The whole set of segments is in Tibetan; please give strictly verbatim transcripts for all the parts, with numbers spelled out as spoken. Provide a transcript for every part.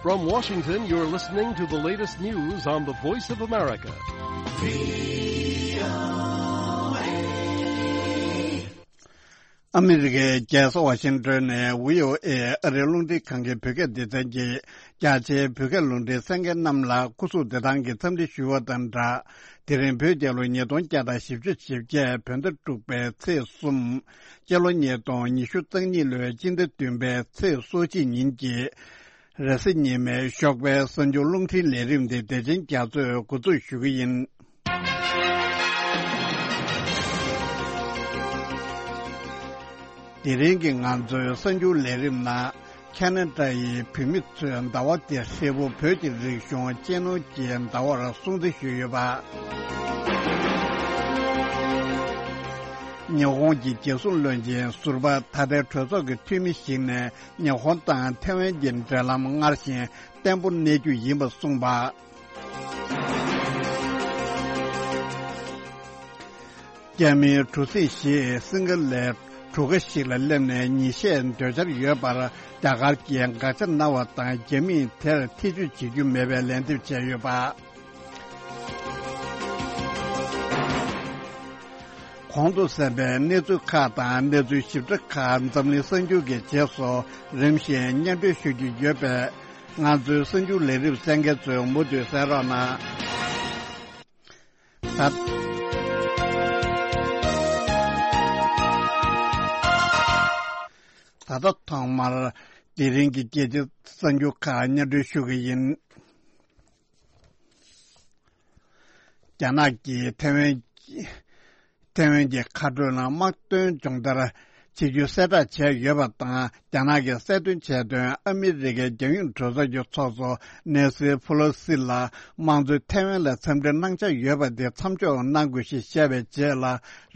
From Washington, you're listening to the latest news on the Voice of America. ཨ་མི་རི་ཀའི་རྒྱལ་ས་ཝ་ཤིང་ཏོན་ནས་བྷི་ཨོ་ཨེ་ཨ་རིའི་རླུང་འཕྲིན་ཁང་གི་བོད་སྐད་སྡེ་ཚན་གྱིས་རྒྱ་ཆེའི་བོད་སྐད་རླུང་འཕྲིན་གསན་མཁན་རྣམས་ལ་སྐུ་གཟུགས་བདེ་ཐང་གི་འཚམས་འདྲི་ཞུ་བ་དང་སྦྲགས། དེ་རིང་བོད་རྒྱལ་ལོ་ཉིས་སྟོང་བརྒྱ་དང་བཞི་བཅུ་ཞེ་བརྒྱད་བོད་ཟླ་དྲུག་པའི་ཚེས་གསུམ། སྤྱི་ལོ་ཉིས་སྟོང་ཉི་ཤུ་རྩ་གཉིས་ལོའི་སྤྱི་ཟླ་བདུན་པའི་ཚེས་སོ་གཅིག་ཉིན་གྱི་རེས་གཟའ་ཉི་མའི་ཞོགས་པའི་གསར་འགྱུར་རླུང་འཕྲིན་ལས་རིམ་འདི་བདེ་ཆེན་རྒྱ་མཚོས་འགོ་འཛུགས་ཞུ་གི་ཡིན། དེ་རིང་གི་ང་ཚོའི་གསར་འགྱུར་ལས་རིམ་ནང་། ཁ་ན་ཌ་ཡི་བོད་མི་ཚོས་ཟླ་བ་འདིར་ཧྲིལ་པོ་བོད་ཀྱི་རིག་གཞུང་གཅེས་ནོར་གྱི་ཟླ་བར་སྲུང་བརྩི་ཞུས་ཡོད་པ། ཉི་ཧོང་གི་རྒྱལ་སྲུང་བློན་ཆེན་ཟུར་པ་ད་ལྟའི་གྲོས་ཚོགས་ཀྱི་འཐུས་མི་ཞིག་ནས་ཉི་ཧོང་དང་ཐེ་ཝན་གྱི་འབྲེལ་ལམ་སྔར་བཞིན་བརྟན་པོ་གནས་རྒྱུ་ཡིན་པ་གསུངས་པ། རྒྱ་མིའི་གྲུ་གཟིངས་བཞི་སིང་ག་ལའི་གྲུ་ཁ་ཞིག་ལ་སླེབས་ནས་ཉིན་ཤས་སྡོད་འཆར་ཡོད་པར་རྒྱ་གར་གྱིས་དགག་བྱ་གནང་བ་དང་། རྒྱ་མིས་དེར་ཐེ་བྱུས་བྱེད་རྒྱུ་མེད་པའི་ལན་འདེབས་བྱས་ཡོད་པ། གོང་དུ་གསན་པའི་གནས་ཚུལ་ཁག་དང་གནས་ཚུལ་ཞིབ་ཕྲ་ཁག་འཛམ་གླིང་གསར་འགྱུར་གྱི་རྗེས་སུ་རིམ་བཞིན་སྙན་སྒྲོན་ཞུ་རྒྱུ་ཡོད་པས། ང་ཚོའི་གསར་འགྱུར་ལས་རིམ་གསན་མཁན་ཚོས་མུ་མཐུད་གསན་རོགས་གནང་། ད་ད་ལྟ་ཐོག་མར་དེ་རིང་གི་རྒྱལ་སྤྱིའི་གསར་འགྱུར་ཁག་སྙན་སྒྲོན་ཞུ་གི་ཡིན། རྒྱ་ནག་གིས་ཐེ་ཝན་ཐེ་ཝན་གྱི་མཁའ་འགྲོ་ལ་དམག་དོན་སྦྱོང་བརྡར་བྱེད་རྒྱུ་གསལ་བསྒྲགས་བྱས་ཡོད་པ་དང་། རྒྱ་ནག་གིས་གསལ་སྟོན་བྱས་དོན། ཨ་མི་རི་ཀའི་རྒྱལ་ཡོངས་གྲོས་ཚོགས་ཀྱི་ཚོགས་གཙོ་ནེ་སི་ཕུ་ལོ་སི་ལ་དམངས་གཙོའི་ཐེ་ཝན་ལ་འཚམས་འདྲི་གནང་འཆར་ཡོད་པ་དེ་མཚམས་འཇོག་གནང་དགོས་ཞེས་བཤད་པའི་རྗེས་ལ།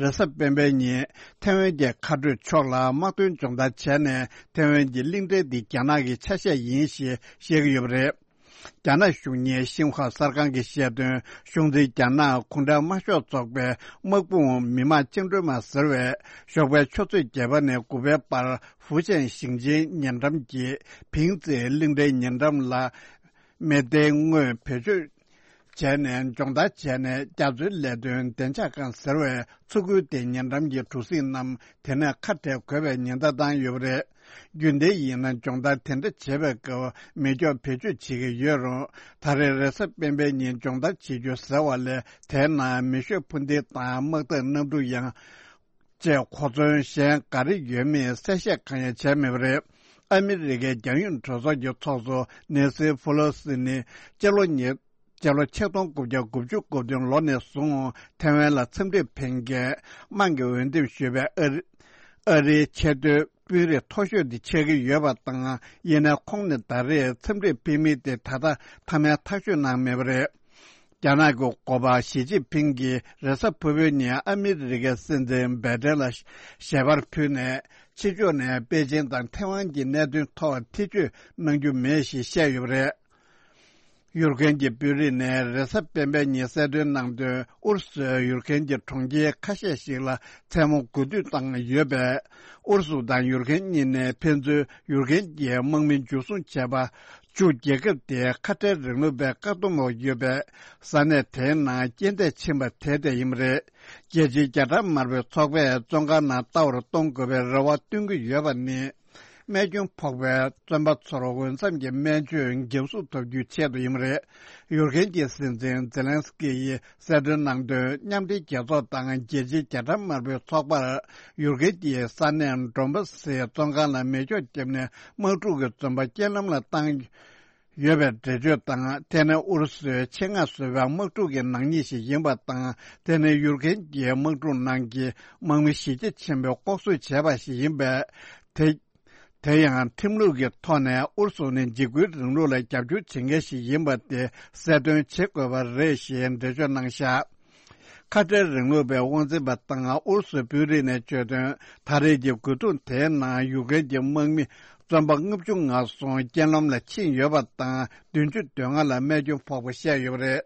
རེས་གཟའ་སྤེན་པའི་ཉིན་ཐེ་ཝན་གྱི་མཁའ་འགྲོའི་ཕྱོགས་ལ་དམག་དོན་སྦྱོང་བརྡར་བྱས་ནས། ཐེ་ཝན་གྱི་གླིང་ཕྲན་འདི་རྒྱ་ནག་གི་ཆ་ཤས་ཡིན་ཞེས་བཤད་ཀྱི་ཡོད་པ་རེད། རྒྱ་ནག་གཞུང་གཉེར་ཤིན་ཧྭ་གསར་ཁང་གིས་བཤད་དོན། གཞུང་འཛིན་རྒྱ་ནག་གུང་ཁྲན་དམར་ཤོག་ཚོགས་པའི་དམག་དཔུང་མི་དམངས་བཅིངས་འགྲོལ་དམག་ཟེར་བས། ཞོགས་པའི་ཆུ་ཚོད་བརྒྱད་པ་ནས་དགུ་པའི་བར་ཧྥུ་ཅན་ཞིང་ཆེན་ཉེ་འགྲམ་གྱི་ཕིང་ཙེ་གླིང་ཕྲན་ཉེ་འགྲམ་ལ་མེ་མདའི་དངོས་བེད་སྤྱོད་བྱས་ནས་སྦྱོང་བརྡར་བྱས་ནས། རྒྱ་མཚོའི་ལས་དོན་བདེ་འཇགས་ཁང་ཟེར་བའི་མཚོ་ཁུལ་དེ་ཉེ་འགྲམ་གྱི་གྲུ་གཟིངས་རྣམས་དེ་ནས་ཁ་བྲལ་དགོས་པའི་ཉེན་བརྡ་བཏང་ཡོད་པ་རེད། རྒྱུན་ལྡན་ཡིན་ན་སྦྱོང་བརྡར་དེ་འདྲ་བྱེད་པའི་སྐབས་མེ་སྒྱོགས་བེད་སྤྱོད་བྱེད་ཀྱི་ཡོད་རུང་། ད་རེས་རེས་གཟའ་སྤེན་པའི་ཉིན་སྦྱོང་བརྡར་བྱེད་རྒྱུ་ཟེར་བ་ལས། དེའི་ནང་མེ་ཤོད་འཕུར་མདེལ་དང་དམག་རྟགས་གནམ་གྲུ་ཡང་། བཅས་གོ་མཚོན་གཞན་ག་རེ་ཡོད་མེད་གསལ་བཤད་གང་ཡང་བྱས་མེད་པ་རེད། ཨ་མི་རི་ཀའི་རྒྱལ་ཡོངས་གྲོས་ཚོགས་ཀྱི་ཚོགས་གཙོ་ནེ་སི་ཕུ་ལོ་སི་ནི་སྤྱི་ལོ་ཉིས་སྤྱི་ལོ་ཆིག་སྟོང་དགུ་བརྒྱ་དགུ་བཅུ་གོ་བདུན་ལོ་ནས་བཟུང་ཐེ་ཝན་ལ་འཚམས་འདྲིར་ཕེབས་མཁན། དམངས་ཀྱིས་འོས་འདེམས་ཞུས་པའི་ཨ་རི་ཨ་རིའི་ཆེས་མཐོའི་དཔོན་རིགས་མཐོ་ཤོས་དེ་ཆགས་ཀྱི་ཡོད་པ་དང་། ཡིན་ནའི་ཁོང་ནི་ད་རེས་འཚམས་འདྲིར་ཕེབས་མིན་དེ་ད་ལྟ་མཐའ་མའི་ཐག་གཅོད་གནང་མེད་པ་རེད། རྒྱ་ནག་གི་འགོ་པ་ཞི་ཅིན་ཕིང་གིས་རེས་གཟའ་ཕུར་བུའི་ཉིན་ཨ་མི་རི་ཀའི་སྲིད་འཛིན་བྷའི་ཏན་ལ་ཞལ་པར་ཕུལ་ནས། ཕྱི་ཕྱོགས་ནས་པེ་ཅིན་དང་ཐེ་ཝན་གྱི་གནད་དོན་ཐོག་ཐེ་བྱུས་གནང་རྒྱུ་མེད་ཞེས་བཤད་ཡོད་པ་རེད། ཡུར་ཁན་གྱི་དཔོན་རིགས་ནས་རེས་གཟའ་སྤེན་པའི་ཉིན་གསལ་སྟོན་གནང་དོན། ཨུ་རུ་སུས་ཡུར་ཁན་གྱི་གྲོང་ཁྱེར་ཁ་ཤས་ཤིག་ལ་མཚན་མོ་རྒུད་སྐྱོད་བཏང་ཡོད་པས། ཨུ་རུ་སུ་དང་ཡུར་ཁན་གཉིས་ནས་ཕན་ཚུན་ཡུར་ཁན་གྱི་དམག་མི་འཇུ་བཟུང་བྱས་པ། བཅུ། རྒྱལ་ཁབ་དེའི་ཁ་བྲལ་རིང་ལུགས་པའི་བཀག་སྡོམ་འོག་ཡོད་པའི་ས་གནས་དེའི་ནང་རྐྱེན་འདས་ཕྱིན་པ་དེ་དེ་ཡིན་པ་རེད། རྒྱལ་སྤྱིའི་རྒྱ་གྲམ་དམར་པོའི་ཚོགས་པས་བཙོན་ཁང་ནང་ལྟ་བར་གཏོང་དགོས་པའི་རེ་བ་བཏོན་གྱི་ཡོད་པ་ནི། རྨས་སྐྱོན་ཕོག་པའི་བཙོན་པ་ཚོར་འོས་འཚམ་གྱི་སྨན་བཅོས་འགན་སྲུང་ཐོབ་རྒྱུའི་ཆེད་དུ་ཡིན་པ་རེད། ཡུར་ཁན་གྱི་སྲིད་འཛིན་ཛེ་ལན་སི་ཀི་ཡིས་གསལ་སྟོན་གནང་དོན། མཉམ་འབྲེལ་རྒྱལ་ཚོགས་དང་རྒྱལ་སྤྱིའི་རྒྱ་གྲམ་དམར་པོའི་ཚོགས་པར་ཡུར་ཁན་གྱི་ས་གནས་ཌོན་པ་སིའི་བཙོན་ཁང་ལ་མེ་སྒྱོགས་བརྒྱབ་ནས་དམག་འཁྲུག་གི་བཙོན་པ་རྐྱེན་ལམ་ལ་བཏང་ཡོད་པའི་འགྲེལ་བརྗོད་དང་། དེ་ནི་ཨུ་རུ་སུའི་ཆེད་མངགས་བཟོས་པའི་དམག་འཁྲུག་གི་ནག་ཉེས་ཤིག་ཡིན་པ་དང་། དེ་ནི་ཡུར་ཁན་གྱི་དམག་འཁྲུག་ནང་གི་དམག་མི་གཞི་རྒྱ་ཆེན་པོས་ལྐོག་གསོད་བྱས་པ་ཞིག་ཡིན་པས། དེ་དེ་ཡང་ཁྲིམས་ལུགས་ཀྱི་ཐོག་ནས་ཨུ་རུ་སུ་ནི་འཇིགས་སྐུལ་རིང་ལུགས་ལ་རྒྱབ་སྐྱོར་བྱེད་མཁན་ཞིག་ཡིན་པ་དེ་གསལ་སྟོན་བྱེད་དགོས་པ་རེད་ཞེས་འགྲེལ་བརྗོད་གནང་བཞག་ཁ་བྲལ་རིང་ལུགས་པའི་དབང་འཛིན་པ་དང་ཨུ་རུ་སུའི་དཔོན་རིགས་ནས་བརྗོད་དོན། ད་རེས་ཀྱི་རྒོལ་རྡུང་དེའི་ནང་ཡུཀ་རེན་གྱི་དམག་མི་བཙོན་པ་ལྔ་བཅུ་ང་གསུམ་རྐྱེན་ལམ་ལ་ཕྱིན་ཡོད་པ་དང་། བདུན་ཅུ་དོན་ལྔ་ལ་རྨས་སྐྱོན་ཕོག་པ་བཤད་ཡོད་པ་རེད།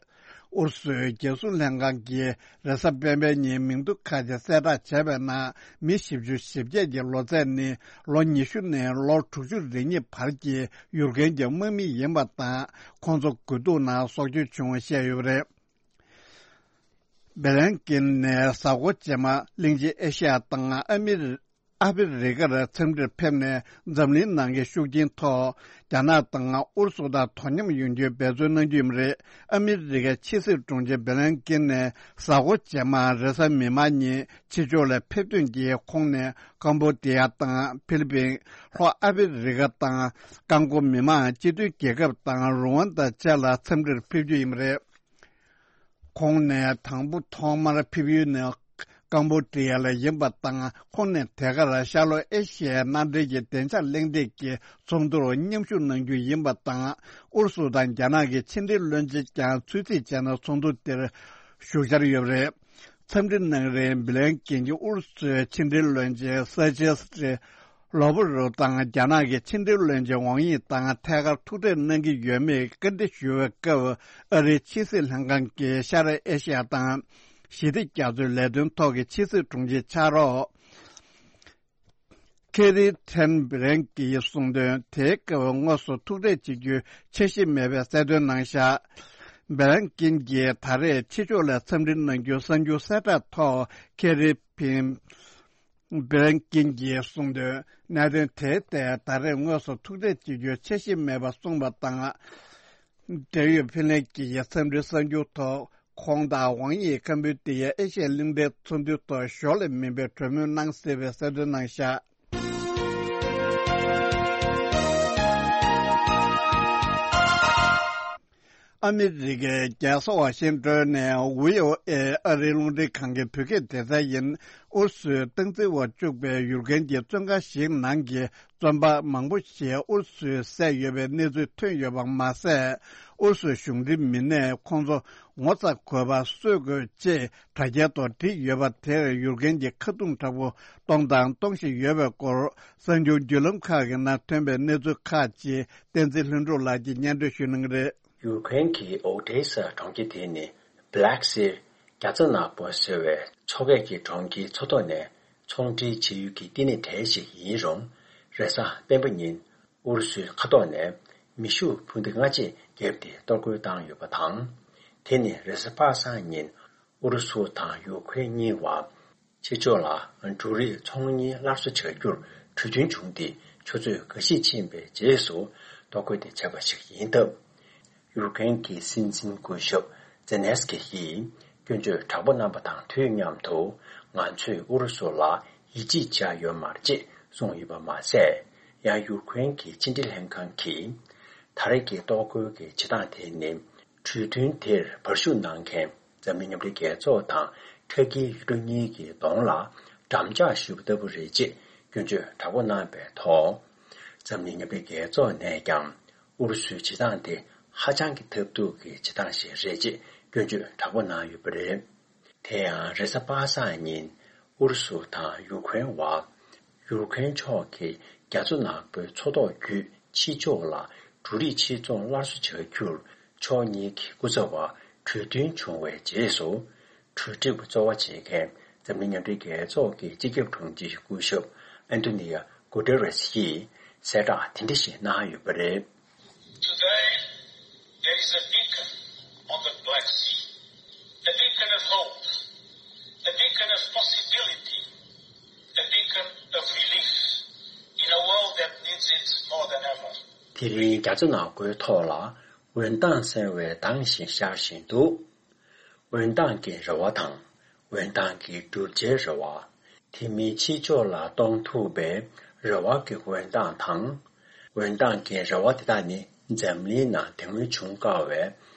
ཨུ་རུ་སུའི་རྒྱལ་སྲུང་ལྷན་ཁང་གིས་རེས་གཟའ་སྤེན་པའི་ཉིན་མིང་ཐོ་ཁག་ཅིག་གསལ་བསྒྲགས་བྱས་པའི་ནང་། མི་བཞི་བཅུ་ཞེ་བརྒྱད་ཀྱི་ལོ་ཚད་ནི་ལོ་ཉི་ཤུ་ནས་ལོ་དྲུག་ཅུ་རེ་གཉིས་བར་གྱི་ཡུལ་མཁན་གྱི་དམག་མི་ཡིན་པ་དང་། ཁོང་ཚོ་དགུ་ཐུག་ནང་སྲོག་སྐྱོན་བྱུང་བ་བཤད་ཡོད་པ་རེད། བེ་ལན་ཀིན་ནས་གཟའ་འཁོར་རྗེས་མ་གླིང་ཆེན་ཨེ་ཤི་ཡ་དང་ཨ་མི་རི། ཨ་ཕི་རི་ཀར་འཚམས་འདྲིར་ཕེབས་ནས། འཛམ་གླིང་ནང་གི་ཤུགས་རྐྱེན་ཐོག་རྒྱ་ནག་དང་ཨུ་རུ་སུ་དང་དོ་མཉམ་ཡོང་རྒྱུའི་འབད་བརྩོན་གནང་རྒྱུ་ཡིན་པ་རེད། ཨ་མི་རི་ཀའི་ཕྱི་སྲིད་དྲུང་ཆེ་བེ་ལན་ཀིན་ནས་གཟའ་འཁོར་རྗེས་མ་རེས་གཟའ་མིག་དམར་ཉིན་ཕྱི་ཕྱོགས་ལ་ཕེབས་ཐོན་གྱིས། ཁོང་ནས་ཀམ་བོ་ཌི་ཡ་དང་ཕི་ལི་པིན། ལྷོ་ཨ་ཕི་རི་ཀ་དང་ཀོང་ཀོ་མི་དམངས་སྤྱི་མཐུན་རྒྱལ་ཁབ་དང་རུ་ཝན་ད་བཅས་ལ་འཚམས་འདྲིར་ཕེབས་རྒྱུ་ཡིན་པ་རེད། ཁོང་ནས་དང་པོ་ཐོག་མར་ཕེབས་ཡུལ་ནི་ཀམ་བོ་ཌི་ཡ་ལ་ཡིན་པ་དང་། ཁོང་ནས་དེ་གར་ཤར་ལྷོ་ཨེ་ཤི་ཡའི་མནའ་འབྲེལ་གྱི་བདེ་འཇགས་གླེང་སྟེགས་ཀྱི་ཚོགས་འདུར་མཉམ་ཞུགས་གནང་རྒྱུ་ཡིན་པ་དང་། ཨུ་རུ་སུ་དང་རྒྱ་ནག་གི་ཕྱི་འབྲེལ་བློན་ཆེན་ཀྱང་ཚུད་རྩིས་བྱས་ནས་ཚོགས་འདུ་དེར་ཞུགས་འཆར་ཡོད་པ་རེད། འཚམས་འདྲི་གནང་རིང་བི་ལན་ཀིན་གྱིས་ཨུ་རུ་སུའི་ཕྱི་འབྲེལ་བློན་ཆེན་སེར་ཇེ་ལོ་བྷ་རོབ་དང་རྒྱ་ནག་གི་ཕྱི་འབྲེལ་བློན་ཆེན་ཝང་ཡི་དང་ཐད་ཀར་ཐུག་འཕྲད་གནང་གི་ཡོད་མེད་བཀའ་འདྲི་ཞུ་བའི་སྐབས། ཨ་རིའི་ཕྱི་སྲིད་ལྷན་ཁང་གི་ཤར་ཨེ་ཤི་ཡ་དང་ཞི་བདེ་རྒྱ་མཚོའི་ལས་དོན་ཐོག་གི་ཕྱི་སྲིད་དྲུང་ཆེ་ཕྱག་རོགས་ཁེ་རི་ཐན་བི་ལན་གྱིས་གསུངས་དོན། དེའི་སྐབས་དངོས་སུ་ཐུག་འཕྲད་བྱེད་རྒྱུའི་འཆར་གཞི་མེད་པའི་གསལ་སྟོན་གནང་བཞག་བི་ལན་ཀིན་གྱིས་ད་རེས་ཕྱི་ཕྱོགས་ལ་འཚམས་འདྲི་གནང་རྒྱུའི་གསར་འགྱུར་གསལ་བསྒྲགས་ཐོག་ཁེ་རི་ཕིན། བི་ལན་ཀིན་གྱིས་གསུངས་དོན། གནད་དོན་དེའི་ཐད་ད་རེས་དངོས་སུ་ཐུག་འཕྲད་བྱེད་རྒྱུའི་འཆར་གཞི་མེད་པ་གསུངས་པ་དང་། འབྲེལ་ཡོད་ཕིན་ལན་གྱི་འཚམས་འདྲིའི་གསར་འགྱུར་ཐོག་ཁོང་དང་ཝང་ཡིས་ཀམ་བུ་ཏི་ཡའི་ཨེ་ཤི་ཡའི་གླིང་ཕྲན་ཚོགས་འདུའི་ཐོག་ཞོར་ལས་མིན་པའི་གྲོས་མོལ་གནང་སྲིད་པའི་གསལ་སྟོན་གནང་བཞག་ཨ་མི་རི་ཀའི་རྒྱལ་ས་ཝ་ཤིང་ཏོན་ནས་ཝི་ཨོ་ཨེ་ཨ་རིའི་རླུང་འཕྲིན་ཁང་གི་བོད་སྐད་སྡེ་ཚན་ཡིན། ཨུ་རུ་སུའི་སྟངས་འཛིན་འོག་བཅུག་པའི་ཡུལ་མཁན་གྱི་བཙོན་ཁང་ཞིག་ནང་གི་བཙོན་པ་མང་པོ་ཞིག་ཨུ་རུ་སུས་བསད་ཡོད་པའི་གནས་ཚུལ་ཐོན་ཡོད་པ་མ་ཟད། ཨུ་རུ་སུའི་གཞུང་འབྲེལ་མི་སྣས་ཁོང་ཚོ་ངོ་ཚ་དགོས་པ་གསོད་དགོས་ཅེས་དྲ་རྒྱའི་ཐོག་བྲིས་ཡོད་པ་དེར་ཡུལ་མཁན་གྱིས་ཁ་རྡུང་དྲག་པོ་གཏོང་དང་གཏོང་བཞིན་ཡོད་པའི་སྐོར། གསར་འགྱུར་བརྒྱུད་ལམ་ཁག་གི་ནང་ཐོན་པའི་གནས་ཚུལ་ཁག་ཅིག་བསྟན་འཛིན་ལྷུན་གྲུབ་ལགས་ཀྱིས་སྙན་སྒྲོན་ཞུ་གནང་གི་རེད། ཡུཀ་རེན་གྱི་ཨོ་ཌེ་ས་གྲོང་ཁྱེར་དེ་ནི་Black Sea རྒྱ་མཚོ་ནག་པོ་ཟེར་བའི་མཚོ་ཁའི་གྲོང་ཁྱེར་མཚོ་ཐོག་ནས་ཚོང་འབྲེལ་བྱེད་ཡུལ་གྱི་བསྟི་གནས་གྲས་ཤིག་ཡིན་རུང་། རེས་གཟའ་སྤེན་པ་ཉིན་ཨུ་རུ་སུའི་མཁའ་ཐོག་ནས་མེ་ཤུགས་འཕུར་མདེལ་ལྔ་ཅིག་བརྒྱབ་སྟེ་གཏོར་རྒོལ་བཏང་ཡོད་པ་དང་། དེ་ནི་རེས་གཟའ་པ་སངས་ཉིན་ཨུ་རུ་སུ་དང་ཡུཀ་རེན་གཉིས་བར་ཕྱི་ཕྱོགས་ལ་འབྲུ་རིགས་ཚོང་གཉེར་སླར་གསོ་བྱ་རྒྱུར་གྲོས་མཐུན་བྱུང་སྟེ། ཆུ་ཚོད་འགའ་ཤས་ཕྱིན་པའི་རྗེས་སུ་གཏོར་རྒོལ་དེ་བྱས་པ་ཞིག་ཡིན་སྟབས། ཡུཀ་རེན་གྱི་སྲིད་འཛིན་སྐུ་ཞབས་ཛེ་ནེ་སི་ཀི་ཡིས་སྐྱོན་བརྗོད་དྲག་པོ་གནང་པ་དང་དུས་མཉམ་དུ། ང་ཚོས་ཨུ་རུ་སུ་ལ་ཡིད་ཆེས་བྱས་ཡོད་མ་རེད་ཅེས་གསུངས་ཡོད་པ་མ་ཟད། ཡང་ཡུཀ་རེན་གྱི་ཕྱི་འབྲེལ་ལྷན་ཁང་གིས། ད་རེས་ཀྱི་གཏོར་རྒོལ་གྱི་བྱེད་སྟངས་དེ་ནི། གྲོས་མཐུན་དེར་བར་ཞུགས་གནང་མཁན་འཛམ་གླིང་མཉམ་འབྲེལ་རྒྱལ་ཚོགས་དང་ཕྲ་རྒྱལ་ཡུལ་གྲུ་གཉིས་ཀྱི་གདོང་ལ་འགྲམ་ལྕག་གཞུས་པ་ལྟ་བུ་རེད་ཅེས་སྐྱོན་བརྗོད་དྲག་པོ་གནང་བའི་ཐོག་འཛམ་གླིང་མཉམ་འབྲེལ་རྒྱལ་ཚོགས་ནས་ཀྱང་ཨུ་རུ་སུའི་བྱེད་སྟངས་དེ་ཧ་ཅང་གི་ཐབས་སྡུག་གི་བྱེད་སྟངས་ཤིག་རེད་ཅེས་སྐྱོན་བརྗོད་དྲག་པོ་གནང་ཡོད་པ་རེད། དེ་ཡང་རེས་གཟའ་པ་སངས་ཉིན་ཨུ་རུ་སུ་དང་ཡུ་ཀེ་རེན་བར། ཡུ་ཀེ་རེན་ཕྱོགས་ཀྱིས་རྒྱ་མཚོ་ནག་པོའི་མཚོ་ཐོག་བརྒྱུད་ཕྱི་ཕྱོགས་ལ་འབྲུ་རིགས་ཕྱིར་ཚོང་སླར་གསོ་བྱ་རྒྱུར་ཕྱོགས་གཉིས་ཀྱི་སྐུ་ཚབ་བར་གྲོས་མཐུན་བྱུང་བའི་རྗེས་སུ། གྲོས་འགྲིག་པ་གཙོ་བོ་བྱེད་མཁན་འཛམ་གླིང་མཉམ་འབྲེལ་རྒྱལ་ཚོགས་ཀྱི་སྤྱི་ཁྱབ་དྲུང་ཆེ་སྐུ་ཞབས་ཨན་ཏོ་ནི་ཡ་གུ་ཏེ་རེས་ཡིས་གསལ་བསྒྲགས་དེ་འདྲ་ཞིག་གནང་ཡོད་པ་རེད། Today, there is a beacon on the Black Sea, a beacon of hope, a beacon of possibility, a beacon of relief in a world that needs it more than ever. དེ་རིང་རྒྱ་མཚོ་ནག་པོའི་ཐོག་ལ་འོད་མདངས་གསལ་བའི་མདངས་ཤིག་ཤར་བཞིན་འདུག་འོད་མདངས་ཀྱི་རེ་བ་དང་། འོད་མདངས་ཀྱི་བསྒྲུབ་བྱའི་རེ་བ། དེ་མིན་ཕྱི་ཕྱོགས་ལ་གཏོང་ཐུབ་པའི་རེ་བ་གི་འོད་མདངས་དང་། འོད་མདངས་ཀྱི་རེ་བ་དེ་དག་ནི་འཛམ་གླིང་ནང་དེ་སྔོན་བྱུང་དཀའ་བའི་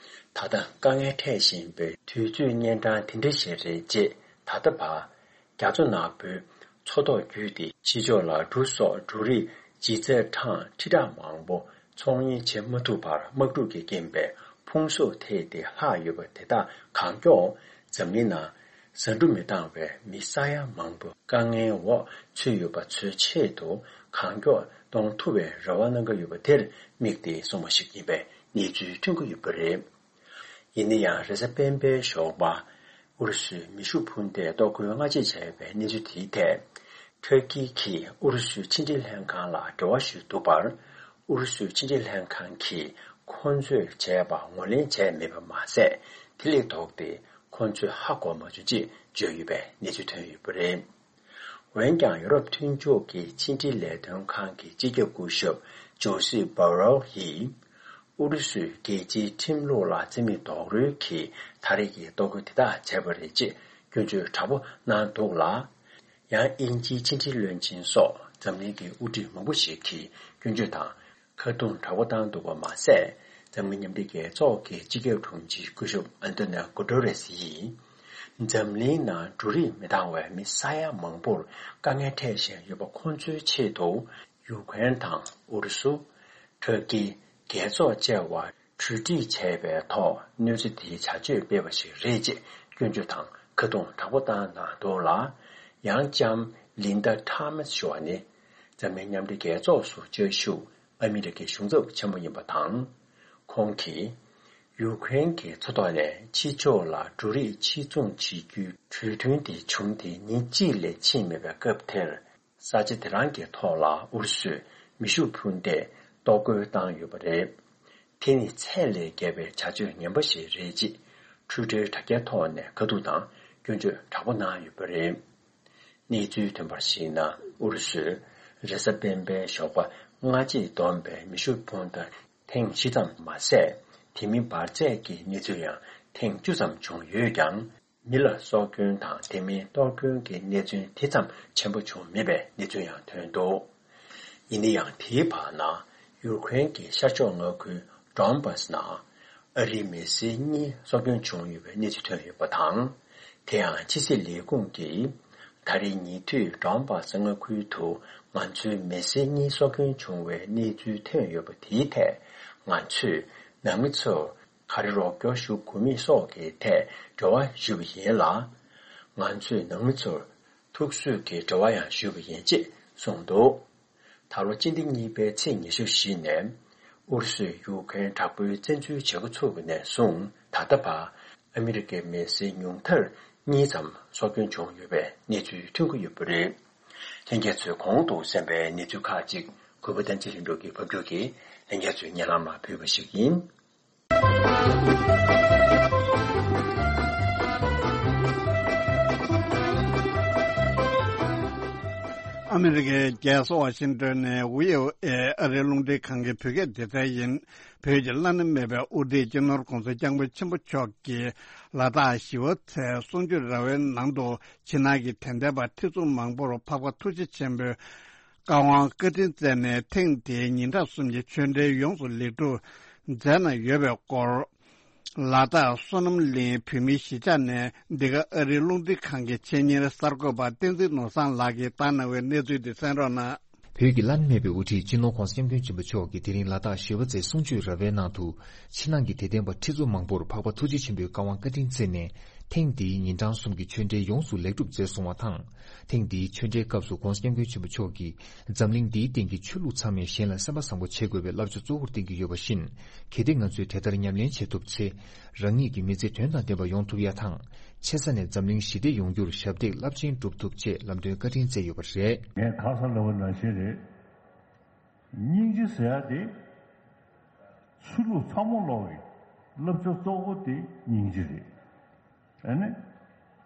ད་ལྟ་དཀའ་ངལ་འཕྲད་བཞིན་པའི་དུས་ཚོད་གཉན་འཕྲང་དེ་འདྲ་ཞིག་རེད་ཅེས་ད་ལྟ་བར། རྒྱ་མཚོ་ནག་པོའི་མཚོ་ཐོག་བརྒྱུད་དེ་ཕྱི་ཕྱོགས་ལ་འབྲུ་སོགས་འབྲུ་རིགས་ལྗིད་ཚད་ཊོན་ཁྲི་ཕྲག་མང་པོ་ཚོང་གཉེར་བྱེད་མ་ཐུབ་པར་དམག་འཁྲུག་གི་རྐྱེན་པས་ཕུང་གསོག་ཐེབས་ཏེ་ལྷག་ཡོད་པ་དེ་དག་གང་མགྱོགས་འཛམ་གླིང་ནང་ཟ་འབྲུ་མི་འདང་བའི་མི་ས་ཡ་མང་པོ་དཀའ་ངལ་འོག་ཚུད་ཡོད་པ་ཚོའི་ཆེད་དུ་གང་མགྱོགས་གཏོང་ཐུབ་པའི་རེ་བ་གནང་གི་ཡོད་པ་དེར་དམིགས་ཏེ་གསུངས་པ་ཞིག་ཡིན་པའི་གནས་ཚུལ་ཐོན་གྱི་ཡོད་པ་རེད། ཡིན་ན་ཡང་རེས་གཟའ་སྤེན་པའི་ཞོགས་པ། ཨུ་རུ་སུས་མེ་ཤུགས་འཕུར་མདེལ་གཏོར་རྒོལ་སྔ་རྗེས་བྱས་པའི་གནས་ཚུལ་དེའི་ཐད། ཐུར་ཀི་གིས་ཨུ་རུ་སུའི་ཕྱི་འབྲེལ་ལྷན་ཁང་ལ་འབྲེལ་བ་ཞུས་འདུག་པར། ཨུ་རུ་སུའི་ཕྱི་འབྲེལ་ལྷན་ཁང་གིས་ཁོང་ཚོས་བྱས་པ་ངོས་ལེན་བྱས་མེད་པ་མ་ཟད། དེ་ལས་ལྡོག་སྟེ་ཁོང་ཚོས་ཧ་གོ་མ་བྱུང་ཅེས་བརྗོད་ཡོད་པའི་གནས་ཚུལ་ཐོན་ཡོད་པ་རེད། འོན་ཀྱང་ཡུ་རོབ་མཐུན་ཕྱོགས་ཀྱི་ཕྱི་འབྲེལ་ལས་དོན་ཁང་གི་སྤྱི་ཁྱབ་སྐུ་ཞབས་ཇོ་སེ་བྷ་རེལ་ཡིས། ཨུ་རུ་སུས་རྒྱལ་སྤྱིའི་ཁྲིམས་ལུགས་ལ་བརྩི་མེད་རྡོག་རོལ་གྱིས་ད་རེས་ཀྱི་གཏོར་རྒོལ་དེ་དག་བྱས་པ་རེད་ཅེས་སྐྱོན་བརྗོད་དྲག་པོ་གནང་འདུག་ལ། ཡང་དབྱིན་ཇིའི་ཕྱི་འབྲེལ་བློན་ཆེན་སོགས་འཛམ་གླིང་གི་དབུ་ཁྲིད་མང་པོ་ཞིག་གིས་སྐྱོན་བརྗོད་དང་། ཁ་རྡུང་དྲག་པོ་བཏང་འདུག་པ་མ་ཟད། འཛམ་གླིང་མཉམ་འབྲེལ་རྒྱལ་ཚོགས་ཀྱི་སྤྱི་ཁྱབ་དྲུང་ཆེ་སྐུ་ཞབས་ཨན་ཏོ་ནིའོ་གུ་ཏོ་རེས་ཡིས། འཛམ་གླིང་ནང་འབྲུ་རིགས་མི་འདང་བའི་མི་ས་ཡ་མང་པོར་དཀའ་ངལ་འཕྲད་བཞིན་ཡོད་པ་ཁོང་ཚོའི་ཆེད་དུ། ཡུ་ཀེ་རེན་དང་ཨུ་རུ་སུ། ཐུར་ཀི། རྒྱལ་ཚོགས་བཅས་པ་གྲོས་འགྲིག་བྱས་པའི་ཐོག་གནས་ཚུལ་དེའི་བྱ་སྤྱོད་སྤེལ་བ་ཞིག་རེད་ཅེས་སྐྱོན་བརྗོད་དང་ཁ་རྡུང་དྲག་པོ་བཏང་གནང་འདུག་ལ། ཡང་ལྕམ་ལིན་ད་ཐོ་མཱས་ཞུ་བ་ནི། འཛམ་གླིང་མཉམ་འབྲེལ་རྒྱལ་ཚོགས་སུ་བཅའ་བཞུགས་ཨ་མི་རི་ཀའི་གཞུང་ཚབ་ཆེན་མོ་ཡིན་པ་དང་། ཁོང་གིས། ཡུ་ཀེ་རེན་གྱི་མཚོ་ཐོག་ནས་ཕྱི་ཕྱོགས་ལ་འབྲུ་རིགས་ཕྱིར་ཚོང་བྱེད་རྒྱུའི་གྲོས་མཐུན་དེ་བྱུང་སྟེ་ཉིན་གཅིག་ལས་ཕྱིན་མེད་པའི་སྐབས་དེར། ས་ཆ་དེ་རང་གི་ཐོག་ལ་ཨུ་རུ་སུས་མེ་ཤུགས་འཕུར་མདེལ་གཏོར་རྒོལ་བཏང་ཡོད་པ་རེད། དེ་ནི་ཚད་ལས་བརྒལ་བའི་བྱ་སྤྱོད་ངན་པ་ཞིག་རེད་ཅེས་ཊུའི་ཊར་དྲ་རྒྱའི་ཐོག་ནས་ཁ་ཐུག་དང་སྐྱོན་བརྗོད་དྲག་པོ་གནང་ཡོད་པ་རེད། གནས་ཚུལ་ཐོན་པར་གཞིགས་ན། ཨུ་རུ་སུས་རེས་གཟའ་སྤེན་པའི་ཞོགས་པ་སྔ་རྗེས་བསྡོམས་པའི་མེ་ཤུགས་འཕུར་མདའ་ཐེངས་བཞི་ཙམ་མ་ཟད། དེ་མིན་འབར་རྫས་ཀྱི་གནས་ཚུལ་ཡང་ཐེངས་བཅུ་ཙམ་བྱུང་ཡོད་ཀྱང་། མི་ལ་སྲོག་སྐྱོན་དང་དེ་མིན་གཏོར་སྐྱོན་གྱི་གནས་ཚུལ་དེ་ཙམ་ཆེན་པོ་བྱུང་མེད་པའི་གནས་ཚུལ་ཡང་ཐོན་འདུག་ཡིན་ན་ཡང་དེའི་བར་ན། ཡུ་ཀེ་རེན་གྱི་ཤར་ཕྱོགས་མངའ་ཁུལ་ཌོན་བྷ་སི་ནང་ཨ་རིའི་མི་སེར་གཉིས་སྲོག་སྐྱོན་བྱུང་ཡོད་པའི་གནས་ཚུལ་ཐོན་ཡོད་པ་དང་། དེ་ཡང་ཕྱི་སྲིད་ལས་ཁུངས་ཀྱིས། ད་རེས་ཉེ་དུས་ཌོན་བྷ་སི་མངའ་ཁུལ་དུ་ང་ཚོའི་མི་སེར་གཉིས་སྲོག་སྐྱོན་བྱུང་བའི་གནས་ཚུལ་ཐོན་ཡོད་པ་དེའི་ཐད། ང་ཚོས་ནང་མི་ཚོར་ག་རེ་རོགས་སྐྱོར་ཞུ་དགོས་མིན་སོགས་ཀྱི་ཐད་འབྲེལ་བ་ཞུས་པ་ཡིན་ལ། ང་ཚོས་ནང་མི་ཚོར་ཐུགས་གསོས་ཀྱི་འབྲེལ་བ་ཡང་ཞུས་པ་ཡིན་ཅེས་གསུངས་འདུག་ད་ལོ་སྤྱི་ཟླ་གཉིས་པའི་ཚེས་ཉི་ཤུ་བཞི་ནས་ཨུ་རུ་སུས་ཡུ་ཀེ་རེན་དྲག་པོའི་བཙན་འཛུལ་བྱེད་འགོ་ཚུགས་པ་ནས་བཟུང་ད་ལྟ་བར་ཨ་མི་རི་ཀའི་མི་སེར་ཉུང་མཐར་གཉིས་ཙམ་སྲོག་སྐྱོན་བྱུང་ཡོད་པའི་གནས་ཚུལ་ཐོན་གྱི་ཡོད་པ་རེད། ལྷན་རྒྱས་ཚོས་གོང་དུ་གསན་པའི་གནས་ཚུལ་ཁག་ཅིག་གུས་པ་བསྟན་འཛིན་ལྷུན་གྲུབ་ཀྱིས་ཕབ་སྒྱུར་གྱིས་ལྷན་རྒྱས་ཚོའི་སྙན་ལམ་ལ་ཕུལ་བ་ཞིག་ཡིན། ཨ་མི་རི་ཀའི་རྒྱལ་ས་ཝ་ཤིང་ཏོན་ནས་ཝི་ཨོ་ཨེ་ཨ་རིའི་རླུང་འཕྲིན་ཁང་གི་བོད་སྐད་སྡེ་ཚན་ཡིན། བོད་ཀྱི་བླ་ན་མེད་པའི་དབུ་ཁྲིད་སྤྱི་ནོར་༸གོང་ས་༸སྐྱབས་མགོན་ཆེན་པོ་མཆོག་གིས་ལ་དྭགས་ཞི་བ་འཚོའི་གསུང་ཆོས་ར་བའི་ནང་དུ་ཕྱི་ནང་གི་དད་ལྡན་པ་ཁྲི་ཚོ་མང་པོར་འཕགས་པ་ཐུགས་རྗེ་ཆེན་པོའི་བཀའ་དབང་བཀའ་དྲིན་བསྩལ་ནས་ཐེངས་འདིའི་ཉིན་གྲངས་གསུམ་གྱི་ཆོས་འབྲེལ་ཡོངས་སུ་ལེགས་གྲུབ་མཛད་གནང་ཡོད་པའི་སྐོར། ལ་དྭགས་བསོད་ནམས་གླིང་བོད་མིའི་གཞིས་ཆགས་ནས་འདི་ག་ཨ་རིའི་རླུང་འཕྲིན་ཁང་གི་ཆེད་གཉེར་གསར་འགོད་པ་བསྟན་འཛིན་ནོར་བཟང་ལགས་ཀྱིས་བཏང་གནང་བའི་གནས་ཚུལ་འདི་གསན་རོགས་གནང་། བོད་ཀྱི་བླ་ན་མེད་པའི་དབུ་ཁྲིད་སྤྱི་ནོར་༸གོང་ས་༸སྐྱབས་མགོན་ཆེན་པོ་མཆོག་གིས་དེ་རིང་ལ་དྭགས་ཞི་བ་འཚོའི་གསུང་ཆོས་ར་བའི་ནང་དུ། ཕྱི་ནང་གི་དད་ལྡན་པ་ཁྲི་ཚོ་མང་པོར་འཕགས་པ་ཐུགས་རྗེ་ཆེན་པོའི་བཀའ་དབང་བཀའ་དྲིན་བསྩལ་ནས། ཐེངས་འདིའི་ཉིན་གྲངས་གསུམ་གྱི་ཆོས་འབྲེལ་ཡོངས་སུ་ལེགས་གྲུབ་མཛད་སོང་བ་དང་། ཐེངས་འདིའི་ཆོས་འབྲེལ་སྐབས་སུ་༸གོང་ས་༸སྐྱབས་མགོན་ཆེན་པོ་མཆོག་གིས། འཛམ་གླིང་འདིའི་སྟེང་གི་ཆོས་ལུགས་ཚང་མས་གཞན་ལ་སེམས་པ་བཟང་པོ་བྱེད་དགོས་པའི་བསླབ་བྱ་གཙོ་བོར་བསྟན་གྱི་ཡོད་པ་བཞིན། གལ་ཏེ་ང་ཚོས་དེ་ལྟར་ཉམས་ལེན་བྱེད་ཐུབ་ཚེ། རང་ཉིད་ཀྱི་མི་ཚེ་དོན་དང་ལྡན་པ་ཡོང་ཐུབ་ཡ་དང་། ཆེ་ས་ནས་འཛམ་གླིང་ཞི་བདེ་ཡོང་རྒྱུར་ཞབས་འདེགས་རླབས་ཆེན་སྒྲུབ་ཐུབ་ཅེས་ལམ་སྟོན་བཀའ་དྲིན་བསྩལ་ཡོད་པ་རེད། ངས་ཁ་སང་ལབ་པ་ནང་བཞིན་རེད། སྙིང་རྗེ་ཟེར་ཡ་དེ། ཆོས་ལུགས་ཚང་མ་ལོག་གི་བསླབ་བྱ་གཙོ་བོ་དེ་སྙིང་རྗེ་རེད། ཨ་ནི།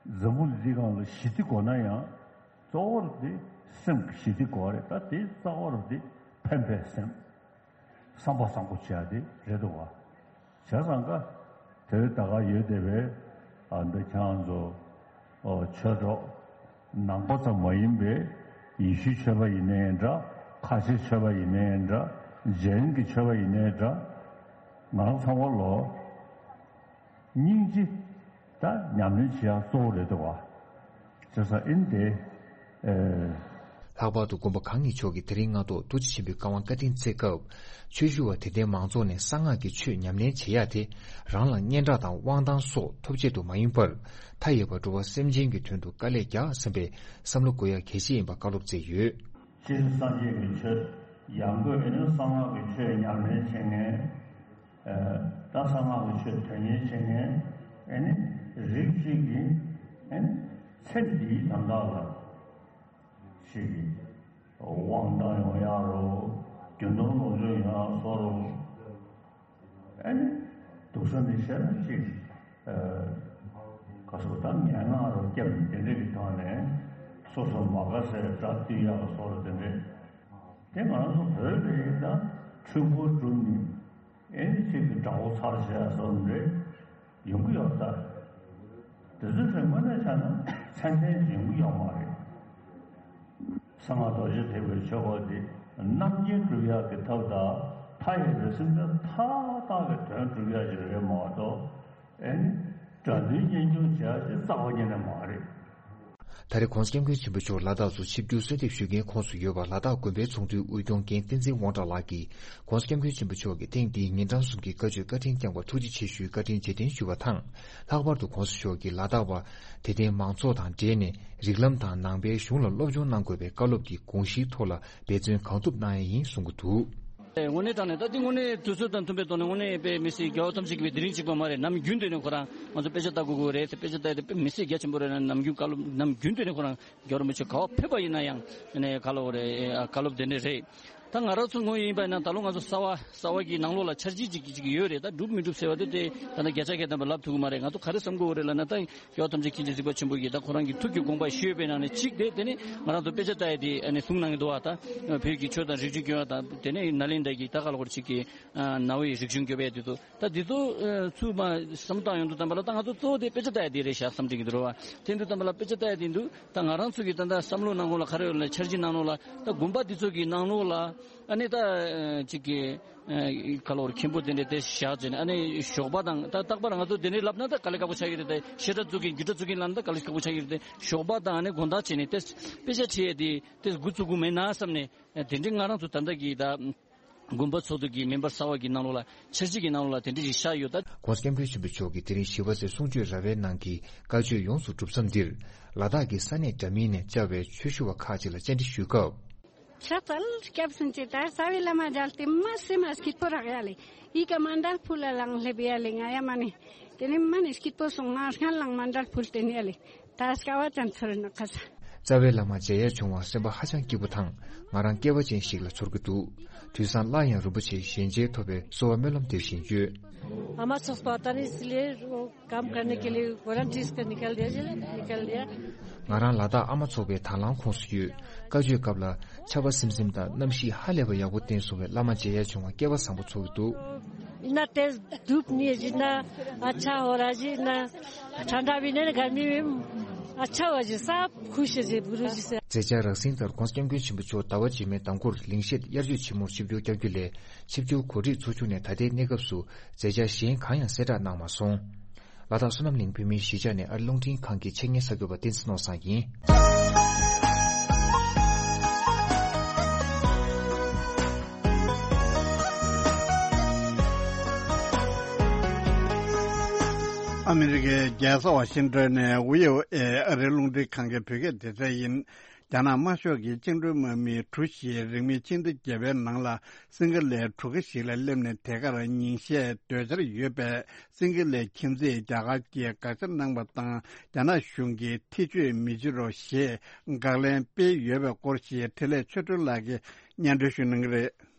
འཛམ་བུ་གླིང་འདི་སྒང་ལ་ཞི་བདེ་དགོས་ན་ཡང་། གཙོ་བོར་དེ་སེམས་ཀྱི་ཞི་བདེ་དགོས་རེད། ད་དེ་རྩ་བ་རུ་དེ་ཕན་པའི་སེམས། བསམ་པ་བཟང་པོ་བྱེད་ཡ་དེ་རེད་འདུག་བ། བྱས་ཙང་ཀ། དེ་ད་ག་ཡོད་བསྡད་པའི། ཨ་འདི་ཁྱེད་རང་ཚོ། ཨོ་ཆོས་གྲོགས། ནང་པ་ཙམ་མ་ཡིན་པའི། ཡེ་ཤུའི་ཆོས་པ་ཡིན་ནའི་འདྲ། ཁ་ཆེའི་ཆོས་པ་ཡིན་ནའི་འདྲ། རྗེན་གྱི་ཆོས་པ་ཡིན་ནའི་འདྲ། ང་རང་ཚང་མ་ལོ། སྙིང་རྗེ། ད་ཉམས་ལེན་བྱེད་ཡ་གཙོ་བོ་རེད་འདུག་བ། བྱས་ཙང་ཨིན་དེ། ཨེ། ལྷག་པར་དུ་མགོན་པོ་གང་ཉིད་མཆོག་གིས་དེ་རིང་སྔ་ཐོག་ཐུགས་རྗེ་ཆེན་པོའི་བཀའ་དབང་བཀའ་དྲིན་བསྩལ་སྐབས། ཆོས་ཞུ་བ་དད་ལྡན་མང་ཚོགས་ནས་གསང་སྔགས་ཀྱི་ཆོས་ཉམས་ལེན་བྱེད་ཡ་དེ། རང་ལ་སྙན་གྲགས་དང་དབང་ཐང་སོགས་ཐོབ་ཆེད་དུ་མ་ཡིན་པར། མཐའ་ཡས་པ་འགྲོ་བ་སེམས་ཅན་གྱི་དོན་དུ་དཀའ་ལས་རྒྱག་བསམ་པའི་བསམ་བློ་འཁོར་ཡ་གལ་ཆེ་ཡིན་པ་བཀའ་སློབ་བསྩལ་ཡོད། སྤྱིར་སངས་རྒྱས་ཀྱི་ཆོས། ཡང་སྒོས་ཨེ་ནི་གསང་སྔགས་ཀྱི་ཆོས་ཉམས་ལེན་བྱེད་མཁན། ད་གསང་སྔགས་ཀྱི་ཆོས་དོན་གཉེར་བྱེད་མཁན་ཨེ་ནི་རིགས་གཅིག་གིས་ཨེ་ནི་ཚེ་འདིའི་དོན་དག་ལ་ཞིག་གིས་དབང་བཏང་ཡོང་ཡག་རོ། རྒྱུ་ནོར་ལོངས་སྤྱོད་ཡོང་ཡག་བཟོ་རོ། ཨེ་ནི་སྡུག་ས་འདི་བཤད་ན་ཅིག་ག་སོ་ད་ངན་སྔགས་རོ་སྐྱབས་དེ་འདྲ་གི་ཐོག་ནས་སོ་སོ་མ་དགའ་སའི་དགྲ་བཏུལ་ཡག་བཟོ་རོ་དེ་འདྲ། དེ་ང་རང་ཚོ་བོད་ལ་ཡིན་ད་འཁྲུལ་འཁོར་སྒྲུབ་ནི། ཨེ་ནི་གཅིག་གི་དགྲ་བོ་ཚར་བྱས་སོགས་རེད་ཡོང་གི་ཡོད་ད། དེ་ཚོ་དེ་དངོས་གནས་ཆ་ན་ཚད་ལྡན་ཡོང་གི་ཡོད་མ་རེད། གསང་སྔགས་རྡོ་རྗེ་ཐེག་པའི་ཆོས་སྐོར་འདི་རྣམ་མཁྱེན་སྒྲུབ་ཡག་གི་ཐབས་དང་མཐའ་ཡས་པའི་སེམས་ཅན་མཐའ་དག་གི་དོན་སྒྲུབ་ཡག་ཅིག་རེད་མ་གཏོགས་ཨེ་ནི་དགྲ་འདུལ་གཉེན་སྐྱོང་བྱེད་ཡག་ཅིག་རྩ་བ་ཉིད་ནས་མ་རེད། ད་རེས་༸གོང་ས་༸སྐྱབས་མགོན་ཆེན་པོ་མཆོག་ལ་དྭགས་སུ་ཆིབས་བསྒྱུར་གསོལ་འདེབས་ཞུ་མཁན་ཁོངས་སུ་ཡོད་པ་ལ་དྭགས་དགོན་པའི་ཚོགས་འདུའི་དབུས་སྐྱོང་མཁན་བསྟན་འཛིན་དབང་གྲགས་ལགས་ཀྱིས་༸གོང་ས་༸སྐྱབས་མགོན་ཆེན་པོ་མཆོག་གིས་ཐེངས་འདིའི་ཉིན་གྲངས་གསུམ་གྱི་བཀའ་ཆོས་བཀའ་དྲིན་བསྐྱངས་པར་ཐུགས་རྗེ་ཆེ་ཞུའི་བཀའ་དྲིན་རྗེས་དྲན་ཞུས་པ་དང་། ལྷག་པར་དུ་༸གོང་ས་མཆོག་གིས་ལ་དྭགས་པ་དད་ལྡན་མང་ཚོགས་དང་འབྲེལ་ནས་རིགས་ལམ་དང་ནང་པའི་གཞུང་ལ་སློབ་སྦྱོང་གནང་དགོས་པའི་བཀའ་སློབ་ཀྱི་དགོངས་གཞིའི་ཐོག་ལ་འབད་བརྩོན་གང་ཐུབ་གནང་ཡས་ཡིན་གསུང་གི་འདུག། དངོས་གནས་དྲང་གནས་ད་འདི་དངོས་གནས་དུས་ཚོད་དང་མཐུན་པའི་ཐོག་ནས་དངོས་གནས་དཔེ་མི་སྲིད་རྒྱལ་བ་ཐམས་ཅད་མཁྱེན་པའི་དེ་རིང་གཅིག་པ་མ་རེད། ནམ་རྒྱུན་དུ་ནས་ཁོ་རང་ང་ཚོ་དཔེ་ཆ་ལྟ་དགོས་དགོས་རེད་ཟེར་དཔེ་ཆ་ལྟ་ཡ་དེ་དཔེ་མི་སྲིད་རྒྱ་ཆེན་པོ་རེད། ན་ནམ་རྒྱུན་བཀའ་སློབ་ནམ་རྒྱུན་དུ་ནས་ཁོ་རང་རྒྱལ་བ་རིན་པོ་ཆེ་ག་པར་ཕེབས་པ་ཡིན་ན་ཡང་ནས་བཀའ་སློབ་རེད། བཀའ་སློབ་དེ་འདྲ་རེད། ད་ང་རང་ཚོ་ངོས་ཡིན་པ་ཡིན་ན་ད་ལོ་ང་ཚོ་གསར་པ་གསར་པ་གི་ནང་ལོགས་ལ་འཆར་གཞི་ཅིག་ཅིག་ཡོད་རེད། ད་འགྲུབ་མི་འགྲུབ་ཟེར་བ་དེ་དེ་ད་ལྟ་བརྒྱ་ཆ་བརྒྱ་ཐམ་པ་ལབ་ཐུབ་ཀྱི་མ་རེད། ང་ཚོ་ག་རེ་བསམ་དགོས་རེད་ལབ་ན་ད་རྒྱལ་བ་ཐམས་ཅད་མཁྱེན་ཅིང་གཟིགས་པ་ཆེན་པོ་གིས་ད་ཁོ་རང་གི་ཐུགས་ཀྱི་དགོངས་པ་ཞུས་པའི་ནང་ནས་གཅིག་དེ་དེ་ནི་ང་རང་ཚོ་དཔེ་ཆ་ལྟ་ཡ་དེ་ཨ་ནི་གསུང་གནང་གི་འདུག་བ། ད་བོད་ཀྱི་ཆོས་དང་རིག་གཞུང་སྐྱོང་བ་དང་དེ་ནས་ནཱ་ལེནྡྲ་གི་ད་ག་ལ་གོ་རེ་ཅིག་གི་ནང་པའི་རིག་གཞུང་སྐྱོང་བའི་དེ་ཚོ། ད་འདི་ཚོ་ཚུར་མ་བསམ་བཏང་ཡོང་དུས་ཙམ་པ་ལ་ད་ང་ཚོ་གཙོ་བོ་དེ་དཔེ་ཆ་ལྟ་ཡ་དེ་རེད་ཤག་བསམ་དྲན་གྱི་འདུག་རེད་བ། དེ་འདུག་ཙམ་པ་ལ་དཔེ་ཆ་ལྟ་ཡ་དེ་འདུག་ད་ང་རང་ཚོ་གི་ད་ལྟ་བསམ་བློ་ནང་ལོགས་ལ་ག་རེ་ཡོད་ལ་འཆར་གཞི་ནང་ལོགས་ལ་ད་དགོན་པ་འདི་ཚོ་གི་ནང་ལོགས་ལ་ཨ་ནི་ད་ཅིག་གི་ག་ལོར་མཁན་པོ་དེ་འདྲ་དེ་བཞག་བྱས་ནས་ཨ་ནི་ཞོགས་པ་དང་ད་རྟག་པར་ང་ཚོ་དེ་འདྲ་ལབ་ན་ད་དཀའ་ལས་ཁག་པོ་ཆགས་ཀྱི་རེད། ད་བཤད་གྲྭ་བཙུགས་མཁན་རྒྱུགས་གྲྭ་བཙུགས་མཁན་ལབ་ན་ད་དཀའ་ལས་ཁག་པོ་ཆགས་ཀྱི་རེད། དེ་ཞོགས་པ་དང་ཨ་ནི་དགོང་དག་བྱས་ནས་དེ་དཔེ་ཆ་ཁྲིད་ཡ་དེ་དེ་འགོ་བཙུགས་དགོས་མེད་ན་བསམ་ནས་དེ་འདྲའི་ང་རང་ཚོ་ད་ལྟ་གི་ད། དགོན་པ་ཚོགས་འདུ་གི་མེམ་བར་གསར་བ་གི་ནང་ལོགས་ལ་འཆར་གཞི་གི་ནང་ལོགས་ལ་དེ་འདྲ་ཞིག་བཞག་ཡོད་ད། ༸གོང་ས་༸སྐྱབས་མགོན་ཆེན་པོ་མཆོག་གིས་དེ་རིང་ཞི་བ་འཚོའི་གསུང་ཆོས་ར་བའི་ནང་གི་བཀའ་ཆོས་ཡོངས་སུ་གྲུབ་མཚམས་འདིར་ལ་དྭགས་ཀྱི་ས་གནས་འདྲ་མིན་ནས་བཅར་བའི་ཆོས་ཞུ་བ་ཁག་ཅིག་ལ་བཅར་འདྲི་ཞུས་སྐབས། ཁྱབ་ཚལ་སྐྱབས་སུ་མཆི། ད་རྩ་བའི་བླ་མ་མཇལ་ཏེ་མ་སེམས་མ་སྐྱིད་པོ་རག་ཡ་ལེ། ཡི་ག་མཎྜལ་ཕུལ་ལ་ལངས་སླེབས་ཡ་ལེ། ང་ཡ་མ་ནི་དེ་ནི་མ་ནི་སྐྱིད་པོ་སོང་། ང་སྔར་ལངས་མཎྜལ་ཕུལ་ཏེ་ནི་ཡ་ལེ། ད་སྐ་བ་ཅན་ཚོར་ནི་ཁ་ས། རྩ་བའི་བླ་མ་མཇལ་ཡ་བྱུང་བ་སེམས་པ་ཧ་ཅང་སྐྱིད་པོ་དང་ང་རང་སྐལ་བ་ཅན་ཞིག་ལ་ཚོར་གྱི་འདུག་དུས་སང་སླར་ཡང་རིན་པོ་ཆེའི་ཞལ་མཇལ་ཐོབ་པའི་གསོལ་བ་སྨོན་ལམ་འདེབས་བཞིན་ཡོད། आमा छोप्पा तनी इसलिए वो काम करने के लिए वॉलंटियर्स का निकल दिया, निकल दिया। ང་རང་ལ་དྭགས་ཨ་མ་ཚོགས་པའི་དང་བླངས་ཁོངས་སུ་ཡོད། བཀའ་ཆོས་སྐབས་ལ་ཆར་པ་སིམ་སིམ་དང་གནམ་གཤིས་ཧ་ལས་པ་ཡག་པོ་བསྟན་སོང་བས་བླ་མ་མཇལ་ཡ་བྱུང་བ་སྐལ་བ་བཟང་པོ་ཚོར་གྱི་འདུག इतना तेज धूप नहीं है, जितना अच्छा हो रहा है जी, इतना ठंडा भी नहीं, गर्मी में अच्छा हो जी, सब खुश है जी, गुरु जी से। མཛད་འཆར་རགས་ཟིན་ལྟར་༸གོང་ས་༸སྐྱབས་མགོན་ཆེན་པོ་མཆོག་ཟླ་བ་རྗེས་མའི་མདང་དགོང་ལིང་ཤེད་དབྱར་ཆོས་ཆེན་མོར་ཆིབས་བསྒྱུར་བསྐྱངས་རྒྱུ་ལས་ཆིབས་བསྒྱུར་གོ་སྒྲིག་ཚོགས་ཆུང་ནས་ད་ལྟའི་གནས་སྐབས་སུ་མཛད་འཆར་གཞན་གང་ཡང་གསལ་བསྒྲགས་གནང་མ་སོང་། ལ་དྭགས་བསོད་ནམས་གླིང་བོད་མིའི་གཞིས་ཆགས་ནས་ཨ་རི་རླུང་འཕྲིན་ཁང་གི་ཆེད་མངགས་གསར་འགོད་པ་བསྟན་འཛིན་ནོར་བཟང་ཡིན། ཨ་མི་རི་ཀའི་རྒྱལ་ས་ཝ་ཤིང་ཏོན་ནས་ཝི་ཨོ་ཨེ་ཨ་རིའི་རླུང་འཕྲིན་ཁང་གི་བོད་སྐད་སྡེ་ཚན་ཡིན། རྒྱ་ནག་དམར་ཤོག་གི་བཅིངས་འགྲོལ་དམག་མི་གྲུ་བཞིས་རིང་མིན་ཕྱི་ཟླ་བརྒྱད་པའི་ནང་ལ་སིང་ག་ལའི་གྲུ་ཁ་ཞིག་ལ་སླེབས་ནས་དེ་གར་ཉིན་ཤས་སྡོད་འཆར་ཡོད་པས། སིང་ག་ལའི་ཁྱིམ་མཚེས་རྒྱ་གར་གྱིས་དགག་བྱ་གནང་བ་དང་། རྒྱ་ནག་གཞུང་གིས་ཐེ་བྱུས་མི་བྱེད་རོགས་ཞེས་དགག་ལན་སྤེལ་ཡོད་པའི་སྐོར་ཞིག་འཕྲིན་ལས་ཆོས་སྒྲོན་ལགས་ཀྱིས་སྙན་སྒྲོན་ཞུ་གནང་གི་རེད།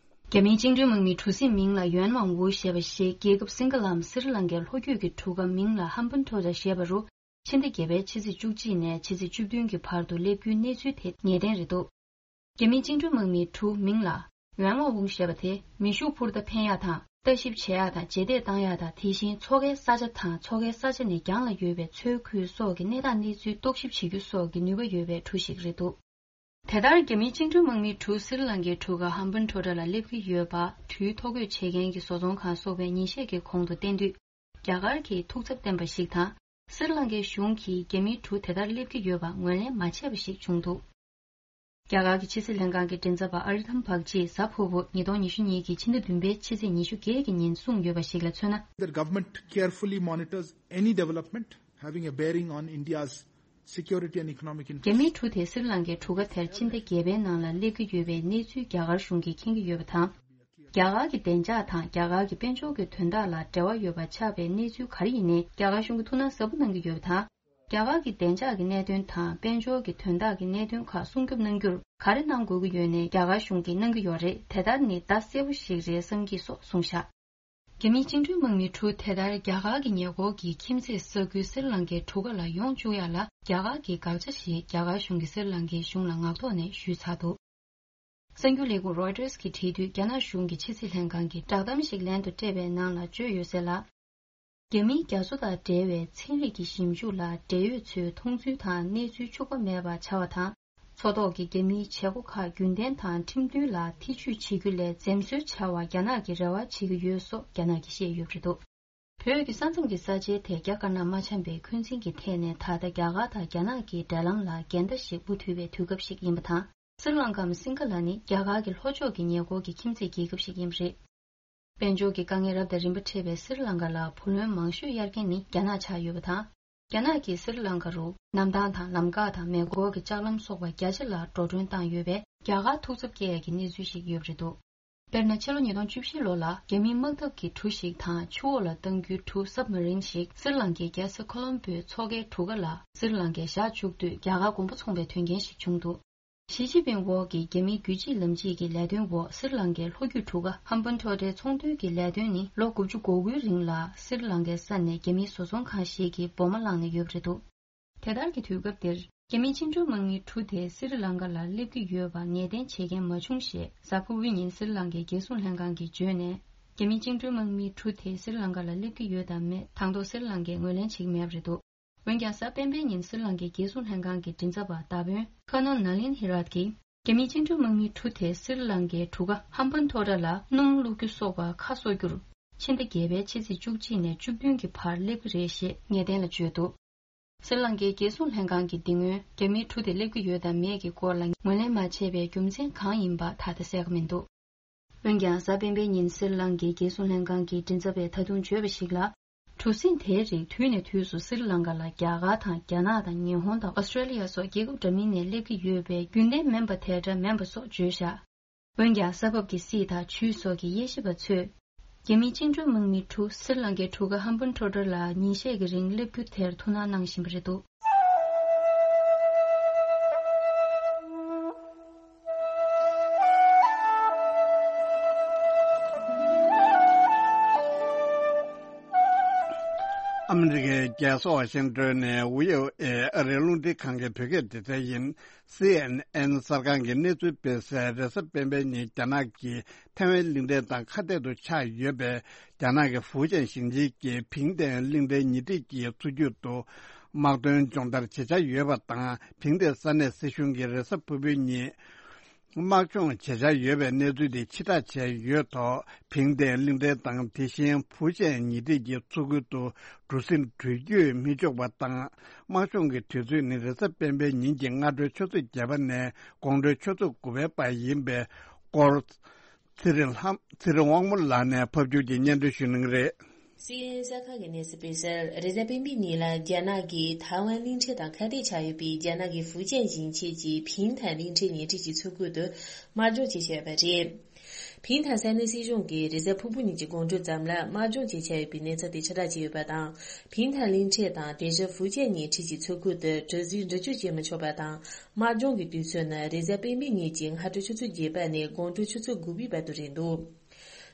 རྒྱ་མིའི་བཅིངས་འགྲོལ་དམག་མི་གྲུ་གཟིངས་མིང་ལ་ཡོན་ཝང་ཝུ་ཞེས་པ་ཞིག་རྒྱལ་ཁབ་སིང་ག་ལའམ་སི་རི་ལང་ཀའི་ལྷོ་རྒྱུད་ཀྱི་གྲུ་ཁ་མིང་ལ་ཧམ་བན་ཐོ་ར་ཞེས་པ་རུ། ཕྱི་ཟླ་བརྒྱད་པའི་ཕྱི་ཚེས་བཅུ་གཅིག་ནས་ཕྱི་ཚེས་བཅུ་བདུན་གྱི་བར་དུ་སླེབས་རྒྱུའི་གནས་ཚུལ་དེ་ངེས་གཏན་རེད་འདུག་རྒྱ་མིའི་བཅིངས་འགྲོལ་དམག་མིའི་གྲུ་མིང་ལ་ཡོན་ཝང་ཝུང་ཞེས་པ་དེ་མེ་ཤུགས་འཕུར་མདའ་འཕེན་ཡག་དང་ལྟ་ཞིབ་བྱེད་ཡག་དང་རྗེས་འདེད་བཏང་ཡག་དང་དེ་བཞིན་མཚོ་ཁའི་ས་ཆ་དང་མཚོ་ཁའི་ས་ཆ་ནས་རྒྱང་ལ་ཡོད་པའི་མཚོའི་ཁུལ་སོགས་ཀྱི་གནས་སྟངས་གནས་ཚུལ་རྟོག་ཞིབ་བྱེད་རྒྱུ་སོགས་ཀྱི་ནུས་པ་ཡོད་པའི་གྲུ་ཞིག་རེད་འདུག་དེ་ལྟར་རྒྱ་མིའི་བཅིངས་འགྲོལ་དམག་མིའི་གྲུ་སི་རི་ལང་ཀའི་གྲུ་ཁ་ཧམ་བན་ཐོ་ཊ་ལ་སླེབས་ཀྱི་ཡོད་པ་དུས་ཐོ་འགོད་བྱེད་མཁན་གྱི་བཟོ་ཚོང་ཁང་སོགས་པས་ཉིན་ཤས་ཀྱི་གོང་དུ་བསྟན་དུས། རྒྱ་གར་གྱིས་ཐུགས་འཚབ་བསྟན་པ་ཞིག་དང་། སི་རི་ལང་ཀའི་གཞུང་གིས་རྒྱ་མིའི་གྲུ་དེ་ལྟར་སླེབས་ཀྱི་ཡོད་པ་ངོས་ལེན་མ་བྱས་པ་ཞིག་བྱུང་འདུག་རྒྱ་གར་གྱི་ཕྱི་སྲིད་ལྷན་ཁང་གི་མགྲིན་ཚབ་པ་ཨ་རི་ཐམ་བག་ཅིས་གཟའ་ཕུར་བུ་ཉིས་སྟོང་ཉི་ཤུ་གཉིས་ཀྱི་ཕྱི་ཟླ་བདུན་པའི་ཕྱི་ཚེས་ཉི་ཤུ་བརྒྱད་ཀྱི་ཉིན་གསུངས་ཡོད་པ་ཞིག་ལ་མཚོན་ན། The government carefully monitors any development having a bearing on India's security and economic རྒྱ་མིའི་interests. གྲུ་དེ་སི་རི་ལང་ཀའི་གྲུ་ཁ་དེར་ཕྱི་ཟླ་བརྒྱད་པའི་ནང་ལ་སླེབས་ཀྱི་ཡོད་པའི་གནས་ཚུལ་རྒྱ་གར་གཞུང་གིས་མཁྱེན་གྱི་ཡོད་པ་དང་། རྒྱ་ རྒྱ་གར་གྱི་བདེ་འཇགས་དང་རྒྱ་གར་གྱི་དཔལ་འབྱོར་གྱི་དོན་དག་ལ་འབྲེལ་བ་ཡོད་པ་ཆགས་པའི་གནས་ཚུལ་ག་རེ་ཡིན་ནའི་རྒྱ་གར་གཞུང་གིས་ཐུགས་སྣང་ཟབ་པོ་གནང་གི་ཡོད་པ་དང་། རྒྱ་གར་གྱི་བདེ་འཇགས་ཀྱི་གནད་དོན་དང་དཔལ་འབྱོར་གྱི་དོན་དག་གི་གནད་དོན་ཁག་སྲུང་སྐྱོབ་གནང་རྒྱུར་ག་རེ་གནང་དགོས་ཀྱི་ཡོད་ནའི་རྒྱ་གར་གཞུང་གིས་གནང་གི་ཡོད་རེད། དེ་ལྟར་ནི་བརྡ་གསལ་པོ་ཞིག་རེད་བསམ་གྱི་སོགས་གསུངས་བཞག་རྒྱ་མིའི་བཅིངས་འགྲོལ་དམག་མི་དྲུག་དེ་ལྟར་རྒྱ་གར་གྱི་ཉེ་འཁོར་གྱི་ཁྱིམ་མཚེས་ས་ཁུལ་སི་རི་ལང་ཀའི་གྲུ་ཁ་ལ་ཡོང་བཅུག་ཡག་ལ་རྒྱ་གར་གྱིས་དགག་བྱ་ཞེས་རྒྱ་གར་གཞུང་གིས་སི་རི་ལང་ཀའི་གཞུང་ལ་ངག་ཐོག་ནས་ཞུས་ཚར་འདུག་གསར་འགྱུར་ལས་ཁུངས་རོའི་ཊར་གྱིས་བྲིས་དུས། རྒྱ་ནག་གཞུང་གི་ཕྱི་སྲིད་ལྷན་ཁང་གིས་བསྒྲགས་གཏམ་ཞིག་ལན་དུ་སྤྲད་པའི་ནང་ལ་བརྗོད་ཡོད་གསལ་ལ། རྒྱ་མིའི་རྒྱ་མཚོ་དང་འབྲེལ་བའི་ཚན་རིག་གི་ཞིབ་འཇུག་ལ་འབྲེལ་ཡོད་ཚོའི་མཐོང་ཚུལ་དང་གནས་ཚུལ་འཕྱུགས་པ་མེད་པ་བྱ་བ་དང་། མཚོ་ཐོག་གི་རྒྱ་མིའི་བྱེད་སྒོ་ཁག་རྒྱུན་ལྡན་དང་ཁྲིམས་མཐུན་ལ་ཐེ་ཇུས་བྱེད་རྒྱུ་ལས་འཛེམ་ཟོན་བྱ་བ་རྒྱ་ནག་གིས་རེ་བ་བྱེད་ཀྱི་ཡོད་སོགས་རྒྱ་ནག་གིས་བཤད་ཡོད་པ་རེད་འདུག་བོད་ཀྱི་ས་མཚམས་ཀྱི་ས་ཆའི་ཐད་རྒྱ་དཀར་ནག་མ་འཆམ་པའི་འཁོན་འཛིན་གྱི་ཐད་ནས་ད་ལྟ་རྒྱ་གར་དང་རྒྱ་ནག་གི་འབྲེལ་ལམ་ལ་འགལ་ཟླ་ཞིག་འབུ་འཐུལ་བའི་དུས་སྐབས་ཤིག་ཡིན་པ་དང་། སི་རི་ལང་ཀའམ་སིང་ག་ལ་ནི་རྒྱ་གར་གྱི་ལྷོ་ཕྱོགས་ཀྱི་ཉེ་འཁོར་གྱི་ཁྱིམ་མཚེས་རྒྱལ་ཁབ་ཤིག་ཡིན་པ་རེད། དཔལ་འབྱོར་གྱི་དཀའ་ངལ་རབ་དང་རིམ་པ་འཕྲད་པའི་སི་རི་ལང་ཀ་ལ་བུ་ལོན་མང་ཤོས་གཡར་མཁན་ནི་རྒྱ་ནག་ཆགས་ཡོད་པ་དང་། རྒྱ་ནག་གིས་སི་རི་ལང་ཀ་རུ་གནམ་ཐང་དང་ལམ་འགག་དང་མེ་འཁོར་གྱི་ལྕགས་ལམ་སོགས་པ་རྒྱ་ཆེ་ལ་འགྲོ་གྲོན་བཏང་ཡོད་པས་རྒྱ་གར་ཐུགས་འཚབ་སྐྱེ་ཡག་གི་གནས་ཚུལ་ཞིག་ཡོད་པ་རེད་འདུག་དཔེར་ན། ཕྱི་ལོ་ཉིས་སྟོང་བཅུ་བཞི་ལོ་ལ་རྒྱ་མིའི་དམག་འཐབ་ཀྱི་གྲུ་ཞིག་དང་ཆུ་འོག་ལ་གཏང་རྒྱུའི་གྲུ་སབ་མ་རིན་ཞིག་སི་རི་ལང་ཀའི་རྒྱལ་ས་ཁོ་ལོམ་པོའི་མཚོ་ཁའི་གྲུ་ཁ་ལ་སི་རི་ལང་ཀས་བཞག་བཅུག་དུས་རྒྱ་གར་དགོངས་པ་ཚོམས་པའི་དོན་རྐྱེན་ཞིག་བྱུང་འདུག་ཞི་ཅིན་ཕིང་འོག་གི་རྒྱ་མིའི་རྒྱུད་གཅིག་ལམ་གཅིག་གི་ལས་དོན་འོག་སི་རི་ལང་ཀའི་ལྷོ་རྒྱུད་གྲུ་ཁ་ཧམ་པན་ཊོ་ཊའི་ཚོང་དོན་གྱི་ལས་དོན་ནི་ལོ་དགུ་བཅུ་གོ་དགུའི་རིང་ལ་སི་རི་ལང་ཀའི་ས་ནས་རྒྱ་མིའི་བཟོ་ཚོང་ཁང་ཞིག་གིས་སྦོ་མ་བླངས་ནས་ཡོད་པ་རེད་འདུག་དེ་ལྟར་གྱི་དུས་སྐབས་འདིར་རྒྱ་མིའི་བཅིངས་འགྲོལ་དམག་མི་དྲུག་དེ་སི་རི་ལང་ཀ་ལ་སླེབས་ཀྱི་ཡོད་པ་ངེས་གཏན་བྱེད་མཁན་མ་བྱུང་ཞེས་གཟའ་ཕུར་བུའི་ཉིན་སི་རི་ལང་ཀའི་རྒྱལ་སྲུང་ལྷན་ཁང་གིས་བརྗོད་ནས། རྒྱ་མིའི་བཅིངས་འགྲོལ་དམག་མི་དྲུག་དེ་སི་རི་ལང་ཀ་ལ་སླེབས་ཀྱི་ཡོད་དམ་མེད་དང་ཐོག་སི་རི་ལང་ཀས་ངོས་ལེན་བྱེད་ཀྱི་མེད་པ་རེད་འདུག་འོན་ཀྱང་། གཟའ་སྤེན་པའི་ཉིན་སི་རི་ལང་ཀའི་རྒྱལ་སྲུང་ལྷན་ཁང་གི་མགྲིན་ཚབ་པ་མདའ་དཔོན་ཁ་ནོན་ན་ལིན་ཧི་རཱད་ཀྱིས། རྒྱ་མིའི་བཅིངས་འགྲོལ་དམག་མི་དྲུག་དེ་སི་རི་ལང་ཀའི་གྲུ་ཁ་ཧམ་པན་ཐོ་ཊ་ལ་སྣུམ་བླུག་རྒྱུ་སོགས་པ་ཁ་གསོ་རྒྱུར། ཕྱི་ཟླ་བརྒྱད་པའི་ཕྱི་ཚེས་བཅུ་གཅིག་ནས་བཅུ་བདུན་གྱི་བར་སླེབས་ཀྱི་རེད་ཞེས་ངེས་གཏན་ལ་བརྗོད་འདུག་སི་རི་ལང་ཀའི་རྒྱལ་སྲུང་ལྷན་ཁང་གིས་འདི་སྔོན་རྒྱ་མིའི་གྲུ་དེ་སླེབས་ཀྱི་ཡོད་དམ་མེད་ཀྱི་སྐོར་ལ་ངོས་ལེན་མ་བྱས་པའི་རྒྱུ་མཚན་གང་ཡིན་པ་ད་ལྟ་གསལ་ཁ་མི་འདུག་འོན་ཀྱང་། གཟའ་སྤེན་པའི་ཉིན་སི་རི་ལང་ཀའི་རྒྱལ་སྲུང་ལྷན་ཁང་གི་མགྲིན་ཚབ་པས་ད་དུང་བརྗོད་པ་ཞིག་ལ། གྲུ་གཟིངས་དེའི་རིགས་དུས་ནས་དུས་སུ་སི་རི་ལང་ཀ་ལ་རྒྱ་གར་དང་རྒྱ་ནག་དང་ཉི་ཧོང་དང་ཨོ་སི་ཀྲེ་ལི་ཡ་སོགས་རྒྱལ་ཁབ་འདྲ་མིན་ནས་སླེབས་ཀྱི་ཡོད་པས་རྒྱུན་ལྡན་མིན་པ་དེ་འདྲ་མིན་པ་སོགས་བརྗོད་བཞག་འོན་ཀྱང་། ས་བབ་ཀྱི་སྲིད་དང་ཆུས་སོགས་ཀྱི་དབྱེ་ཞིབ་པ་ཚོས། རྒྱ་མིའི་བཅིངས་འགྲོལ་དམག་མི་དྲུག་སི་རི་ལང་ཀའི་གྲུ་ཁ་ཧམ་པན་ཊོ་ཊ་ལ་ཉིན་ཤས་ཀྱི་རིང་སླེབས་རྒྱུ་དེར་ཐུགས་སྣང་གནང་བཞིན་པ་རེད་འདུག་ཨ་མི་རི་ཀའི་རྒྱལ་ས་ཝ་ཤིང་ཏོན་ནས་ཝི་ཨོ་ཨེ་ཨ་རིའི་རླུང་འཕྲིན་ཁང་གི་བོད་སྐད་སྡེ་ཚན་ཡིན། སི་ཨེན་ཨེན་གསར་ཁང་གིས་གནས་ཚུལ་སྤེལ་གསལ། རེས་གཟའ་སྤེན་པའི་ཉིན་རྒྱ་ནག་གིས་ཐའེ་ཝན་གླིང་ཕྲན་དང་ཁ་གཏད་དུ་ཆགས་ཡོད་པའི་རྒྱ་ནག་གི་ཧྥུའུ་ཅན་ཞིང་ཆེན་གྱི་ཕིང་ཏེ་གླིང་ཕྲན་ཉེ་འཁྲིས་ཀྱི་མཚོ་རྒྱུད་དུ་དམག་དོན་སྦྱོང་བརྡར་བྱེད་འཆར་ཡོད་པ་དང་། ཕིང་ཏེ་ས་གནས་སྲིད་གཞུང་གིས་རེས་གཟའ་ཕུར་བུའི་ཉིན་དམག་སྦྱོང་བྱེད་འཆར་ཡོད་པའི་གནས་ཚུལ་དེ་ཕྱིར་བསྒྲགས་བྱས་ཡོད་ཐོག་ཕིང་ཏེ་གླིང་ཕྲན་དང་དེ་བཞིན་ཧྥུའུ་ཅན་ཉེ་འཁྲིས་ཀྱི་མཚོ་ཁུལ་དུ་གྲུ་གཟིངས་འགྲུལ་སྐྱོད་མི་ཆོག་པ་དང་། དམག་སྦྱོང་གི་དུས་ཚོད་ནི་རེས་གཟའ་སྤེན་པའི་ཉིན་གྱི་སྔ་དྲོའི་ཆུ་ཚོད་བརྒྱད་པ་ནས་དགོང་དྲོའི་ཆུ་ཚོད་དགུ་པའི་བར་ཡིན་པའི་སྐོར། ཚེ་རིང་ལྷ། ཚེ་རིང་དབང་མོ་ལགས་ནས་ཕབ་སྒྱུར་གྱིས་སྙན་སྒྲོན་ཞུ་གནང་གི་རེད། སི་ཨེན་ཨེན་གསར་ཁང་གིས་གནས་ཚུལ་སྤེལ་གསལ། རེས་གཟའ་སྤེན་པའི་ཉིན་ལ་རྒྱ་ནག་གིས་ཐའེ་ཝན་གླིང་ཕྲན་དང་ཁ་གཏད་ཆགས་ཡོད་པའི་རྒྱ་ནག་གི་ཧྥུའུ་ཅན་ཞིང་ཆེན་གྱི་ཕིང་ཐན་གླིང་ཕྲན་ཉེ་འཁྲིས་ཀྱི་མཚོ་ཁུལ་དུ་དམག་སྦྱོང་བྱེད་བཞིན་ཡོད་པ་རེད། ཕིང་ཐན་ས་གནས་སྲིད་གཞུང་གིས་རེས་གཟའ་ཕུར་བུ་ཉིན་གྱི་དགོང་དྲོ་ཙམ་ལ་དམག་སྦྱོང་བྱེད་འཆར་ཡོད་པའི་གནས་ཚུལ་དེ་ཕྱིར་བསྒྲགས་བྱས་ཡོད་པ་དང་། ཕིང་ཐན་གླིང་ཕྲན་དང་དེ་བཞིན་ཧྥུའུ་ཅན་ཉེ་འཁྲིས་ཀྱི་མཚོ་ཁུལ་དུ་གྲུ་གཟིངས་འགྲུལ་སྐྱོད་བྱེད་མི་ཆོག་པ་དང་། དམག་སྦྱོང་གི་དུས་ཚོད་ནི་རེས་གཟའ་སྤེན་པའི་ཉིན་གྱི་སྔ་དྲོ་ཆུ་ཚོད་བརྒྱད་པ་ནས་དགོང་དྲོ་ཆུ་ཚོད་དགུ་པའི་བར་དུ་རེད་འདུག་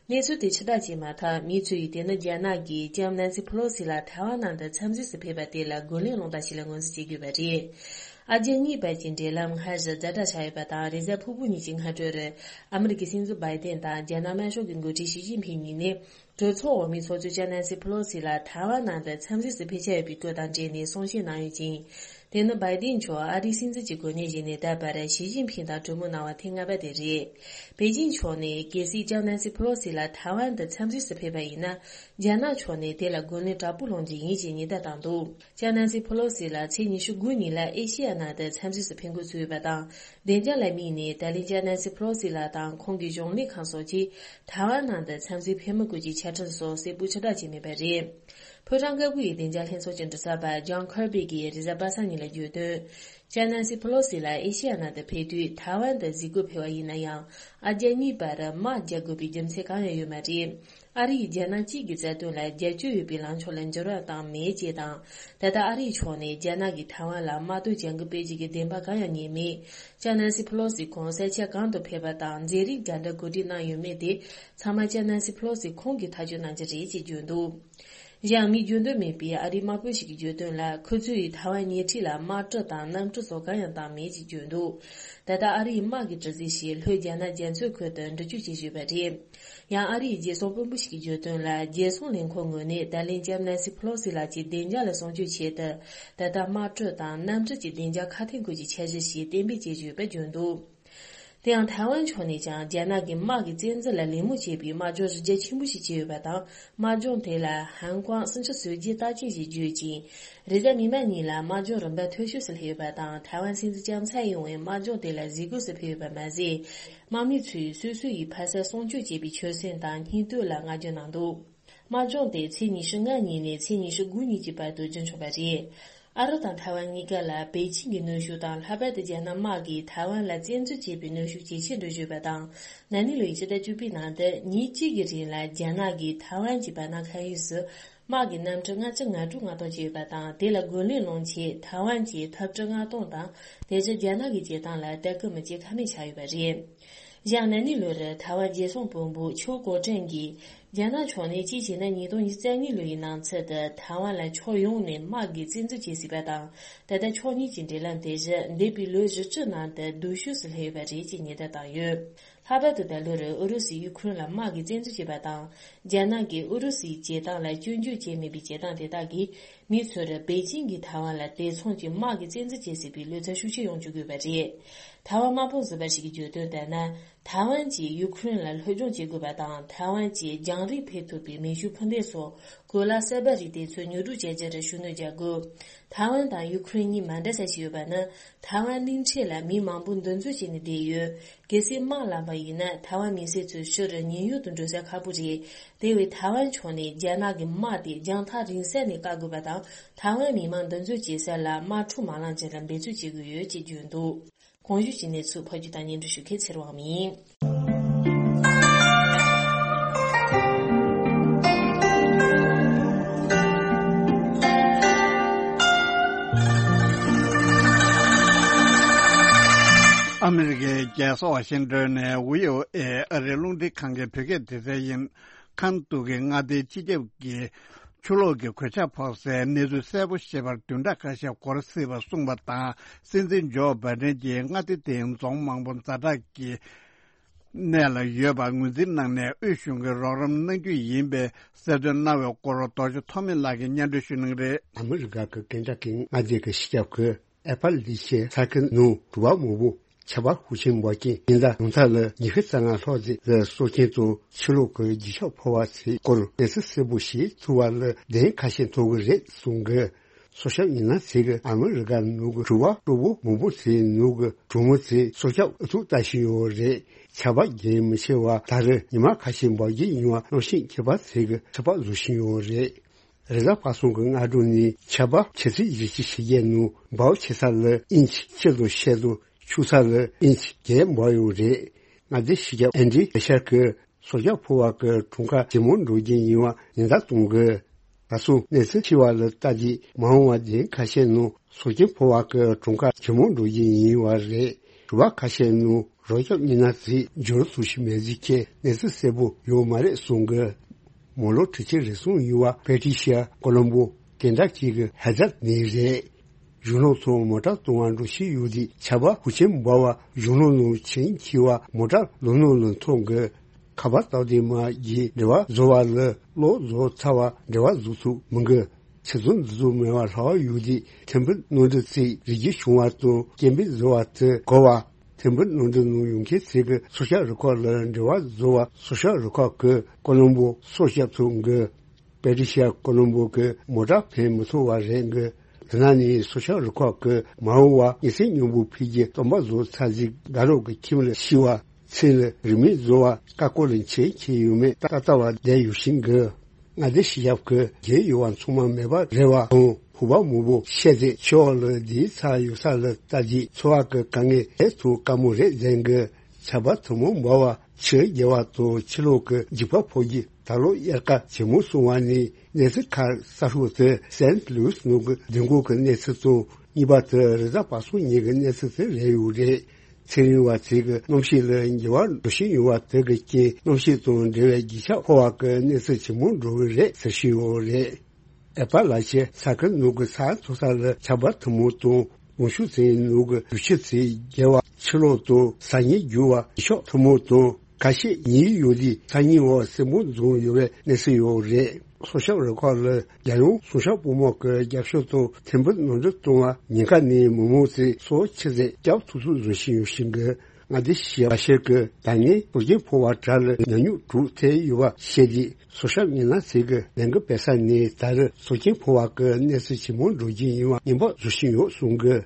གནས་ཚུལ་དེ་ཕྱིར་བསྒྲགས་བྱས་མ་ཐག་མི་ཚོས་དེ་ནི་རྒྱ་ནག་གིས་ལྕམ་ནན་སི་ཕེ་ལོ་སི་ལགས་ཐའེ་ཝན་ནང་དུ་འཚམས་གཟིགས་སུ་ཕེབས་པ་དེ་ལ་རྒོལ་ལན་སློང་སྟངས་ཤིག་ལ་ངོས་འཛིན་བྱེད་དགོས་པ་རེད། ཨ་རྒྱ་གཉིས་བར་གྱི་འབྲེལ་ལམ་སྔར་བཞིན་ཛ་དྲག་ཆགས་ཡོད་པ་དང་། རེས་གཟའ་ཕུར་བུ་ཉིན་གྱི་སྔ་དྲོར་ཨ་མི་རི་ཀའི་སྲིད་འཛིན་བྷའི་ཏན་དང་རྒྱ་ནག་དམར་ཤོག་གི་འགོ་ཁྲིད་ཞི་ཅིན་ཕིང་གཉིས་ནས། གྲོས་ཚོགས་འོག་མའི་ཚོགས་གཙོ་ལྕམ་ནན་སི་ཕེ་ལོ་སི་ལགས་ཐའེ་ཝན་ནང་དུ་འཚམས་གཟིགས་སུ་ཕེབས་འཆར་ཡོད་པའི་སྐོར་དང་འབྲེལ་ནས་གསུང་བཤད་གནང་ཡོད་ཅིང་། དེ་ནི་བྷའི་ཏིན་མཆོག་ཨ་རིའི་སྲིད་འཛིན་གྱི་གོ་གནས་བཞེས་ནས་ད་བར་ཞི་ཅིན་ཕིང་དང་གྲོས་མོལ་གནང་བ་ཐེངས་ལྔ་པ་དེ་རེད། པེ་ཅིན་ཕྱོགས་ནས་གལ་སྲིད་ལྕམ་ནན་སི་ཕེ་ལོ་སི་ལགས་ཐའེ་ཝན་དུ་འཚམས་གཟིགས་སུ་ཕེབས་པ་ཡིན་ན། རྒྱ་ནག་ཕྱོགས་ནས་དེ་ལ་རྒོལ་ལན་དྲག་པོ་སློང་རྒྱུ་ཡིན་ཞེས་ཉེན་བརྡ་བཏང་འདུག་ལྕམ་ནན་སི་ཕེ་ལོ་སི་ལགས་ཚེས་ཉི་ཤུ་དགུ་ཉིན་ལ་ཨེ་ཤེ་ཡ་ནང་དུ་འཚམས་གཟིགས་སུ་ཕེབས་འགོ་ཚུགས་ཡོད་པ་དང་། བདེ་འཇགས་ལ་དམིགས་ནས་ད་ལན་ལྕམ་ནན་སི་ཕེ་ལོ་སི་ལགས་དང་ཁོང་གི་གཞུང་ལས་ཁང་སོགས་ཀྱིས་ཐའེ་ཝན་ནང་དུ་འཚམས་གཟིགས་ཕེབས་མི་དགོས་ཀྱི་ཆ་འཕྲིན་སོགས་གསལ་པོ་ཕྱིར་བསྒྲགས་བྱས་མེད་པ་རེད། ཕོ་བྲང་དཀར་པོ་ཡི་བདེ་འཇགས་ལྷན་ཚོགས་ཀྱི་མགྲིན་ཚབ་པ་ཇོན་ཁར་བྷི་གིས་རེས་གཟའ་པ་སངས་ཉིན་ལ་བརྗོད་དོན། ལྕམ་ནན་སི་ཕེ་ལོ་སི་ལགས་ཨེ་ཤེ་ཡ་ནང་དུ་ཕེབས་དུས་ཐའེ་ཝན་དུ་གཟིགས་སྐོར་ཕེབས་པ་ཡིན་ན་ཡང་། ཨ་རྒྱ་གཉིས་བར་དམག་རྒྱག་དགོས་པའི་རྒྱུ་མཚན་གང་ཡང་ཡོད་མ་རེད། ཨ་རི་ཡིས་རྒྱ་ནག་གཅིག་གི་རྩ་དོན་ལ་རྒྱབ་སྐྱོར་ཡོད་པའི་ལངས་ཕྱོགས་ལ་འགྱུར་བ་བཏང་མེད་ཅེས་དང་། ད་ལྟ་ཨ་རིའི་ཕྱོགས་ནས་རྒྱ་ནག་གིས་ཐའེ་ཝན་ལ་དམག་དོན་བྱ་འགུལ་སྤེལ་རྒྱུ་གི་བདེན་པ་གང་ཡང་རྙེད་མེད། ལྕམ་ནན་སི་ཕེ་ལོ་སི་ཁོང་ས་ཆ་གང་དུ་ཕེབས་པ་དང་མཛད་རིམ་ག་འདྲ་གོ་སྒྲིག་གནང་ཡོད་མེད་དེ་ཚང་མ་ལྕམ་ནན་སི་ཕེ་ལོ་སི་ཁོང་གིས་ཐག་གཅོད་གནང་རྒྱུ་རེད་ཅེས་བརྗོད་འདུག་གཞན་མི་རྒྱུས་མངའ་མེད་པའི་ཨ་རིའི་དམག་དཔོན་ཞིག་གིས་བརྗོད་དོན་ལ། ཁོ་ཚོས་ཐའེ་ཝན་ཉེ་འཁྲིས་ལ་དམག་གྲུ་དང་གནམ་གྲུ་སོགས་གང་ཡང་བཏང་མེད་ཅེས་བརྗོད་འདུག་ད་ལྟ་ཨ་རིའི་དམག་གི་གྲུ་གཟིངས་ཤིག་ལྷོའི་རྒྱ་ནག་རྒྱ་མཚོའི་ཁུལ་དུ་འགྲུལ་སྐྱོད་བྱེད་བཞིན་ཡོད་པ་རེད། ཡང་ཨ་རིའི་རྒྱལ་སྲུང་དཔོན་པོ་ཞིག་གིས་བརྗོད་དོན་ལ། རྒྱལ་སྲུང་ལས་ཁུངས་ངོས་ནས་ད་ལན་ལྕམ་ནན་སི་ཕེ་ལོ་སི་ལགས་ཀྱི་བདེ་འཇགས་ལ་སྲུང་སྐྱོབ་ཆེད་དུ། ད་ལྟ་དམག་གྲུ་དང་གནམ་གྲུ་གྱི་བདེ་འཇགས་ཁ་འཐེན་སྐོར་གྱི་འཆར་གཞི་ཞིག་གཏན་འབེབས་བྱེད་བཞིན་ཡོད་པ་བརྗོད་འདུག་དེ་ཡང་ཐའེ་ཝན་ཕྱོགས་ནས་ཀྱང་རྒྱ་ནག་གི་དམག་གི་བཙན་འཛུལ་ལ་ལད་མོ་བྱས་པའི་དམག་སྦྱོང་རིམ་རྒྱ་ཆེན་པོ་ཞིག་བྱས་ཡོད་པ་དང་། དམག་སྦྱོང་དེ་ལ་ཧན་ཀོང་སུམ་ཅུ་སོ་བརྒྱད་རྟགས་ཅན་ཞེས་བརྗོད་ཅིང་། རེས་གཟའ་མིག་དམར་ཉིན་ལ་དམག་སྦྱོང་རིམ་པ་མཐོ་ཤོས་སུ་སླེབས་ཡོད་པ་དང་། ཐའེ་ཝན་སྲིད་འཛིན་ལྕམ་ཚའེ་ཡིན་ཝེ་དམག་སྦྱོང་དེ་ལ་གཟིགས་སྐོར་སུ་ཕེབས་ཡོད་པ་མ་ཟད། དམག་མི་ཚོས་སོ་སོ་ཡི་ཕ་ས་སྲུང་སྐྱོབ་བྱེད་པའི་ཆོད་སེམས་དང་སྙིང་སྟོབས་ལ་བསྔགས་བརྗོད་གནང་འདུག་དམག་སྦྱོང་དེ་ཚེས་ཉི་ཤུ་ལྔ་ཉིན་ནས་ཚེས་ཉི་ཤུ་དགུ་ཉིན་གྱི་བར་དུ་རྒྱུན་འཁྱོངས་པ་རེད། ཨ་རི་དང་ཐའེ་ཝན་གཉིས་ཀ་ལ་པེ་ཅིང་གི་གནོན་ཤུགས་དང་། ལྷག་པར་དུ་རྒྱ་ནག་དམག་གིས་ཐའེ་ཝན་ལ་བཙན་འཛུལ་བྱས་པའི་གནོན་ཤུགས་ཇེ་ཆེར་འགྲོ་བཞིན་ཡོད་པ་དང་། ན་ནིང་ལོའི་ཕྱི་ཟླ་བཅུ་པའི་ནང་དུ་ཉིན་གཅིག་གི་རིང་ལ་རྒྱ་ནག་གིས་ཐའེ་ཝན་གྱི་བར་སྣང་མཁའ་དབྱིངས་སུ་དམག་གི་གནམ་གྲུ་ལྔ་བཅུ་ང་དྲུག་མངགས་གཏོང་བྱས་ཡོད་པ་དང་། དེ་ལ་རྒོལ་ལན་སློང་ཆེད་ཐའེ་ཝན་གྱི་འཐབ་གྲུ་མངགས་གཏོང་དང་། དེ་བཞིན་རྒྱ་ནག་གི་བྱེད་སྟངས་ལ་ལྟ་སྐུལ་མི་བྱེད་ཀ་མེད་ཆགས་ཡོད་པ་རེད། ཡང་ན་ནིང་ལོར་ཐའེ་ཝན་རྒྱལ་སྲུང་དཔོན་པོ་ཆོས་གོ་ཀྲེང་གིས། རྒྱ་ནག་ཕྱོགས་ནས་གཅིག་བྱས་ན་ཉིས་སྟོང་ཉི་ཤུ་རྩ་གཉིས་ལོ་ཡི་ནང་ཚུད་དུ་ཐའེ་ཝན་ལ་ཕྱོགས་ཡོངས་ནས་དམག་གིས་བཙན་འཛུལ་བྱེད་སྲིད་པ་དང་། ད་ལྟ་ཕྱོགས་གཉིས་ཀྱི་འབྲེལ་ལམ་དེ་བཞིན་འདས་པའི་ལོའི་བཞི་བཅུ་ནང་དུ་སྡུག་ཤོས་སུ་སླེབས་ཡོད་པ་རེད་ཅེས་ཉེན་བརྡ་བཏང་ཡོད། ལྷག་པར་དུ་ད་ལོར་ཨུ་རུ་སུས་ཡུ་ཁུ་རེན་ལ་དམག་གིས་བཙན་འཛུལ་བྱས་པ་དང་། རྒྱ་ནག་གིས་ཨུ་རུ་སུའི་བྱེད་སྟངས་ལ་སྐྱོན་བརྗོད་བྱས་མེད་པའི་བྱེད་སྟངས་དེ་དག་གིས། མི་ཚོར་པེ་ཅིང་གིས་ཐའེ་ཝན་ལ་དེ་མཚུངས་ཀྱི་དམག་གི་བཙན་འཛུལ་བྱེད་སྲིད་པའི་བློ་འཚབ་ཤུགས་ཆེ་ཡོང་བཅུག་དགོས་པ་རེད། ཐའེ་ཝན་དམག་དཔོན་ཟུར་པ་ཞིག་གིས་བརྗོད་དོན་ལྟར་ན། ཐའེ་ཝན་གྱིས་ཡུ་ཁུ་རེན་ལ་སློབ་སྦྱོང་བྱེད་དགོས་པ་དང་། ཐའེ་ཝན་གྱིས་རྒྱང་རིང་ཕེབས་ཐུབ་པའི་མེ་ཤུགས་འཕུར་མདེལ་སོགས་གོ་ལ་གསར་པ་རིགས་དེ་ཚོ་ཉོ་སྒྲུབ་བྱ་རྒྱུར་ཤུགས་སྣོན་རྒྱག་དགོས། ཐའེ་ཝན་དང་ཡུ་ཁུ་རེན་གཉིས་མ་འདྲ་ས་ཞིག་ཡོད་པ་ནི། ཐའེ་ཝན་གླིང་ཕྲན་ལ་མི་མང་པོ་འདུ་འཛོམས་བྱས་ནས་བསྡད་ཡོད། གལ་སྲིད་དམག་ལངས་པ་ཡིན་ན། ཐའེ་ཝན་མི་སེར་ཚོ་ཕྱིར་ཉེན་གཡོལ་དུ་འགྲོ་ས་ཁག་པོ་རེད། དེ་བས་ཐའེ་ཝན་ཕྱོགས་ནས་རྒྱ་ནག་གི་དམག་དེ་རྒྱང་ཐག་རིང་ས་ནས་བཀག་དགོས་པ་དང་། ཐའེ་ཝན་མི་མང་འདུ་འཛོམས་བྱེད་ས་ལ་དམག་འཁྲུག་མ་ལངས་རྒྱུར་འབད་རྩོལ་བྱེད་དགོས་ཡོད་ཅེས་བརྗོད་འདུག་གོང་ཞུས་ཀྱི་གནས་ཚུལ་ཕབ་སྒྱུར་དང་སྙན་སྒྲོན་ཞུ་མཁན་ཚེ་རིང་དབང་མོ་ཡིན། ཨ་མི་རི་ཀའི་རྒྱལ་ས་ཝ་ཤིང་ཏོན་ནས་བྷི་ཨོ་ཨེ་ཨ་རིའི་རླུང་འཕྲིན་ཁང་གི་བོད་སྐད་སྡེ་ཚན་ཡིན། ཁམས་སྟོད་ཀྱི་མངའ་སྡེའི་སྤྱི་ཁྱབ་ཀྱི་ཆུ་ལོག་གི་གོད་ཆག་ཕོག་སའི་གནས་ཚུལ་གསལ་པོ་ཤེས་པར་བདུན་ཕྲག་ཁ་ཤས་འགོར་སྲིད་པ་གསུངས་པ་དང་། སྲིད་འཛིན་ཇོ་བྷའི་ཌེན་གྱིས་མངའ་སྡེ་དེའི་རྫོང་མང་པོ་ཛ་དྲག་གི་གནས་ལ་ཡོད་པ་ངོས་འཛིན་གནང་ནས། དབུས་གཞུང་གིས་རོགས་རམ་གནང་རྒྱུ་ཡིན་པའི་གསལ་སྟོན་གནང་བའི་སྐོར་རྡོ་རྗེ་ཐོགས་མེད་ལགས་ཀྱིས་སྙན་སྒྲོན་ཞུ་གནང་གི་རེད། ཨ་མི་རི་ཀ་གི་ཀེན་ཊ་ཀི་མངའ་སྡེ་གི་སྤྱི་ཁྱབ་ཁུལ་ཨེ་པ་ལི་ཤི་ཡ་ས་ཁུལ་ནང་དྲོ་པ་མང་པོ་ཆར་པ་ཤུགས་ཆེན་འབབ་རྐྱེན་ཉིན་ལྟར་ཡོངས་ཐག་ལ་ཉི་ཤུ་རྩ་ལྔ་ལྷག་ཙམ་ལ་སྲོག་སྐྱོན་དང་ཆུ་ལོག་གི་རྒྱུག་ཤར་ཕོག་པ་ཚོའི་སྐོར་གནས་ཚུལ་གསལ་པོ་ཞིག་ཐུབ་པ་ལ་བདེན་ཁ་ཤས་ཐོབ་གི་རེད་གསུངས་གི། སྲོག་སྐྱོབ་མི་སྣ་ཚོས་ཨ་མི་རི་ཀ་ནང་གི་དྲོ་པ་སྤྲོ་པོ་མང་པོ་ཚོའི་ནང་གི་གྲོང་མི་ཚོས་སྲོག་སྐྱོབ་ཨུ་ཚུགས་ལྟ་བཞིན་ཡོད་རེད། ཆར་པ་རྒྱུན་མི་ཆད་པར་ད་རེས་ཉི་མ་ཁ་ཤས་འབབ་རྒྱུ་ཡིན་པ་གནམ་གཤིས་མཁས་པ་ཚོས་ཚོད་དཔག་བཟོ་བཞིན་ཡོད་རེད། རེས་གཟའ་པ་སངས་ཀྱི་སྔ་དྲོ་ནས་ཆར་པ་ཆུ་ཚོད་བཞི་བཅུ་ཞེ་བརྒྱད་ནང་འབབ་ཆེ་ས་ལ་ཨིན་ཆི་གཅིག་དང་ཕྱེད་དང་། ཆུང་ས་ལ་ཨིན་ཆི་བརྒྱད་འབབ་ཡོད་རེད། མངའ་སྡེ་སྤྱི་ཁྱབ་ཨན་ཌི་ཤར་གྱིས་སྲོག་སྐྱོབ་ཕོག་པ་གི་གྲངས་ཀ་ཇེ་མང་འགྲོ་རྒྱུ་ཡིན་པ་ཉེན་བརྡ་གཏོང་གི། ད་སོ་གནས་ཚུལ་ཐོན་པ་ལ་ལྟ་རྒྱུ་མ་འོངས་པ་བདུན་ཁ་ཤས་ནང་སྲོག་སྐྱོན་ཕོག་པ་གི་གྲངས་ཀ་ཇེ་མང་འགྲོ་རྒྱུ་ཡིན་པ་རེད། དྲོ་པ་ཁ་ཤས་ནང་རོགས་སྐྱོབ་མི་སྣ་ཚོས་འབྱོར་ཐུབ་ཀྱི་མེད་ཟེར་མཁན་གནས་ཚུལ་གསལ་པོ་ཡོད་མ་རེད་གསུངས་གི། མོ་ལོ་དྲུག་ཅུ་རེ་ཟུང་ཡོད་པ་པེ་ཏི་ཤི་ཡ་ཀོ་ལོམ་བོ་ཀེན་ཊ་ཀི་གི་ཧེ་ཛར་ནས་རེད། གཞུང་ལམ་ཐོག་མོ་ཊ་གཏོང་བ་འགྲོ་བཞིན་ཡོད་དུས་ཆར་པ་ཤུགས་ཆེན་འབབ་པ་གཞུང་ལམ་ནང་བྱིང་འཁྱིལ་བ་མོ་ཊ་ལམ་ནང་ལ་འཐོར་གི། ཁ་པར་སྟབས་བདེ་མ་བརྒྱུད་འབྲེལ་བ་བཟོ་བ་ལ་གློག་བཟོ་ཚར་བ་འབྲེལ་བ་བཟོ་ཐུབ་མི་འགི། ཆུ་ཚོད་འདི་ཚོ་མེད་པར་ལྷག་ཡོད་དུས་ཐེམ་ཕུ་གནམ་གྲུ་ཚོས་རི་རྒྱུད་བྱུང་བ་དང་སྐྱེ་འཕེལ་བཟོ་བ་དེ་གོ་བ། ཐེམ་ཕུ་གནམ་གྲུ་ནང་ཡོང་མཁན་ཚོས་ཀྱི་སྲོག་སྐྱོབ་རུ་ཁག་ལ་འབྲེལ་བ་བཟོ་བ་སྲོག་སྐྱོབ་རུ་ཁག་གིས་ཀོ་ལོམ་བོ་སྲོག་སྐྱོབ་ཐུབ་འགི། པེ་ཏི་ཤི་ཡ་ཀོ་ལོམ་བོ་གི་མོ་ཊ་ཕན་མི་ཐོགས་པ་རེད་འགི། དེ་ནང་ནས་སྲོག་སྐྱོབ་རུ་ཁག་གིས་མ་འོངས་པར་ཉི་ཚེ་སྙིང་པོ་ཕུལ་རྒྱུའི་སྟོན་པ་བཟོ་ཚར་རྗེས་དགའ་རབ་ཀྱི་ཁྱིམ་ལ་ཤི་བ། ཚེ་ལ་རིན་མེད་བཟོ་བ་ཀ་ཀོ་ལ་འཁྱེར་འཁྱེར་ཡོད་མེད་ཏག་ཏག་པ་བསྡད་ཡོད་བཞིན་གི། མངའ་སྡེ་སྤྱི་ཁྱབ་ཀྱིས་རྒྱུས་ཡོད་པ་ཚང་མ་མེད་པ་རེད་པ་དང་ ཕུ་བ་མོ་བོ་ཤེས་ཚེ་ཆོག་ལ་འདིའི་ཚ་ཡོད་ས་ལ་ལྟ་རྗེས་འཚོ་བ་གི་དཀའ་ངལ་དེ་ཐུག་དཀའ་མོ་རེད་ཟེར་གི། ཆར་པ་ཐུན་མོང་འབར་བ་ཆུ་རྒྱལ་བ་དང་ཕྱི་ལོགས་ཀྱི་འཇིགས་པ་ཕོག་རྗེས་ད་ལོ་དབྱར་ཁ་ཇེ་མང་སོང་བ་ནི་གནས་ཚུལ་ཁག་གསར་ཤོག་དེ་སེན་ལུའུ་སི་ནང་གི་མདུན་སྐོར་གྱི་གནས་ཚུལ་དང་གཉིས་པ་དེ་རེས་གཟའ་པ་སངས་ཉིན་གྱི་གནས་ཚུལ་དེ་རེད་ཡོད་རེད། ཚེ་རིང་བ་ཚོས་ཀྱི་གནམ་གཤིས་ལ་འགྱུར་བ་འགྲོ་བཞིན་ཡོད་པ་དེ་གི་རྐྱེན་གནམ་གཤིས་དང་འབྲེལ་བའི་རྒྱུ་ཆ་ཕོ་བ་གི་གནས་ཚུལ་ཇེ་མང་འགྲོ་གི་རེད་ཟེར་བཞིན་ཡོད་རེད། ཨེ་པ་ལ་ཆེ་ས་ཁུལ་ནང་གི་ས་མཐོ་ས་ལ་ཆར་པ་ཐུན་མོང་དང་གོང་ཞུ་ཚན་ནང་གི་རུ་ཆུ་ཚན་རྒྱལ་བ་ཕྱི་ལོགས་དང་ས་ཉིལ་རྒྱུ་བ་ཡུལ་ཕྱོགས་ཐུན་མོང་དང་ཁ་ཤས་ཉིལ་ཡོད་དུས་ས་ཉིལ་བ་སྲིན་པོ་འཛོམས་ཡོད་པའི་གནས་ཚུལ་ཡོད་རེད། སྲོག་ཆགས་རུ་ཁག་ལ་རྒྱལ་ཡོངས་སྲུང་སྐྱོབ་པུས་མོ་གི་རྒྱབ་སྐྱོར་དང་ཐེར་འབུད་ནོར་འཛོལ་བཏང་བ་ཉེན་ཁ་ནས་མི་མང་ཚོས་སྲོག་ཆུད་ཟོས་བསྐྱབ་ཐུབ་ཐུབ་བཟོ་བཞིན་ཡོད་ཤིང་གི། མངའ་སྡེ་ཞི་བ་ཤེར་གྱིས་ད་སྔའི་སྲོག་ཆགས་ཕོ་བ་དག་ལ་ཉམས་མྱོང་དྲུག་ཐེབས་ཡོད་པ་བཤད་རྗེས་སྲོག་ཆགས་མི་སྣ་ཚོས་ཀྱི་ལས་འགུལ་སྤེལ་ས་ནས་ད་རེས་སྲོག་ཆགས་ཕོ་བ་གི་གནས་ཚུལ་ཇེ་མང་འགྲོ་རྒྱུ་ཡིན་པ་ངན་པ་བཟོ་བཞིན་ཡོད་གསུངས་གི།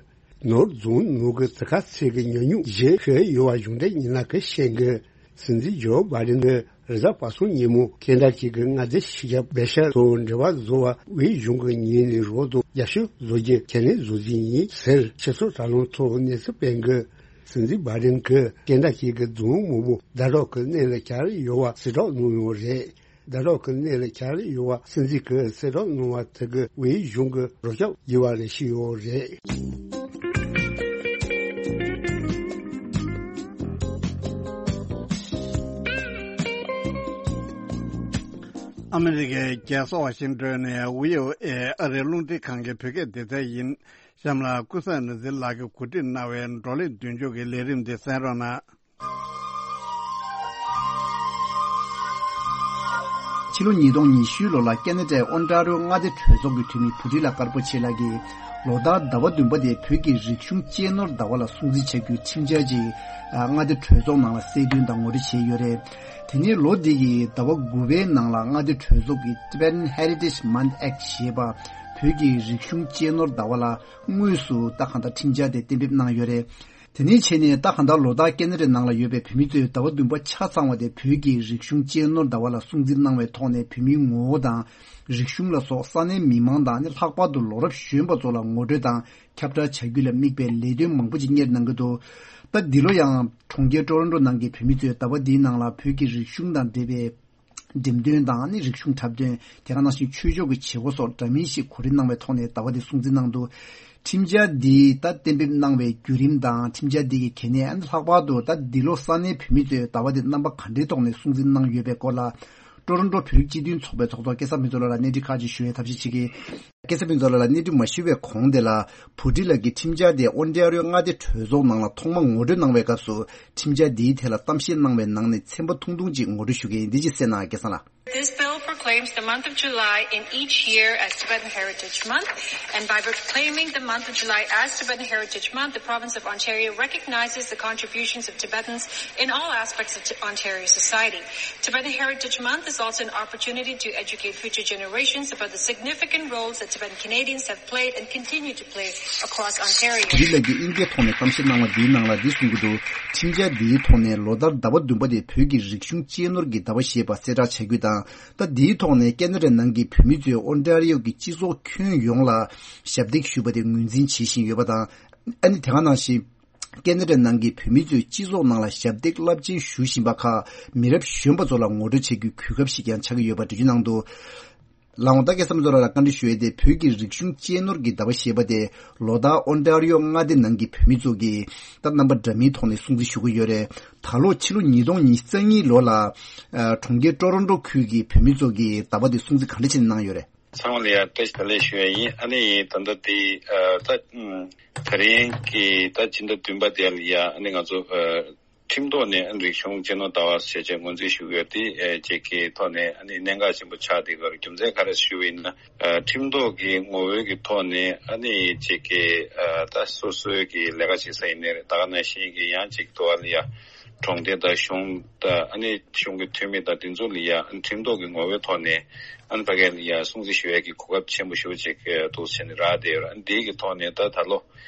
ནོར་རྫོང་ནང་གི་དེ་ག་ཚོད་ཀྱི་ཉམས་མྱོང་བརྗེ་ཤོས་ཡོད་པ་གཞུང་འབྲེལ་ཉིན་ལ་གི་བཤད་གི། སྲིད་འཛིན་ཇོ་བྷའི་ཌེན་གྱིས་རེས་གཟའ་པ་སངས་ཉིན་མོ་ཁེ་ན་ཌ་གི་མངའ་སྡེ་ཞི་རྒྱ་བེ་ཤར་དང་འབྲེལ་བ་བཟོ་བ་དབུས་གཞུང་གི་ཉིན་ནས་རོགས་དང་རྒྱབ་སྐྱོར་བཟོ་རྒྱུ་ཁས་ལེན་བཟོ་རྒྱུ་ཡིན་ཟེར་ཆེད་ཚོགས་དྲ་ལམ་ཐོག་གནས་ཚུལ་སྤེལ་གི། སྲིད་འཛིན་བྷའི་ཌེན་གྱིས་ཁེ་ན་ཌ་གི་རྫོང་མང་པོ་ཟླ་གྲོགས་ཀྱི་གནས་ལ་གྱར་ཡོད་པ་གསལ་བསྒྲགས་གནང་ཡོད་རེད། ཟླ་གྲོགས་ཀྱི་གནས་ལ་གྱར་ཡོད་པ་སྲིད་འཛིན་གྱིས་གསལ་བསྒྲགས་གནང་བ་དེ་གི་དབུས་གཞུང་གི་རོགས་སྐྱོབ་བགྱིས་པ་རེད་ཞུས་ཡོད་རེད། ཨ་མི་རི་ཀའི་རྒྱལ་ས་ཝ་ཤིང་ཏོན་ནས་ཝི་ཨོ་ཨེ་ཨ་རིའི་རླུང་འཕྲིན་ཁང་གི་བོད་སྐད་སྡེ་ཚན་ཡིན། གཤམ་ལ་ཀུན་བཟང་ནོར་འཛིན་ལགས་ཀྱིས་གོ་སྒྲིག་གནང་བའི་བགྲོ་གླེང་མདུན་སྐྱོད་ཀྱི་ལས་རིམ་འདི་གསན་རོགས་གནང་། ཕྱི་ལོ་ཉིས་སྟོང་ཉི་ཤུ་ལོ་ལ་ཁེ་ན་ཌའི་ཨོན་ཊ་རི་ཡོ་མངའ་སྡེ་གྲོས་ཚོགས་ཀྱི་འཐུས་མི་བུ་ཁྲིད་ལགས་དཀར་པོ་ཆེ་ལགས་ཀྱིས་ལོ་ལྟར་ཟླ་བ་བདུན་པ་དེ་བོད་ཀྱི་རིག་གཞུང་གཅེས་ནོར་ཟླ་བ་ལ་སྲུང་བརྩི་བྱ་རྒྱུའི་ཁྲིམས་འཆར་ཅིག་མངའ་སྡེ་གྲོས་ཚོགས་ནང་ལ་གསལ་སྟོན་དང་ངོ་སྤྲོད་བྱས་ཡོད་རེད། དེ་ནས་ལོ་འདི་ཡི་ཟླ་བ་དགུ་པའི་ནང་ལ་མངའ་སྡེ་གྲོས་ཚོགས་ཀྱིས་Tibetan Heritage Month Act ཞེས་པ་བོད་ཀྱི་རིག་གཞུང་གཅེས་ནོར་ཟླ་བ་ལ་དངོས་སུ་ད་གང་ལྟར་ཁྲིམས་འཆར་དེ་གཏན་འབེབས་གནང་ཡོད་རེད། དེ་ནས་བྱས་ནས་ད་གང་ལྟར་ལོ་ལྟར་ཁེ་ན་ཌའི་ནང་ལ་ཡོད་པའི་བོད་མི་ཚོས་ཟླ་བ་བདུན་པ་ཆ་ཚང་བ་དེ་བོད་ཀྱི་རིག་གཞུང་གཅེས་ནོར་ཟླ་བ་ལ་སྲུང་བརྩི་གནང་བའི་ཐོག་ནས་བོད་མིའི་ངོ་བོ་དང་རིག་གཞུང་ལ་སོགས་ས་གནས་མི་མང་དང་ནི་ལྷག་པར་དུ་ལོ་རབས་གཞོན་པ་ཚོ་ལ་ངོ་སྤྲོད་དང་ཁྱབ་བསྒྲགས་བྱ་རྒྱུ་ལ་དམིགས་པའི་ལས་དོན་མང་པོ་ཅིག་གཉེར་གནང་གི་འདུག་ད་འདི་ལོ་ཡང་གྲོང་ཁྱེར་ཀྲོ་རོན་ཀྲོ་ནང་གི་བོད་མི་ཚོས་ཟླ་བ་འདིའི་ནང་ལ་བོད་ཀྱི་རིག་གཞུང་དང་འབྲེལ་བའི་འགྲེམས་སྟོན་དང་ནི་རིག་གཞུང་འཁྲབ་སྟོན། དེ་ག་ནང་བཞིན་ཆོས་ཕྱོགས་ཀྱི་བྱེད་སྒོ་སོགས་འདྲ་མིན་ཞིག་གོ་སྒྲིག་གནང་བའི་ཐོག་ནས་ཟླ་བ་འདི་སྲུང་བརྩི་གནང་འདུག་ཁྲིམས་འཆར་འདི་ད་གཏན་འབེབས་གནང་བའི་བརྒྱུད་རིམ་དང་ཁྲིམས་འཆར་འདི་གི་གལ་གནད་ཨ་ནི་ལྷག་པར་དུ་ད་འདི་ལོ་ས་གནས་བོད་མི་ཚོས་ཟླ་བ་འདི་རྣམ་པ་ག་འདྲའི་ཐོག་ནས་སྲུང་བརྩི་གནང་ཡོད་པའི་སྐོར་ལ། ཀྲོ་རོན་ཀྲོ་བོད་རིགས་སྤྱི་མཐུན་ཚོགས་པའི་ཚོགས་གཙོ་སྐལ་བཟང་ཕུན་ཚོགས་ལགས་ལ་གནས་འདྲི་ཁག་ཅིག་ཞུ་བའི་ཐབས་ཤེས་བྱེད་ཀྱི། སྐལ་བཟང་ཕུན་ཚོགས་ལགས་ལ་གནས་འདྲི་མ་ཞུ་བའི་གོང་དེ་ལ་བུ་ཁྲིད་ལགས་ཀྱིས་ཁྲིམས་འཆར་དེ་ཨོན་ཊ་རི་ཡོ་མངའ་སྡེ་གྲོས་ཚོགས་ནང་ལ་ཐོག་མ་ངོ་སྤྲོད་གནང་བའི་སྐབས་སུ་ཁྲིམས་འཆར་འདིའི་ཐད་ལ་གཏམ་བཤད་གནང་བའི་ནང་ནས་ཚན་པ་ཐུང་ཐུང་ཅིག་ངོ་སྤྲོད་ཞུ་གི་ཡིན། འདི་ཅིག་གསན་གནང་། སྐལ་བཟང་ལགས། This bill proclaims the month of July in each year as Tibetan Heritage Month, and by proclaiming the month of July as Tibetan Heritage Month, the province of Ontario recognizes the contributions of Tibetans in all aspects of T- Ontario society. Tibetan Heritage Month is also an opportunity to educate future generations about the significant roles that Tibetan Canadians have played and continue to play across Ontario. བུ་ཁྲིད་ལགས་ཀྱིས་དབྱིན་སྐད་ཐོག་ནས་གཏམ་བཤད་གནང་བ་འདིའི་ནང་ལ་འདི་གསུང་གི་འདུག་ཁྲིམས་འཆར་འདིའི་ཐོག་ནས་ལོ་ལྟར་ཟླ་བ་བདུན་པ་དེ་བོད་ཀྱི་རིག་གཞུང་གཅེས་ནོར་གྱི་ཟླ་བ་ཞེས་པ་གསལ་བསྒྲགས་བྱ་རྒྱུ་དང་། ད་འདིའི་ཐོག་ནས་ཁེ་ན་ཌ་ནང་གི་བོད་མི་ཚོས་ཨོན་ཊ་རི་ཡོ་གི་སྤྱི་ཚོགས་ཁྱོན་ཡོངས་ལ་ཞབས་འདེགས་ཞུ་བ་དེ་ངོས་འཛིན་བྱེད་བཞིན་ཡོད་པ་དང་། ཨ་ནི་དེ་ག་ནང་བཞིན། ཁེ་ན་ཌ་ནང་གི་བོད་མི་ཚོས་སྤྱི་ཚོགས་ནང་ལ་ཞབས་འདེགས་རླབས་ཆེན་ཞུ་བཞིན་པ་ཁག་མི་རབས་གཞོན་པ་ཚོ་ལ་ངོ་སྤྲོད་བྱེད་རྒྱུའི་གོ་སྐབས་ཤིག་ཀྱང་ཆགས་ཀྱི་ཡོད་པ་འགྲེལ་བརྗོད་གནང་འདུག་ལགས་འོང་། ད་སྐལ་བཟང་ཕུན་ཚོགས་ལགས་ལ་བཀའ་འདྲི་ཞུ་ཡས་དེ། བོད་ཀྱི་རིག་གཞུང་གཅེས་ནོར་གྱི་ཟླ་བ་ཞེས་པ་དེ་ལོ་ལྟར་ཨོན་ཊ་རི་ཡོ་མངའ་སྡེ་ནང་གི་བོད་མི་ཚོ་གིས་ད་རྣམ་པ་འདྲ་མིན་ཐོག་ནས་སྲུང་བརྩི་ཞུ་གི་ཡོད་རེད། ད་ལོ་ཕྱི་ལོ་ཉིས་སྟོང་ཉི་ཤུ་རྩ་གཉིས་ལོ་ལ་ཨ་གྲོང་ཁྱེར་ཀྲོ་རོན་ཀྲོ་ཁུལ་གྱི་བོད་མི་ཚོ་གིས་ཟླ་བ་དེ་སྲུང་བརྩི་ག་འདྲ་བྱས་ནས་གནང་ཡོད་རེད། ཚང་མ་ལ་ཡ་བཀྲ་ཤིས་བདེ་ལེགས་ཞུ་ཡ་ཡིན། ཨ་ནི་ད་ལྟ་དེ་ཨ་ད་ཨུམ་ད་རིང་གི་ད་སྤྱི་ཟླ་བདུན་པ་དེ་ལ་ཡ་ཨ་ནི་ང་ཚོ་ཨ་ཁྲིམས་ཐོག་ནས་ཨ་རིག་གཞུང་གཅེས་ནོར་ཟླ་བ་ཞེས་བྱས་ངོས་འཛིན་ཞུ་གི་ཡོད་དེ་ཨ་ཅིག་གི་ཐོག་ནས་ཨ་ནི་གནད་འགག་ཆེན་པོ་ཆགས་བསྡད་ཀྱི་ཡོད་རེད། རྒྱུ་མཚན་ག་རེ་ཞུ་བ་ཡིན་ན་ཨ་ཁྲིམས་ཐོག་གི་ངོ་བོའི་གི་ཐོག་ནས་ཨ་ནི་ཅིག་གི་ཨ་ད་སོ་སོའི་གི་ལས་ཀ་བྱེད་ས་ཡིན་ནའི་རེད། ད་ག་ནང་བཞིན་གི་ཡང་ཅིག་ཐོག་ལ་ཡ་གྲོང་སྡེ་དང་གཞུང་དང་ཨ་ནི་གཞུང་གི་འཐུས་མི་དང་དེ་ཚོ་ལ་ཡ་ཁྲིམས་ཐོག་གི་ངོ་བོའི་ཐོག་ནས་ཨ་ནི་ཕ་གི་ལ་ཡ་སྲུང་བརྩི་ཞུ་ཡས་ཀྱི་གོ་སྐབས་ཆེན་པོ་ཞེ་པོ་ཅིག་འདུག་ཟེར་ནས་རག་བསྡད་ཡོད་རེད། ཨ་ནི་དེའི་གི་ཐོག་ནས་ད་ད་ལོ་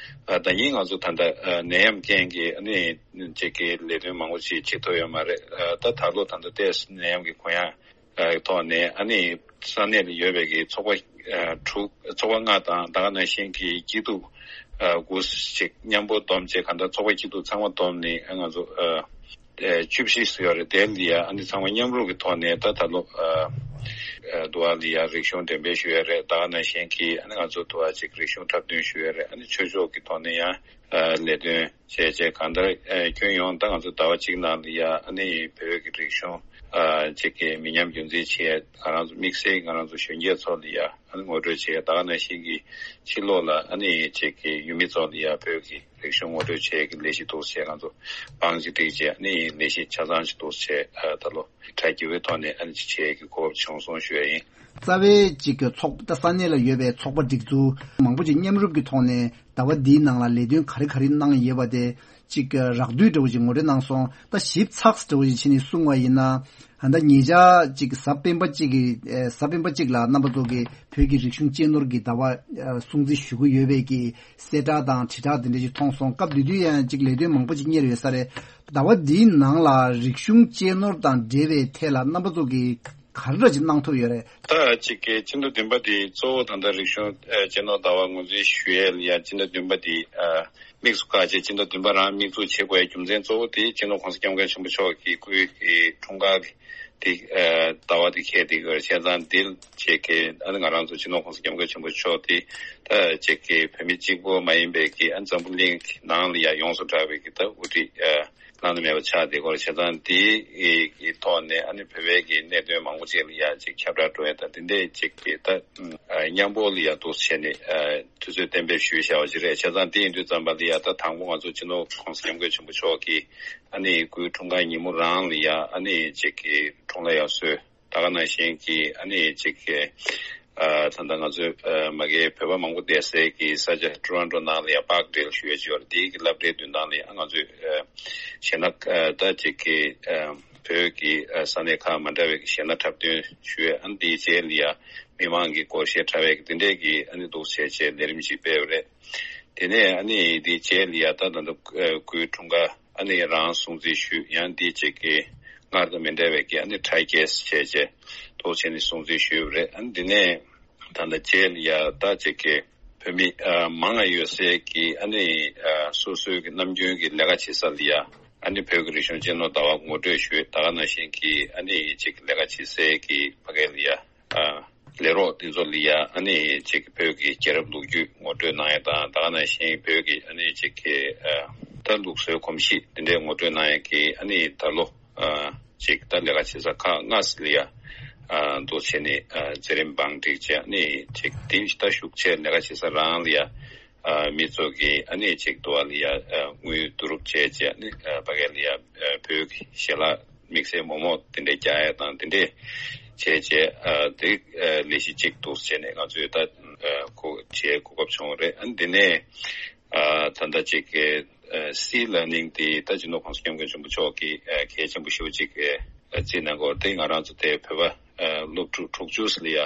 ཨ་ད་ཡིན་ང་ཚོ་ད་ལྟ་ཨ་ནད་ཡམས་རྐྱེན་གྱིས་ཨ་ནི་ཅིག་གི་ལས་དོན་མང་པོ་ཅིག་བྱེད་ཐུབ་ཡོད་མ་རེད། ཨ་ད་ད་ལོ་ད་ལྟ་ཏོག་ཙམ་ནད་ཡམས་ཀྱི་གུ་ཡངས་ཨ་ཐོག་ནས་ཨ་ནི་ས་གནས་ལ་ཡོད་པའི་གི་ཚོགས་པ་ ཨ་དྲུག་ཚོགས་པ་ལྔ་དང་ད་ག་ནང་བཞིན་གྱི་སྐྱིད་སྡུག་ཨ་དགུ་ཞིག་མཉམ་པོ་བསྡོམས་བྱས་གང་ལྟར་ཚོགས་པ་སྐྱིད་སྡུག་ཚང་མ་བསྡོམས་ནས་ཨ་ང་ཚོ་ཨ་ཨ་བཅུ་བཞི་ཞིག་ཡོད་རེད། དེ་ལ་ཡ་ཨ་ནི་ཚང་མ་མཉམ་རུབ་ཀྱི་ཐོག་ནས་ད་ད་ལོ་ཨ་ཨ་དུ་བ་ལ་ཡ་རིག་གཞུང་འགྲེམས་སྤེལ་ཞུ་ཡ་རེད། ད་ག་ནང་བཞིན་གྱི་ཨ་ནི་ང་ཚོ་དུ་བ་ཅིག་རིག་གཞུང་འཁྲབ་སྟོན་ཞུ་ཡ་རེད། ཨ་ནི་ཆོས་ཕྱོགས་ཀྱི་ཐོག་ནས་ཡང་ཨ་ལས་དོན་བྱས་བྱས་གང་ལྟར་ཨ་ཁྱོན་ཡོངས་ད་ང་ཚོ་ཟླ་བ་གཅིག་ནང་ལ་ཡ་ཨ་ནི་བོད་ཀྱི་རིག་གཞུང་ཨ་ཅིག་གི་མི་ཉམས་རྒྱུན་འཛིན་བྱས་ང་རང་ཚོ་དམིགས་བསལ་ང་རང་ཚོ་གཞོན་སྐྱེས་ཚོ་ལ་ཡ་ཨ་ནི་ངོ་སྤྲོད་བྱས། ད་ག་ནང་བཞིན་གྱི་ཕྱི་ལོགས་ལ་ཨ་ནི་ཅིག་གི་ཡུལ་མི་ཚོ་ལ་ཡ་བོད་ཀྱི་རིག་གཞུང་ངོ་སྤྲོད་བྱས་ཀྱི་ལས་གཞི་འདུག་བྱས་ང་ཚོ་བང་ཅིག་བསྒྲིགས་བྱས་ཨ་ནི་ལས་གཞི་ཆ་ཚང་ཞིག་འདུག་བྱས་ཨ་ད་ལོ་གྲ་རྒྱས་པའི་ཐོག་ནས་ཨ་ནི་ཅིག་བྱས་ཀྱི་གོ་སྐབས་བྱུང་སོང་ཞུ་ཡ་ཡིན། རྩ་བའི་ཅིག་གི་ཚོགས་པ་ད་ས་གནས་ལ་ཡོད་པའི་ཚོགས་པ་སྒྲིག་འཛུགས་མང་པོ་ཅིག་མཉམ་རུབ་ཀྱི་ཐོག་ནས་ཟླ་བ་འདིའི་ནང་ལ་ལས་དོན་ག་རེ་ག་རེ་གནང་ཡོད་པ་དེ་ཅིག་རགས་བསྡུས་འདྲ་བོ་ཅིག་ངོ་སྤྲོད་གནང་སོང་། ད་ཞིབ་ཚགས་འདྲ་བོ་ཅིག་བྱས་ནས་གསུང་བ་ཡིན་ན། ད་ལྟ་ཉེ་ཆར་ཅིག་གཟའ་སྤེན་པ་གཅིག་གི་ཨེ་གཟའ་སྤེན་པ་གཅིག་ལ་རྣམ་པ་ཚོ་གིས་བོད་ཀྱི་རིག་གཞུང་གཅེས་ནོར་གྱི་ཟླ་བ་ཨེ་སྲུང་བརྩི་ཞུ་གི་ཡོད་པའི་གི་གསལ་བསྒྲགས་དང་དྲིལ་བསྒྲགས་དེ་འདྲ་ཅིག་མཐོང་སོང་། སྐབས་དེ་དུས་ཡང་ཅིག་ལས་དོན་མང་པོ་ཅིག་གཉེར་ཡོད་ས་རེད། ཟླ་བ་འདིའི་ནང་ལ་རིག་གཞུང་གཅེས་ནོར་དང་འབྲེལ་བའི་ཐད་ལ་རྣམ་པ་ཚོ་གིས་ག་རེ་འདྲ་ཅིག་གནང་ཐུབ་ཡོད་རེད། ད་ཅིག་གི་སྤྱི་ཟླ་བདུན་པ་དེ་གཙོ་བོ་ད་ལྟ་རིག་གཞུང་ཨ་གཅེས་ནོར་ཟླ་བ་ངོས་འཛིན་ཞུ་ཡས་ལ་ཡ་སྤྱི་ཟླ་བདུན་པ་དེ་ཨ་དམིགས་སུ་བཀར་བྱས་སྤྱི་ཟླ་བདུན་པ་རང་དམིགས་འཛུགས་བྱེད་དགོས་ཡ་རྒྱུ་མཚན་གཙོ་བོ་དེ་སྤྱི་ནོར་༸གོང་ས་༸སྐྱབས་མགོན་ཆེན་པོ་མཆོག་གི་སྐུའི་གི་འཁྲུངས་སྐར་གི་དེ་ཨ་ཟླ་བ་དེ་འཁེལ་བསྡད་ཡོད་རེད། བྱས་ཙང་འདི་ལ་བྱས་ཀྱི་ཨ་ནི་ང་རང་ཚོ་སྤྱི་ནོར་༸གོང་ས་༸སྐྱབས་མགོན་ཆེན་པོ་མཆོག་དེ་ད་བྱས་ཀྱི་བོད་མི་གཅིག་པོ་མ་ཡིན་པའི་གི་ཨ་འཛམ་བུ་གླིང་གི་ནང་ལ་ཡ་ཡོངས་སུ་གྲགས་པའི་གི་ད་དབུ་ཁྲིད་ཨ་བླ་ན་མེད་པ་ཆགས་བསྡད་ཡོད་རེད། བྱས་ཙང་འདིའི་ཐོག་ནས་ཨ་ནི་བོད་པའི་གི་གནད་དོན་མང་པོ་ཅིག་ལ་ཡ་ཅིག་ཁྱབ་བསྒྲགས་འགྲོ་ཡ་དང་དེ་འདྲས་ཅིག་གི་ད་མཉམ་པོ་ལ་ཡ་འདུག་བྱས་ནས་དུས་ཚོད་གཏན་འབེབས་ཞུས་བཞག་པ་ཅིག་རེད། བྱས་ཙང་དེ་ཡིན་དུས་ཙམ་པ་ལ་ཡ་ད་དང་པོ་ང་ཚོ་སྤྱི་ནོར་༸གོང་ས་༸སྐྱབས་མགོན་ཆེན་པོ་མཆོག་གི་ཨ་ནི་སྐུའི་འཁྲུངས་སྐར་ཉིན་མོ་རང་ལ་ཡ་ཨ་ནི་ཅིག་གི་འཁྲུངས་ལྷ་ཡར་གསོལ། ད་ག་ནང་བཞིན་གྱི་ཨ་ནི་ཅིག་གི་ཨ་ད་ལྟ་ང་ཚོའི་ཨ་མ་གིའི་བོད་པ་མང་པོ་བསྡད་སའི་གི་ས་ཆ་ཊོ་རོན་ཊོ་ནང་ལ་ཡང་པཱརྐ་ཌེལ་ཞུ་ཡ་ཅིག་ཡོད་རེད། དེའི་གི་སློབ་གྲྭའི་མདུན་ཐང་ལ་ཡང་ང་ཚོས་ཨ་གཞས་སྣ་ཨ་ད་ཅིག་གི་ཨ་བོད་ཀྱི་ཨ་ས་གནས་ཁག་མ་འདྲ་བའི་གི་གཞས་སྣ་འཁྲབ་སྟོན་ཞུ་ཡ། ཨ་ནི་དེའི་རྗེས་ལ་ཡང་མི་མང་གི་སྒོར་གཞས་འཁྲབ་ཡ་གི་དེ་འདྲས་གི་ཨ་ནི་འདུག་བྱས་བྱས་ལས་རིམ་ཅིག་སྤེལ་བ་རེད། དེ་ནས་ཨ་ནི་དེའི་རྗེས་ལ་ཡང་ད་ད་ལྟ་ཨ་སྐུའི་འཁྲུངས་སྐར་ཨ་ནི་རང་སྲུང་བརྩི་ཞུས། ཡང་འདི་བྱས་ཀྱི་སྔར་དང་མི་འདྲ་བའི་གི་ཨ་ནི་ཊའི་ཀེ་སི་བྱས་བྱས་ཐོག་བྱས་ནས་སྲུང་བརྩི་ཞུས་པ་རེད། ཨ་ནི་འདི་ནས་ད་ལྟ་རྗེས་ལ་ཡ་ད་བྱས་ཀྱི་བོད་མི་ཨ་མང་ང་ཡོད་སའི་གི་ཨ་ནི་ཨ་སོ་སོའི་གི་ནམ་རྒྱུན་གི་ལས་ཀ་བྱེད་ས་ལ་ཡ་ཨ་ནི་བོད་ཀྱི་རིག་གཞུང་གཅེས་ནོར་ཟླ་བ་ངོ་སྤྲོད་ཞུས། ད་ག་ནང་བཞིན་གྱི་ཨ་ནི་ཅིག་ལས་ཀ་བྱེད་སའི་གི་ཕ་གི་ལ་ཡ། ཨ་ལས་རོགས་དེ་ཚོ་ལ་ཡ་ཨ་ནི་ཅིག་བོད་ཀྱི་རྒྱལ་རབས་ལོ་རྒྱུས་ངོ་སྤྲོད་གནང་ཡ་དང་། ད་ག་ནང་བཞིན་བོད་ཀྱི་ཨ་ནི་ཅིག་གི་ཨ་ད་ལུགས་སྲོལ་གོམས་གཤིས་དེ་འདྲའི་ངོ་སྤྲོད་གནང་ཡ་གི་ཨ་ནི་ད་ལོ་ཨ་ཅིག་ད་ལས་ཀ་བྱེད་ས་ཁག་ལྔ་ཙམ་ལ་ཡ་ཨ་འདུག་བྱས་ནས་ཨ་མཛད་རིམ་བང་བསྒྲིགས་བྱས། ཨ་ནི་ཅིག་དེ་ད་ཞུགས་བྱས་ལས་ཀ་བྱེད་ས་རང་ལ་ཡ་ཨ་མི་ཚོ་གི་ཨ་ནི་ཅིག་དུ་བ་ལ་ཡ་ཨ་དངུལ་བསྡུ་རུབ་བྱས་བྱས། ཨ་ནི་ཨ་ཕ་གི་ལ་ཡ་ཨ་བོད་ཀྱི་ཞལ་ལག་དམིགས་བསལ་མོག་མོག་དེ་འདྲས་རྒྱག་ཡ་དང་དེ་འདྲས་བྱས་བྱས་ཨ་དེ་ཨ་ལས་གཞི་གཅིག་འདུག་བྱས་ནས་ང་ཚོས་ད་ཨ་གོ་བྱས་གོ་སྐབས་བྱུང་བ་རེད། ཨ་ནི་འདི་ནས་ཨ་ད་ལྟ་ཅིག་གི་ཨ་སི་ལར་ནིང་དེ་ད་སྤྱི་ནོར་༸གོང་ས་༸སྐྱབས་མགོན་ཆེན་པོ་མཆོག་གིས་ཨ་གལ་ཆེན་པོ་ཞེ་པོ་ཅིག་གི་ཨ་བརྩིས་གནང་གི་ཡོད་རེད། དེ་ང་རང་ཚོ་དེ་བོད་པ་ཨ་སློབ་ཕྲུག་དྲུག་ཅུ་ཙམ་ལ་ཡ་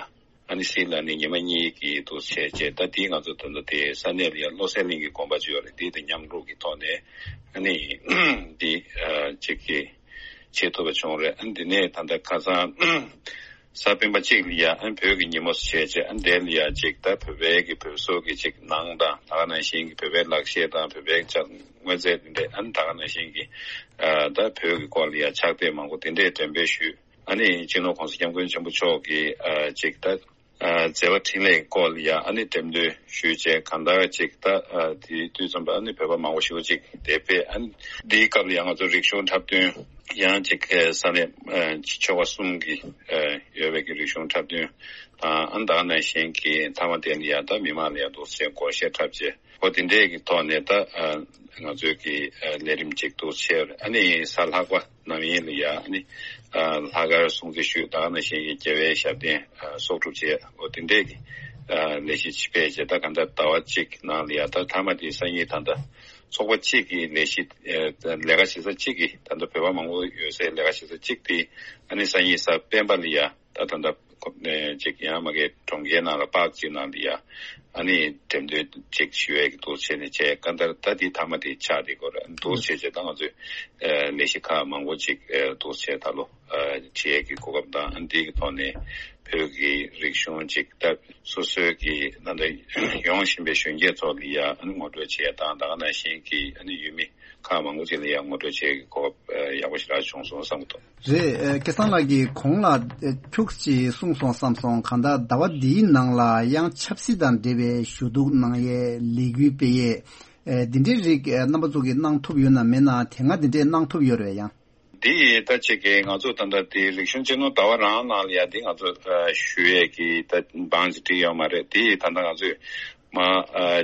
ཨ་ནི་སི་ལར་ནིང་ཉི་མ་གཉིས་ཀྱི་འདུག་བྱས་བྱས། ད་དེ་ང་ཚོ་ད་ལྟ་དེ་ས་གནས་ལ་ཡ་བློ་གསལ་གླིང་གི་དགོན་པ་ཅིག་ཡོད་རེད། དེ་དང་མཉམ་རུབ་ཀྱི་ཐོག་ནས་ཨ་ནི་དེ་ཨ་ཅིག་གི་བྱེད་ཐུབ་པ་བྱུང་རེད། ཨ་ནི་དེ་ནས་ད་ལྟ་ཁ་སང་གཟའ་སྤེན་པ་གཅིག་ལ་ཡ་ཨ་ནི་བོད་ཀྱི་ཉིན་མོ་བྱས་བྱས། ཨ་ནི་དེ་ལ་ཡ་ཅིག་ད་བོད་པའི་གི་བོད་སོག་གི་ཅིག་ནང་དང་ད་ག་ནང་བཞིན་གྱི་བོད་པའི་ལག་ཤེས་དང་བོད་པའི་ཅིག་དངོས་རྫས་དེ་འདྲས། ཨ་ནི་ད་ག་ནང་བཞིན་གྱི་ཨ་ད་བོད་ཀྱི་སྐོར་ལ་ཡ་ཕྱག་དེབ་མང་པོ་དེ་འདྲས་འགྲེམས་སྤེལ་ཞུས། ཨ་ནི་སྤྱི་ནོར་༸གོང་ས་༸སྐྱབས་མགོན་ཆེན་པོ་མཆོག་གིས་ཨ་ཅིག་ད་ཨ་མཛད་པ་འཕྲིན་ལས་སྐོར་ལ་ཡ་ཨ་ནི་འགྲེམས་སྟོན་ཞུས་བྱས། གང་ལྟར་ཅིག་ད་ཨ་དེའི་དུས་ཙམ་པ་ཨ་ནི་བོད་པ་མང་པོ་ཞེ་པོ་ཅིག་དེ་ཕེབས། ཨ་ནི་འདིའི་སྐབས་ལ་ཡ་ང་ཚོ་རིག་གཞུང་འཁྲབ་སྟོན་ཡང་ཅིག་ས་གནས་ཨ་ཆོལ་ཁ་གསུམ་གྱི་ཨ་ཡོད་པའི་གི་རིག་གཞུང་འཁྲབ་སྟོན་དང་། ཨ་ནི་ད་ག་ནང་བཞིན་གྱི་མཐའ་མ་དེ་ལ་ཡ་ད་མི་མང་ལ་ཡ་འདུག་སེ་སྒོར་གཞས་འཁྲབ་བྱས། འོ་དེ་འདྲས་ཀྱི་ཐོག་ནས་ད་ཨ་ང་ཚོའི་གི་ཨ་ལས་རིམ་ཅིག་ཏུ་བྱས། ཨ་ནི་གཟའ་ལྷག་པ་ནམ་ཡིན་ལ་ཡ་ཨ་ནི་ཨ་ལྷག་དཀར་སྲུང་བརྩི་ཞུས། ད་ག་ནང་བཞིན་གྱི་རྒྱལ་བའི་ཞབས་བརྟན་ཨ་གསོག་སྒྲུབ་བྱས། འོ་དེ་འདྲས་ཀྱི་ཨ་ལས་གཞི་ཅིག་སྤེལ་བྱས། ད་གང་ལྟར་ཟླ་བ་གཅིག་ནང་ལ་ཡ་ད་མཐའ་མ་དེ་སང་ཉིན་ད་ལྟ་ཚོགས་པ་གཅིག་གི་ལས་གཞི་ཨ་ལས་ཀ་བྱེད་ས་གཅིག་གི་ད་ལྟ་བོད་པ་མང་པོ་ཡོད་སའི་ལས་ཀ་བྱེད་ས་གཅིག་དེ་ཨ་ནི་སང་ཉིན་གཟའ་སྤེན་པ་ལ་ཡ། ད་ད་ལྟ་ཁོ་ནས་ཅིག་ཡང་མ་གི་གྲོང་ཁྱེར་ནང་ལ་པཱརྐ་ཅིག་ནང་ལ་ཡ་ཨ་ནི་འགྲེམས་སྟོན་ཅིག་ཞུ་ཡས་ཀྱི་འདུག་བྱས་ནས་བྱས། གང་ལྟར་ད་འདི་མཐའ་མ་དེ་ཆགས་བསྡད་ཀྱི་ཡོད་རེད། འདུག་བྱས་བྱས་ད་ང་ཚོས་ཨ་ལས་གཞི་ཁག་མང་པོ་ཅིག་ཨ་འདུག་བྱས་ད་ལོ་ཨ་བྱེད་ཡས་ཀྱི་གོ་སྐབས་དང་། ཨ་འདི་གི་ཐོག་ནས་ བོད་ཀྱི་རིག་གཞུང་ཅིག་ད་སོ་སོའི་གི་ད་ལྟ་ཡོང་བཞིན་པའི་གཞོན་སྐྱེས་ཚོ་ལ་ཡ་ཨ་ནི་ངོ་སྤྲོད་བྱེད་ཡ་དང་། ད་ག་ནང་བཞིན་གྱི་ཨ་ནི་ཡུལ་མི་ཁག་མང་པོ་ཅིག་ལ་ཡ་ངོ་སྤྲོད་བྱེད་ཡ་གི་གོ་སྐབས་ཡག་པོ་ཞེ་དྲག་བྱུང་སོང་བསམ་གྱི་འདུག། རེད། ཨ། སྐལ་བཟང་ལགས་ཀྱིས་གོང་ལ་ཨ་ཁྱུག་ཅིག་གསུངས་སོང་བསམ་སོང་། གང་ལྟར་ཟླ་བ་འདིའི་ནང་ལ་ཡང་ཆབ་སྲིད་དང་འབྲེལ་བའི་ཞུ་གཏུག་གནང་ཡས་ལས་འགུལ་སྤེལ་ཡས། ཨ། འདི་འདྲའི་རིགས་ཨ་རྣམ་པ་ཚོ་གིས་གནང་ཐུབ་ཡོད་ན་མེད་ན། དེ་སྔ་འདི་འདྲས་གནང་ཐུབ་ཡོད་རེད་ཡང་། འདི་ཡིས་ད་ཅིག་གི་ང་ཚོ་ད་ལྟ་དེ་རིག་གཞུང་གཅེས་ནོར་ཟླ་བ་རང་ནང་ལ་ཡ་འདི་ང་ཚོ་ཨ་ཞུ་ཡས་ཀྱི་ད་བང་ཅིག་བསྒྲིགས་ཡོད་མ་རེད། དེ་ཡིས་ད་ལྟ་ང་ཚོས་མ་ཨ་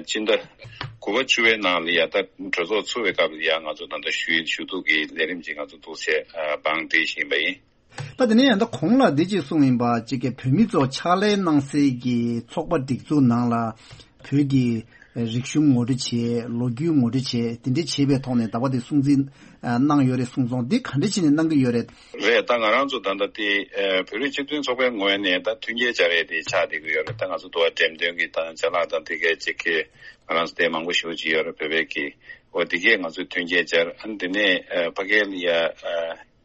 སྤྱི་ཟླ་དགུ་པ་བཅུ་པའི་ནང་ལ་ཡ་ད་གྲོས་ཚོགས་ཚུགས་པའི་སྐབས་ལ་ཡ་ང་ཚོ་ད་ལྟ་ཞུ་ཡིག་ཞུ་གཏུག་གི་ལས་རིམ་ཅིག་ང་ཚོ་འདུག་སེ་ཨ་བང་བསྒྲིགས་བཞིན་པ་ཡིན། ད་དེ་ནས་ཡང་ད་གོང་ལ་འདི་ཅིག་གསུངས་ཡིན་པ། ཅིག་གི་བོད་མི་ཚོ་ཕྱག་ལས་གནང་སའི་གི་ཚོགས་པ་སྒྲིག་འཛུགས་ནང་ལ་བོད་ཀྱི་རིག་གཞུང་ངོ་སྤྲོད་བྱེད། ལོ་རྒྱུས་ངོ་སྤྲོད་བྱེད། དེ་འདྲ་བྱེད་པའི་ཐོག་ནས་ཟླ་བ་འདི་སྲུང་བརྩི་གནང་ཡོད་རེད་གསུངས་སོང་། འདི་ག་འདྲ་བྱས་ནས་གནང་གི་ཡོད་རེད། རེད། ད་ང་རང་ཚོ་ད་ལྟ་དེ་ཨ་བོད་རིགས་སྤྱི་མཐུན་ཚོགས་པའི་ངོས་ནས་ད་མཐུན་རྐྱེན་སྦྱར་ཡས་དེ་ཆགས་བསྡད་ཀྱི་ཡོད་རེད། ད་ང་ཚོ་དུ་བ་འགྲེམས་སྟོན་གྱི་ད་ཅ་ལག་དང་དེ་གའི་ཅིག་གི་ང་རང་ཚོ་དེ་མང་པོ་ཞེ་པོ་ཅིག་ཡོད་རེད། བོད་པའི་གི་འོ་དེ་གས་ང་ཚོས་མཐུན་རྐྱེན་སྦྱར། ཨ་ནི་དེ་ནས་ཨ་ཕ་གི་ལ་ཡ་ཨ་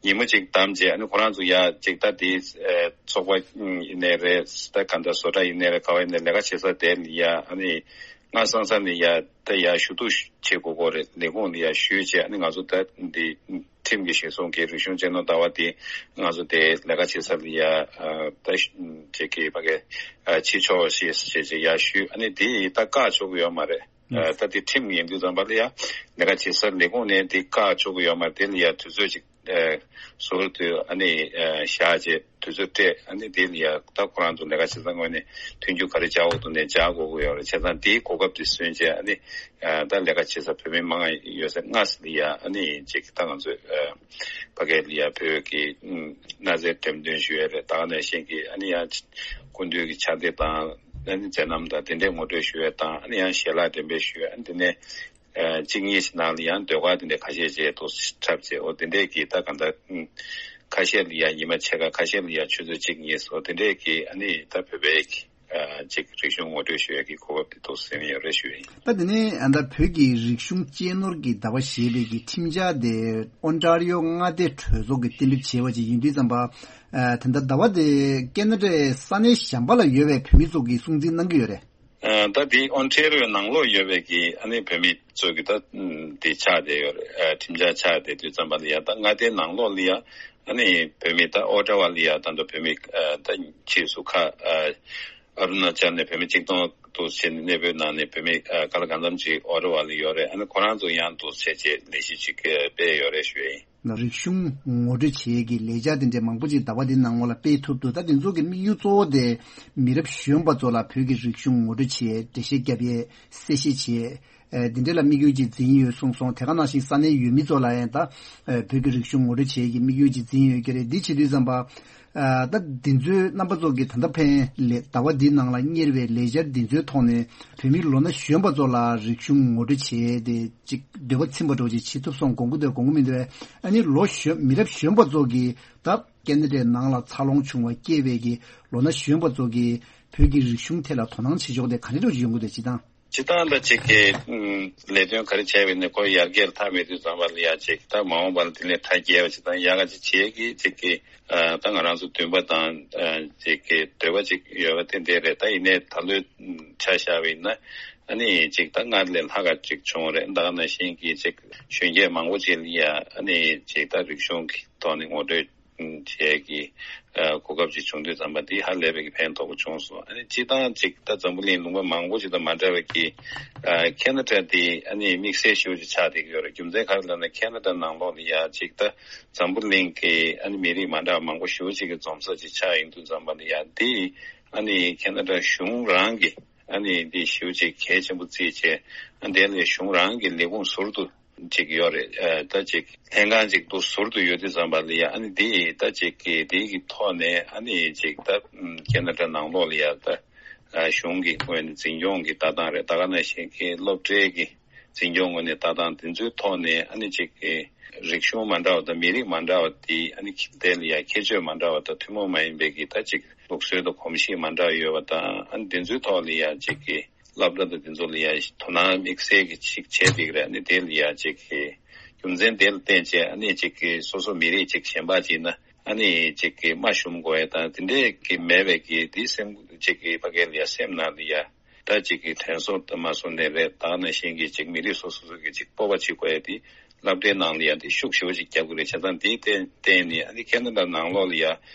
ཉིན་མོ་གཅིག་བདམས་རྗེས། ཨ་ནི་ཁོ་རང་ཚོ་ཡ་གཅིག་ད་དེ་ཨ་ཚོགས་པ་ཡིན་ནའི་རེད། ད་ག་འདྲ་བཟོ་གྲྭ་ཡིན་ནའི་རེད། ག་བ་ཡིན་ནའི་ལས་ཀ་བྱེད་ས་དེ་ལ་ཡ་ཨ་ནི་སྔ་སང་ས་ནས་ཡ་ད་ཡ་ཞུ་གཏུག་བྱེད་དགོས་ཀྱི་རེད། ལས་ཁུངས་ལ་ཡ་ཞུས་རྗེས། ཨ་ནི་ང་ཚོ་ད་འདི་ཁྲིམས་ཀྱི་གཞི་བཟུང་གི་རིག་གཞུང་གཅེས་ནོར་ཟླ་བ་དེ་ང་ཚོ་དེ་ལས་ཀ་བྱེད་ས་ལ་ཡ་ཨ་ད་ཅིག་གི་ཕ་གི་ཨ་ཕྱི་ཕྱོགས་ཞེས་བྱས་རྗེས་ཡ་ཞུས། ཨ་ནི་དེ་ཡི་ད་བཀག་ཆོག་གི་ཡོད་མ་རེད། ཨ་ད་དེ་ཁྲིམས་ཡིན་དུས་ཙམ་པ་ལ་ཡ་ལས་ཀ་བྱེད་སར་ལས་ཁུངས་ནས་དེ་བཀག་ཆོག་གི་ཡོད་མ་རེད། དེ་ལ་ཡ་དུས་ཚོད་ཅིག་ཨ་ཟུར་དུ་ཨ་ནི་ཨ་བཞག་རྗེས་དུས་ཚོད་སྤྲད། ཨ་ནི་དེ་ལ་ཡ་ད་ཁོ་རང་ཚོ་ལས་ཀ་བྱེད་ས་ངོས་ནས་མཐུན་འགྱུར་ག་རེ་བྱ་འོག་ཏུ་ནས་བྱ་དགོས་ཀྱི་ཡོད་རེད། བྱས་ཙང་དེའི་གོ་སྐབས་དེ་སོན་རྗེས། ཨ་ནི་ཨ་ད་ལས་ཀ་བྱེད་ས་བོད་མི་མང་ཡོད་ས་སྔ་ས་ལ་ཡ་ཨ་ནི་ཅིག་ད་ང་ཚོས་ཨ་ཕ་གི་ལ་ཡ་བོད་ཀྱི་གནའ་རྫས་འགྲེམས་སྟོན་ཞུ་ཡས་རེད། ད་ག་ནང་བཞིན་གྱི་ཨ་ནི་ཡང་སྐུ་མདུན་གྱི་ཕྱག་དེབ་དང་། ཨ་ནི་མཛད་རྣམ་དང་དེ་འདྲའི་ངོ་སྤྲོད་ཞུ་ཡས་དང་། ཨ་ནི་ཡང་ཞལ་ལག་འགྲེམས་སྤེལ་ཞུ་ཡས། ཨ་ནི་དེ་ནས་ཨ་གཅིག་གཉིས་ཤིག་ནང་ལ་ཡང་ཟློས་གར་དེ་འདྲའི་ཁ་ཤས་བྱས་འདུག་འཁྲབ་བྱས། འོ་དེ་འདྲའི་གི་ད་གང་ལྟར་ཨུམ་ཁ་ཤས་ལ་ཡང་ཉི་མ་ཕྱེད་ཀ། ཁ་ཤས་ལ་ཡང་ཆུ་ཚོད་གཅིག་གཉིས། འོ་དེ་འདྲའི་གི་ཨ་ནི་ད་བོད་པའི་གི་ཨ་ཅིག་རིག་གཞུང་ངོ་སྤྲོད་ཞུ་ཡས་ཀྱི་གོ་སྐབས་དེ་འདུག་ཟེར་ནས་ཡོད་རེད་ཞུ་ཡས་ཡིན། ད་དེ་ནས་ཨ་ད་བོད་ཀྱི་རིག་གཞུང་གཅེས་ནོར་གྱི་ཟླ་བ་ཞེས་པའི་གི་ཁྲིམས་འཆར་དེ་ཨོན་ཊ་རི་ཡོ་མངའ་སྡེ་གྲོས་ཚོགས་ཀྱིས་གཏན་འབེབས་བྱས་པ་ཅིག་ཡིན་དུས་ཙམ་པ། ཨ་ད་ལྟ་ཟླ་བ་དེ་ཀེ་ན་ཌའི་ས་གནས་གཞན་པ་ལ་ཡོད་པའི་བོད་མི་ཚོ་གིས་སྲུང་བརྩི་གནང་གི་ཡོད་རེད། ཨ་ད་དེ་ཨོན་ཊེ་རི་ཡོ་ནང་ལོགས་ཡོད་པའི་གི་ཨ་ནི་བོད་མི་ཚོ་གི་ད་དེ་ཆགས་བསྡད་ཡོད་རེད། ཨ་ཁྲིམས་འཆར་ཆགས་བསྡད་དུས་ཙམ་པ་ལ་ཡ་ད་མངའ་སྡེ་ནང་ལོགས་ལ་ཡ་ཨ་ནི་བོད་མི་ད་ཨོ་ཊ་ཝ་ལ་ཡ་ད་ལྟ་བོད་མི་ཨ་ད་ཕྱིས་སུ་ཁ་ཨ་ཨ་རུ་ན་ཅལ་ནས་བོད་མི་གཅིག་སྟོང་དུ་ཕྱིན་ནས་གནས་སྤོས་གནང་ནས་བོད་མི་ཨ་ག་ལ་གང་འཚམ་ཅིག་ཨོ་ཊ་ཝ་ལ་ཡོད་རེད། ཨ་ནི་ཁོ་རང་ཚོ་ཡང་འདུག་སེ་བྱས་ལས་གཞི་ཅིག་སྤེལ་ཡོད་རེད་ཞུ་ཡ་ཡིན། རིག་གཞུང་ངོ་སྤྲོད་བྱེད་ཡས་ཀྱི་ལས་འཆར་དེ་འདྲའི་མང་པོ་ཅིག་ཟླ་བ་འདིའི་ནང་ལོགས་ལ་སྤེལ་ཐུབ་འདུག། ད་དེ་ཚོ་གི་དམིགས་ཡུལ་གཙོ་བོ་དེ་མི་རབས་གཞོན་པ་ཚོ་ལ་བོད་ཀྱི་རིག་གཞུང་ངོ་སྤྲོད་བྱེད་ཡས། འགྲེལ་བཤད་རྒྱབ་ཡས། གསལ་བཤད་བྱེད་ཡས། ཨེ་འདི་འདྲ་ལ་དམིགས་ཡུལ་ཅིག་འཛིན་ཡོད་གསུངས་སོང་། དེ་ག་ནང་བཞིན་ས་གནས་ཡུལ་མི་ཚོ་ལ་ཡང་ད་ཨེ་བོད་ཀྱི་རིག་གཞུང་ངོ་སྤྲོད་བྱེད་ཡས་ཀྱི་དམིགས་ཡུལ་ཅིག་འཛིན་ཡོད་ཀྱི་རེད། འདི་བྱེད་དུས་ཙམ་པ། ཨ་ད་འདི་ཚོའི་རྣམ་པ་ཚོ་གིས་ད་ལྟ་ཕན་ལས་ཟླ་བ་འདིའི་ནང་ལ་གཉེར་བའི་ལས་འཆར་འདི་ཚོའི་ཐོག་ནས་བོད་མི་ལོ་ན་གཞོན་པ་ཚོ་ལ་རིག་གཞུང་ངོ་སྤྲོད་བྱེད་ཡས་དེ་ཅིག་འདོད་པ་ཚིམ་པ་འདྲ་བོ་ཅིག་བྱེད་ཐུབ་སོང་དགོངས་ཀྱི་འདུག་དགོངས་ཀྱི་མི་འདུག་ཨ་ནི་ལོ་གཞོན་མི་རབས་གཞོན་པ་ཚོ་གིས་ད་ཀེ་ན་ཌའི་ནང་ལ་འཚར་ལོངས་བྱུང་བ་སྐྱེས་པའི་གི་ལོ་ན་གཞོན་པ་ཚོ་གིས་བོད་ཀྱི་རིག་གཞུང་ཐད་ལ་དོ་སྣང་བྱེད་ཕྱོགས་དེ་ག་འདྲ་འདྲ་བོ་ཅིག་ཡོང་གི་འདུག་སྤྱིར་བཏང་། སྤྱིར་བཏང་ད་ཅིག་གི་ཨུམ་ལས་དོན་ག་རེ་བྱས་པ་ཡིན་ནའི་ཁོ་ཡར་རྒྱས་ལ་ཐག་མེད་དུས་ཙམ་པ་ལ་ཡ་ཅིག་ད་མ་འོངས་པ་ལ་དེ་ནས་ཐག་རྒྱས་པ་ཅིག་དང་ཡག་ག་ཅིག་བྱེད་ཀྱི་ཅིག་གི་ཨ་ད་ང་རང་ཚོ་འདུན་པ་དང་ཨ་ཅིག་གི་འདོད་པ་ཅིག་ཡོད་པ་དེ་འདྲ་རེད། ད་ཡིན་ནའི་ད་ལོའི་ཆ་བཞག་པ་ཡིན་ན་ཨ་ནི་ཅིག་ད་སྔར་ལས་ལྷག་ག་ཅིག་བྱུང་རེད། ད་ག་ནང་བཞིན་གྱི་ཅིག་གཞོན་སྐྱེས་མང་པོ་ཅིག་ལ་ཡ་ཨ་ནི་ཅིག་ད་རིག་གཞུང་གི་ཐོག་ནས་ངོ་སྤྲོད་བྱེད་ཀྱི་ཨ་གོ་སྐབས་ཅིག་བྱུང་དུས་ཙམ་པ་འདི་ཧ་ལས་པའི་གི་ཕན་ཐོགས་པོ་བྱུང་སོང་། ཨ་ནི་སྤྱིར་བཏང་ཅིག་ད་འཛམ་བུ་གླིང་ལུང་པ་མང་པོ་ཅིག་དང་མ་འདྲ་བའི་གི་ཨ་ཁེ་ན་ཌ་འདི་ཨ་ནི་དམིགས་བསལ་ཞེ་པོ་ཅིག་ཆགས་བསྡད་ཀྱི་ཡོད་རེད། རྒྱུ་མཚན་ག་རེ་ལབ་ན་ཁེ་ན་ཌ་ནང་ལོགས་ལ་ཡ་ཅིག་ད་འཛམ་བུ་གླིང་གི་ཨ་ནི་མི་རིགས་མ་འདྲ་བ་མང་པོ་ཞེ་པོ་ཅིག་གི་འཛོམས་ས་ཅིག་ཆགས་ཡིན་དུས་ཙམ་པ་ལ་ཡ་འདི་ཨ་ནི་ཁེ་ན་ཌ་གཞུང་རང་གི་ཨ་ནི་འདི་ཞེ་པོ་ཅིག་གལ་ཆེན་པོ་བརྩིས་བྱས། ཨ་འདི་ལས་གཞུང་རང་གི་ལས་ཁུངས་ཟུར་དུ་ཅིག་ཡོད་རེད། ཨ་ད་ཅིག་ལྷན་ཁང་ཅིག་ཏུ་ཟུར་དུ་ཡོད་དུས་ཙམ་པ་ལ་ཡ་ཨ་ནི་འདི་ད་ཅིག་གི་འདི་གི་ཐོག་ནས་ཨ་ནི་ཅིག་ད་ཁེ་ན་ཌ་ནང་ལོགས་ལ་ཡ་ད་ཨ་གཞུང་གི་ངོས་ནས་འཛིན་སྐྱོང་གི་ལྟ་སྟངས་རེད། ད་ག་ནང་བཞིན་གྱི་སློབ་གྲྭའི་གི་འཛིན་སྐྱོང་ངོས་ནས་ལྟ་སྟངས་དེ་ཚོའི་ཐོག་ནས་ཨ་ནི་ཅིག་གི་རིག་གཞུང་མ་འདྲ་བ་དང་མི་རིགས་མ་འདྲ་བ་དེ་ཨ་ནི་དེ་ལ་ཡ་ཁྱད་ཆོས་མ་འདྲ་བ་དང་ཐུན་མོང་མ་ཡིན་པའི་གི་ད་ཅིག་ལུགས་སྲོལ་དང་གོམས་གཤིས་མ་འདྲ་བ་ཡོད་པ་དང་། ཨ་ནི་དེ་ཚོའི་ཐོག་ལ་ཡ་ཅིག་གི་སློབ་གྲྭ་དང་དེ་ཚོ་ལ་ཡ་དོ་སྣང་དམིགས་བསལ་གྱི་ཅིག་བྱས་བསྡད་ཀྱི་རེད། ཨ་ནི་དེ་ལ་ཡ་ཅིག་གི་རྒྱུ་མཚན་དེ་ལ་བརྟེན་བྱས་ཨ་ནི་ཅིག་གི་སོ་སོ་མི་རིགས་ཅིག་གཞན་པ་ཅིག་ན་ ཨ་ནི་ཅིག་གི་མ་ཞུམ་དགོས་ཡ་དང་དེ་འདྲས་ཀྱི་མེད་པའི་གི་དེ་སེམས་ཅིག་གི་ཕ་གི་ལ་ཡ་སེམས་ནང་ལ་ཡ། ད་ཅིག་གི་དྲན་གསོ་དང་མ་སོང་ནས་རེད། ད་ནང་བཞིན་གྱི་ཅིག་མི་རིགས་སོ་སོ་སོ་གི་ཅིག་སྤོབས་པ་བྱེད་དགོས་ཡ་དེ་སློབ་གྲྭའི་ནང་ལ་ཡ་དེ་ཤུགས་ཞེ་པོ་ཅིག་རྒྱབ་དགོས་རེད། བྱས་ཙང་དེའི་བརྟེན་བརྟེན་ནས་ཨ་ནི་ཁེ་ན་ཌ་ནང་ལོགས་ལ་ཡ་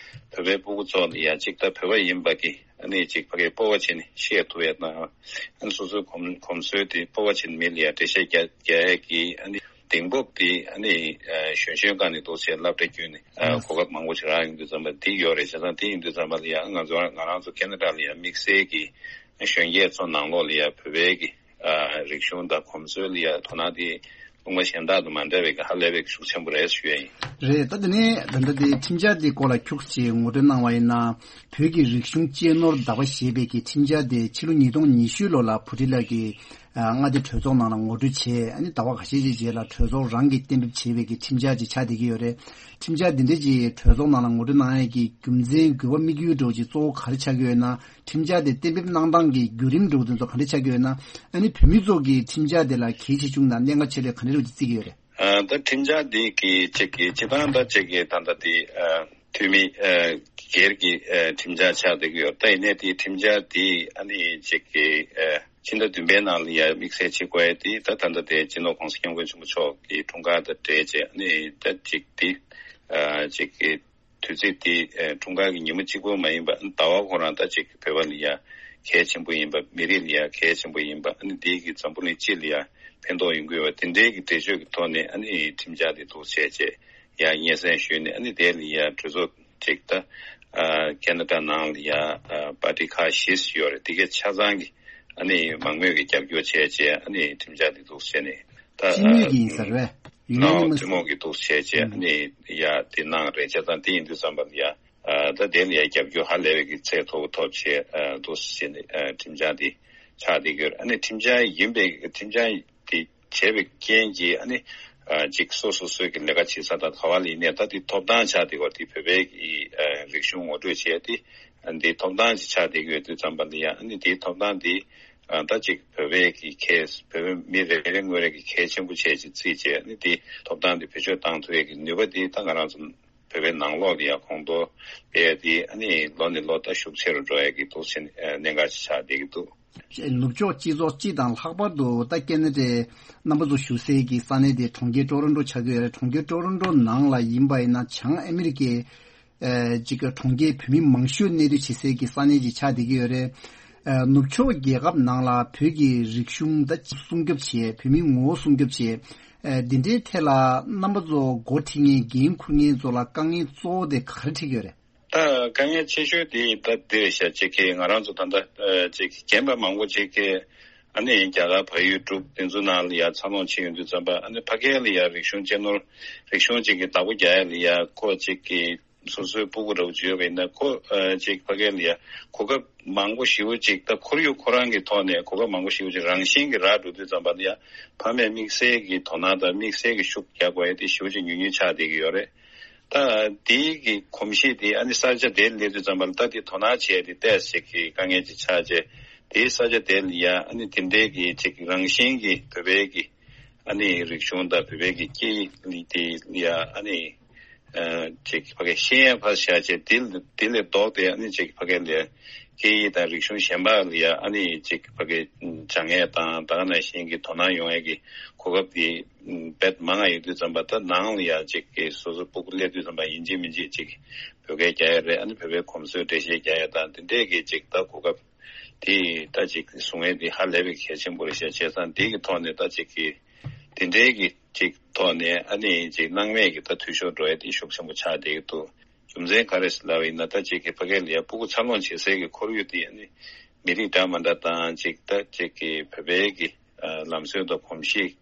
བོད་པའི་སྤུ་གུ་ཚོ་ལ་ཡ་ཅིག་ད་བོད་པ་ཡིན་པ་གི་ཨ་ནི་ཅིག་ཕ་གིའི་སྤོབས་པ་བྱས་ནས་བཤད་ཐུབ་ཡ་དང་། ཨ་ནི་སོ་སོའི་གོམས་གོམས་སྲོལ་དེ་སྤོབས་པ་བྱས་ནས་མི་ལ་ཡ་འགྲེལ་བཤད་རྒྱག་རྒྱག་ཡ་གི་ཨ་ནི་གདེང་སྤོབས་དེ་ཨ་ནི་གཞོན་གཞོན་སྒང་ནས་འདུག་སེ་སློབ་གྲྭ་བརྒྱུད་ནས་གོ་སྐབས་མང་པོ་ཞིག་རག་ཡོང་དུས་ཙམ་པ་དེ་ཡོད་རེད། བྱས་ཙང་དེ་ཡིན་དུས་ཙམ་པ་ལ་ཡ་ང་ཚོ་ང་རང་ཚོ་ཁེ་ན་ཌ་ལ་ཡ་དམིགས་བསལ་གྱི་གཞོན་སྐྱེས་ཚོ་ནང་ལོགས་ལ་ཡ་བོད་པའི་གི་རིག་གཞུང་དང་གོམས་སྲོལ་ལ་ཡ་དོ་སྣང་དེ་ལུང་པ་གཞན་དག་དང་མ་འདྲ་བའི་གི་ཧ་ལས་པའི་གི་ཤུགས་ཆེན་པོ་རེད་ཞུ་ཡ་ཡིན། རེད། ད་དེ་ནས་ད་ལྟ་དེ་ཁྲིམས་འཆར་དེ་སྐོར་ལ་ཁྱུག་ཅིག་ངོ་སྤྲོད་གནང་བ་ཡིན་ན། བོད་ཀྱི་རིག་གཞུང་གཅེས་ནོར་བདག་པ་ཞེས་པའི་གི་ཁྲིམས་འཆར་དེ་ཕྱི་ལོ་ཉིས་སྟོང་ཉི་ཤུ་ལོ་ལ་བྷུ་ཊི་ལ་གི་མངའ་སྡེ་གྲོས་ཚོགས་ནང་ལ་ངོ་སྤྲོད་བྱས། ཨ་ནི་ཟླ་བ་ཁ་ཤས་ཤིག་རྗེས་ལ་གྲོས་ཚོགས་རང་གིས་གཏན་འབེབས་བྱས་པའི་གི་ཁྲིམས་འཆར་ཅིག་ཆགས་བསྡད་ཀྱི་ཡོད་རེད། ཁྲིམས་འཆར་འདི་འདྲ་ཅིག་གྲོས་ཚོགས་ནང་ལ་ངོ་སྤྲོད་གནང་ཡས་ཀྱི་རྒྱུ་མཚན་དགོས་པ་དམིགས་ཡུལ་འདྲ་བོ་ཅིག་གཙོ་བོ་ག་རེ་ཆགས་ཀྱི་ཡོད་ན། ཁྲིམས་འཆར་དེ་གཏན་འབེབས་གནང་སྟངས་ཀྱི་བརྒྱུད་རིམ་འདྲ་བོ་དེ་ཚོ་ག་འདྲ་ཆགས་ཀྱི་ཡོད་ན། ཨ་ནི་བོད་མི་ཚོ་གིས་ཁྲིམས་འཆར་དེ་ལ་གལ་ཆེ་ཆུང་དང་གནད་འགག་ཆེ་ལོས་ག་འདྲ་འདྲ་བོ་ཅིག་བརྩི་གི་ཡོད་རེད། ཨ་ད་ཁྲིམས་འཆར་འདི་གི་ཅིག་གི་སྤྱི་བཏང་ད་ཅིག་གི་ད་ལྟ་དེ་ཨ་འཐུས་མི་ཨ་སྒེར་གྱི་ཨ་ཁྲིམས་འཆར་ཆགས་བསྡད་ཀྱི་ཡོད། ད་ཡིན་ནའི་དེ་ཁྲིམས་འཆར་དེ་ཨ་ནི་ཅིག་གི་ཨ་ཕྱི་ཟླ་བདུན་པའི་ནང་ལ་ཡ་དམིགས་བསལ་བྱེད་དགོས་ཡ་དེ་ད་ད་ལྟ་དེ་སྤྱི་ནོར་༸གོང་ས་༸སྐྱབས་མགོན་ཆེན་པོ་མཆོག་གི་འཁྲུངས་སྐར་དང་འབྲེལ་བྱས་ཨ་ནི་ད་ཅིག་དེ་ཨ་ཅིག་གི་དུས་ཚིགས་དེ་ཨ་འཁྲུངས་སྐར་གྱི་ཉིན་མོ་གཅིག་པོ་མ་ཡིན་པ། ཨ་ནི་ཟླ་བ་ཁོ་རང་ད་ཅིག་བོད་པ་ལ་ཡ་གལ་ཆེན་པོ་ཡིན་པ། མི་རིགས་ལ་ཡ་གལ་ཆེན་པོ་ཡིན་པ། ཨ་ནི་དེ་གི་འཛམ་བུ་གླིང་སྤྱི་ལ་ཡ་ཕན་ཐོགས་ཡོང་གི་ཡོད་པ་དེ་འདྲའི་གི་འགྲེལ་བརྗོད་ཀྱི་ཐོག་ནས་ཨ་ནི་ཁྲིམས་འཆར་དེ་འདུག་བྱས་བྱས་ཡ་སྙན་སེང་ཞུས་ནས། ཨ་ནི་དེ་ལ་ཡ་གྲོས་ཚོགས་ཅིག་ད་ཨ་ཁེ་ན་ཌ་ནང་ལ་ཡ་ཨ་པར་ཊི་ཁག་བཞི་ཡོད་རེད། དེ་གའི་ཆ་ཚང་གི་ཨ་ནི་མང་མོས་ཀྱི་རྒྱབ་སྐྱོར་བྱས་བྱས་ཨ་ནི་ཁྲིམས་འཆར་དེ་འདུག་བྱས་ནས་ད་སྤྱི་མོས་ཀྱི་ཡིན་ས་རེད་པས། ཡུན་ནན་ནོ་མི་ཐུན་མོང་གི་འདུག་བྱས་བྱས་ཨ་ནི་ཡ་དེ་གནང་རེད། བྱས་ཙང་དེ་ཡིན་དུས་ཙམ་པ་ལ་ཡ་ཨ་ད་དེ་ལ་ཡ་རྒྱབ་སྐྱོར་ཧ་ལས་པའི་གི་ཚད་མཐོ་པོ་ཐོབ་བྱས་ཨ་འདུག་བྱས་ནས་ཨ་ཁྲིམས་འཆར་དེ་ཆགས་བསྡད་ཀྱི་ཡོད་རེད། ཨ་ནི་ཁྲིམས་འཆར་ཡིན་པའི་ཁྲིམས་འཆར་དེ་བྱས་པའི་རྐྱེན་གྱིས་ཨ་ནི་ཨ་ཅིག་སོ་སོ་སོའི་གི་ལས་ཀ་བྱེད་ས་དང་ག་བ་ལ་ཡིན་ནའི་ད་དེ་ཐོབ་ཐང་ཆགས་བསྡད་ཀྱི་ཡོད་རེད། དེ་བོད་པའི་གི་ཨ་རིག་གཞུང་ངོ་སྤྲོད་བྱས་ཏེ་ཨ་འདི་ཐོབ་ཐང་ཅིག་ཆགས་བསྡད་ཀྱི་ཡོད་དུས་ཙམ་པ་ལ་ཡ་ཨ་ནི་དེའི་ཐོབ་ཐང་དེ་ཨ་ད་ཅིག་བོད་པའི་གི་གལ་བོད་པའི་མི་རེ་རེ་ངོ་རེ་གི་གལ་ཆེན་པོ་བྱས་ཅིག་བརྩིས་བྱས། ཨ་ནི་དེ་ཐོབ་ཐང་དེ་བེད་སྤྱོད་བཏང་ཐུབ་ཡས་ཀྱི་ནུས་པ་དེ་ད་ང་རང་ཚོ་བོད་པའི་ནང་ལོགས་ལ་ཡ་གོང་མཐོར་སྤེལ་ཡས་དེ་ཨ་ནི་ལོ་ནས་ལོ་ད་ཤུགས་ཆེ་རུ་འགྲོ་ཡས་ཀྱི་འདུག་ཟེར་ནས་གནད་འགག་ཅིག་ཆགས་བསྡད་ཀྱི་འདུག། ནུབ་ཕྱོགས་སྤྱི་ཚོགས་སྤྱི་དང་ལྷག་པར་དུ་ད་ཁེ་ན་ཌའི་རྣམ་པ་ཚོ་བཞུགས་སའི་གི་ས་གནས་དེ་གྲོང་ཁྱེར་ཀྲོ་རོན་ཀྲོ་ཆགས་ཀྱི་ཡོད་རེད། གྲོང་ཁྱེར་ཀྲོ་རོན་ཀྲོ་ནང་ལ་ཡིན་པ་ཡིན་ན་བྱང་ཨ་མི་རི་ཀའི་ཨ་ཅིག་གྲོང་ཁྱེར་བོད་མི་མང་ཤོས་གནས་སྡོད་བྱེད་སའི་གི་ས་གནས་ཅིག་ཆགས་བསྡད་ཀྱི་ཡོད་རེད། ཨ་ནུབ་ཕྱོགས་རྒྱལ་ཁབ་ནང་ལ་བོད་ཀྱི་རིག་གཞུང་ད་སྲུང་སྐྱོབ་བྱེད། བོད་མིའི་ངོ་བོ་སྲུང་སྐྱོབ་བྱེད། ཨ་འདི་འདྲའི་ཐད་ལ་རྣམ་པ་ཚོ་འགོ་ཁྲིད་མཁན་འགན་འཁུར་མཁན་ཚོ་ལ་དཀའ་ངལ་གཙོ་བོ་དེ་ག་རེ་འཕྲད་ཀྱི་ཡོད་རེད། ད་དཀའ་ངལ་ཆེ་ཤོས་དེ་ད་འདི་རེད་ཤག། ཅིག་གི་ང་རང་ཚོ་ད་ལྟ་ཨ་ཅིག་རྒན་པ་མང་པོ་ཅིག་གི་ཨ་ནི་རྒྱ་གར་བལ་ཡུལ་འབྲུག་དེ་ཚོ་ནང་ལ་ཡ་འཚར་ལོངས་བྱས་ཡོང་དུས་ཙམ་པ་ཨ་ནི་ཕ་གི་ལ་ཡ་རིག་གཞུང་གཅེས་ནོར་རིག་གཞུང་ཅིག་གི་བདག་པོ་རྒྱག་ཡ་ལ་ཡ་ཁོ་ཅིག་གི་སོ་སོའི་སྤུ་གུ་འདྲ་བོ་ཅིག་ཡོད་པ་ཡིན་ན་ཁོ་ཨ་ཅིག་ཕ་གི་ལ་ཡ་གོ་སྐབས་མང་པོ་ཞེ་པོ་ཅིག་ད་ཁོར་ཡུག་ཁོ་རང་གི་ཐོག་ནས་གོ་སྐབས་མང་པོ་ཞེ་པོ་ཅིག་རང་བཞིན་གྱིས་རག་འགྲོ་དུས་ཙམ་པ་ལ་ཡ་ཕ་མས་དམིགས་བསལ་གྱི་དོ་སྣང་དང་དམིགས་བསལ་གྱི་ཤུགས་རྒྱག་དགོས་ཡ་དེ་ཞེ་པོ་ཅིག་ཉུང་ཉུང་ཆགས་བསྡད་ཀྱི་ཡོད་རེད། ད་དེའི་གི་གོམས་གཤིས་དེ་ཨ་ནི་ས་ཆ་དེར་སླེབས་དུས་ཙམ་པ་ལ་ད་དེ་དོ་སྣང་བྱས་ཏེ་ཏོག་ཙམ་གྱི་དཀའ་ངལ་ཅིག་ཆགས་རྗེས་དེའི་ས་ཆ་དེ་ལ་ཡ་ཨ་ནི་དེ་འདྲའི་གི་ཅིག་རང་བཞིན་གྱི་བོད་པའི་གི་ཨ་ནི་རིག་གཞུང་དང་བོད་པའི་གི་སྐད་ཡིག་དེ་ལ་ཡ་ཨ་ནི་ཨ་ཅིག་ཕ་གི་ཤེས་ཡ་ཕར་བཞག་བྱས་དེ་དེ་ལས་ལྡོག་སྟེ་ཨ་ནི་ཅིག་ཕ་གི་ལ་སྐད་ཡིག་དང་རིག་གཞུང་གཞན་པ་ལ་ཡ་ཨ་ནི་ཅིག་ཕ་གི་སྦྱང་ཡས་དང་ད་ག་ནང་བཞིན་གྱི་དོ་སྣང་ཡོང་ཡས་ཀྱི་གོ་སྐབས་དེ་དཔེ་མང་ང་ཡོད་དུས་ཙམ་པ་ད་ནང་ལ་ཡ་ཅིག་གི་སོ་སོ་སྤུ་གུ་སླེབས་དུས་ཙམ་པ་ཡིན་གཅིག་མིན་གཅིག་ཅིག་བོད་སྐད་རྒྱག་ཡ་རེད། ཨ་ནི་བོད་པའི་གོམས་སྲོལ་འགྲེལ་བཤད་རྒྱག་ཡ་དང་དེ་འདྲས་ཀྱི་ཅིག་ད་གོ་སྐབས་དེ་ད་ཅིག་བཟུང་ཡས་དེ་ཧ་ལས་པའི་གལ་ཆེན་པོ་རེད་ཤག། བྱས་ཙང་དེ་གི་ཐོག་ནས་ད་ཅིག་གི་དེ་འདྲས་ཀྱི་ཅིག་ཐོག་ནས་ཨ་ནི་ཅིག་སྣང་མེད་ཀྱི་ད་འཐུས་ཤོར་འགྲོ་ཡ་དེ་ཤུགས་ཆེན་པོ་ཆགས་བསྡད་ཀྱི་འདུག། རྒྱུ་མཚན་ག་རེ་ཟེར་ལབ་པ་ཡིན་ན་ད་ཅིག་གི་ཕ་གི་ལ་ཡ་སྤུ་གུ་འཚར་ལོངས་བྱེད་སའི་གི་ཁོར་ཡུག་དེ་ཨ་ནི་མི་རིགས་འདྲ་མ་འདྲ་དང་ཅིག་ད་ཅིག་གི་བོད་པའི་གི་ཨ་ལམ་སྲོལ་དང་གོམས་གཤིས་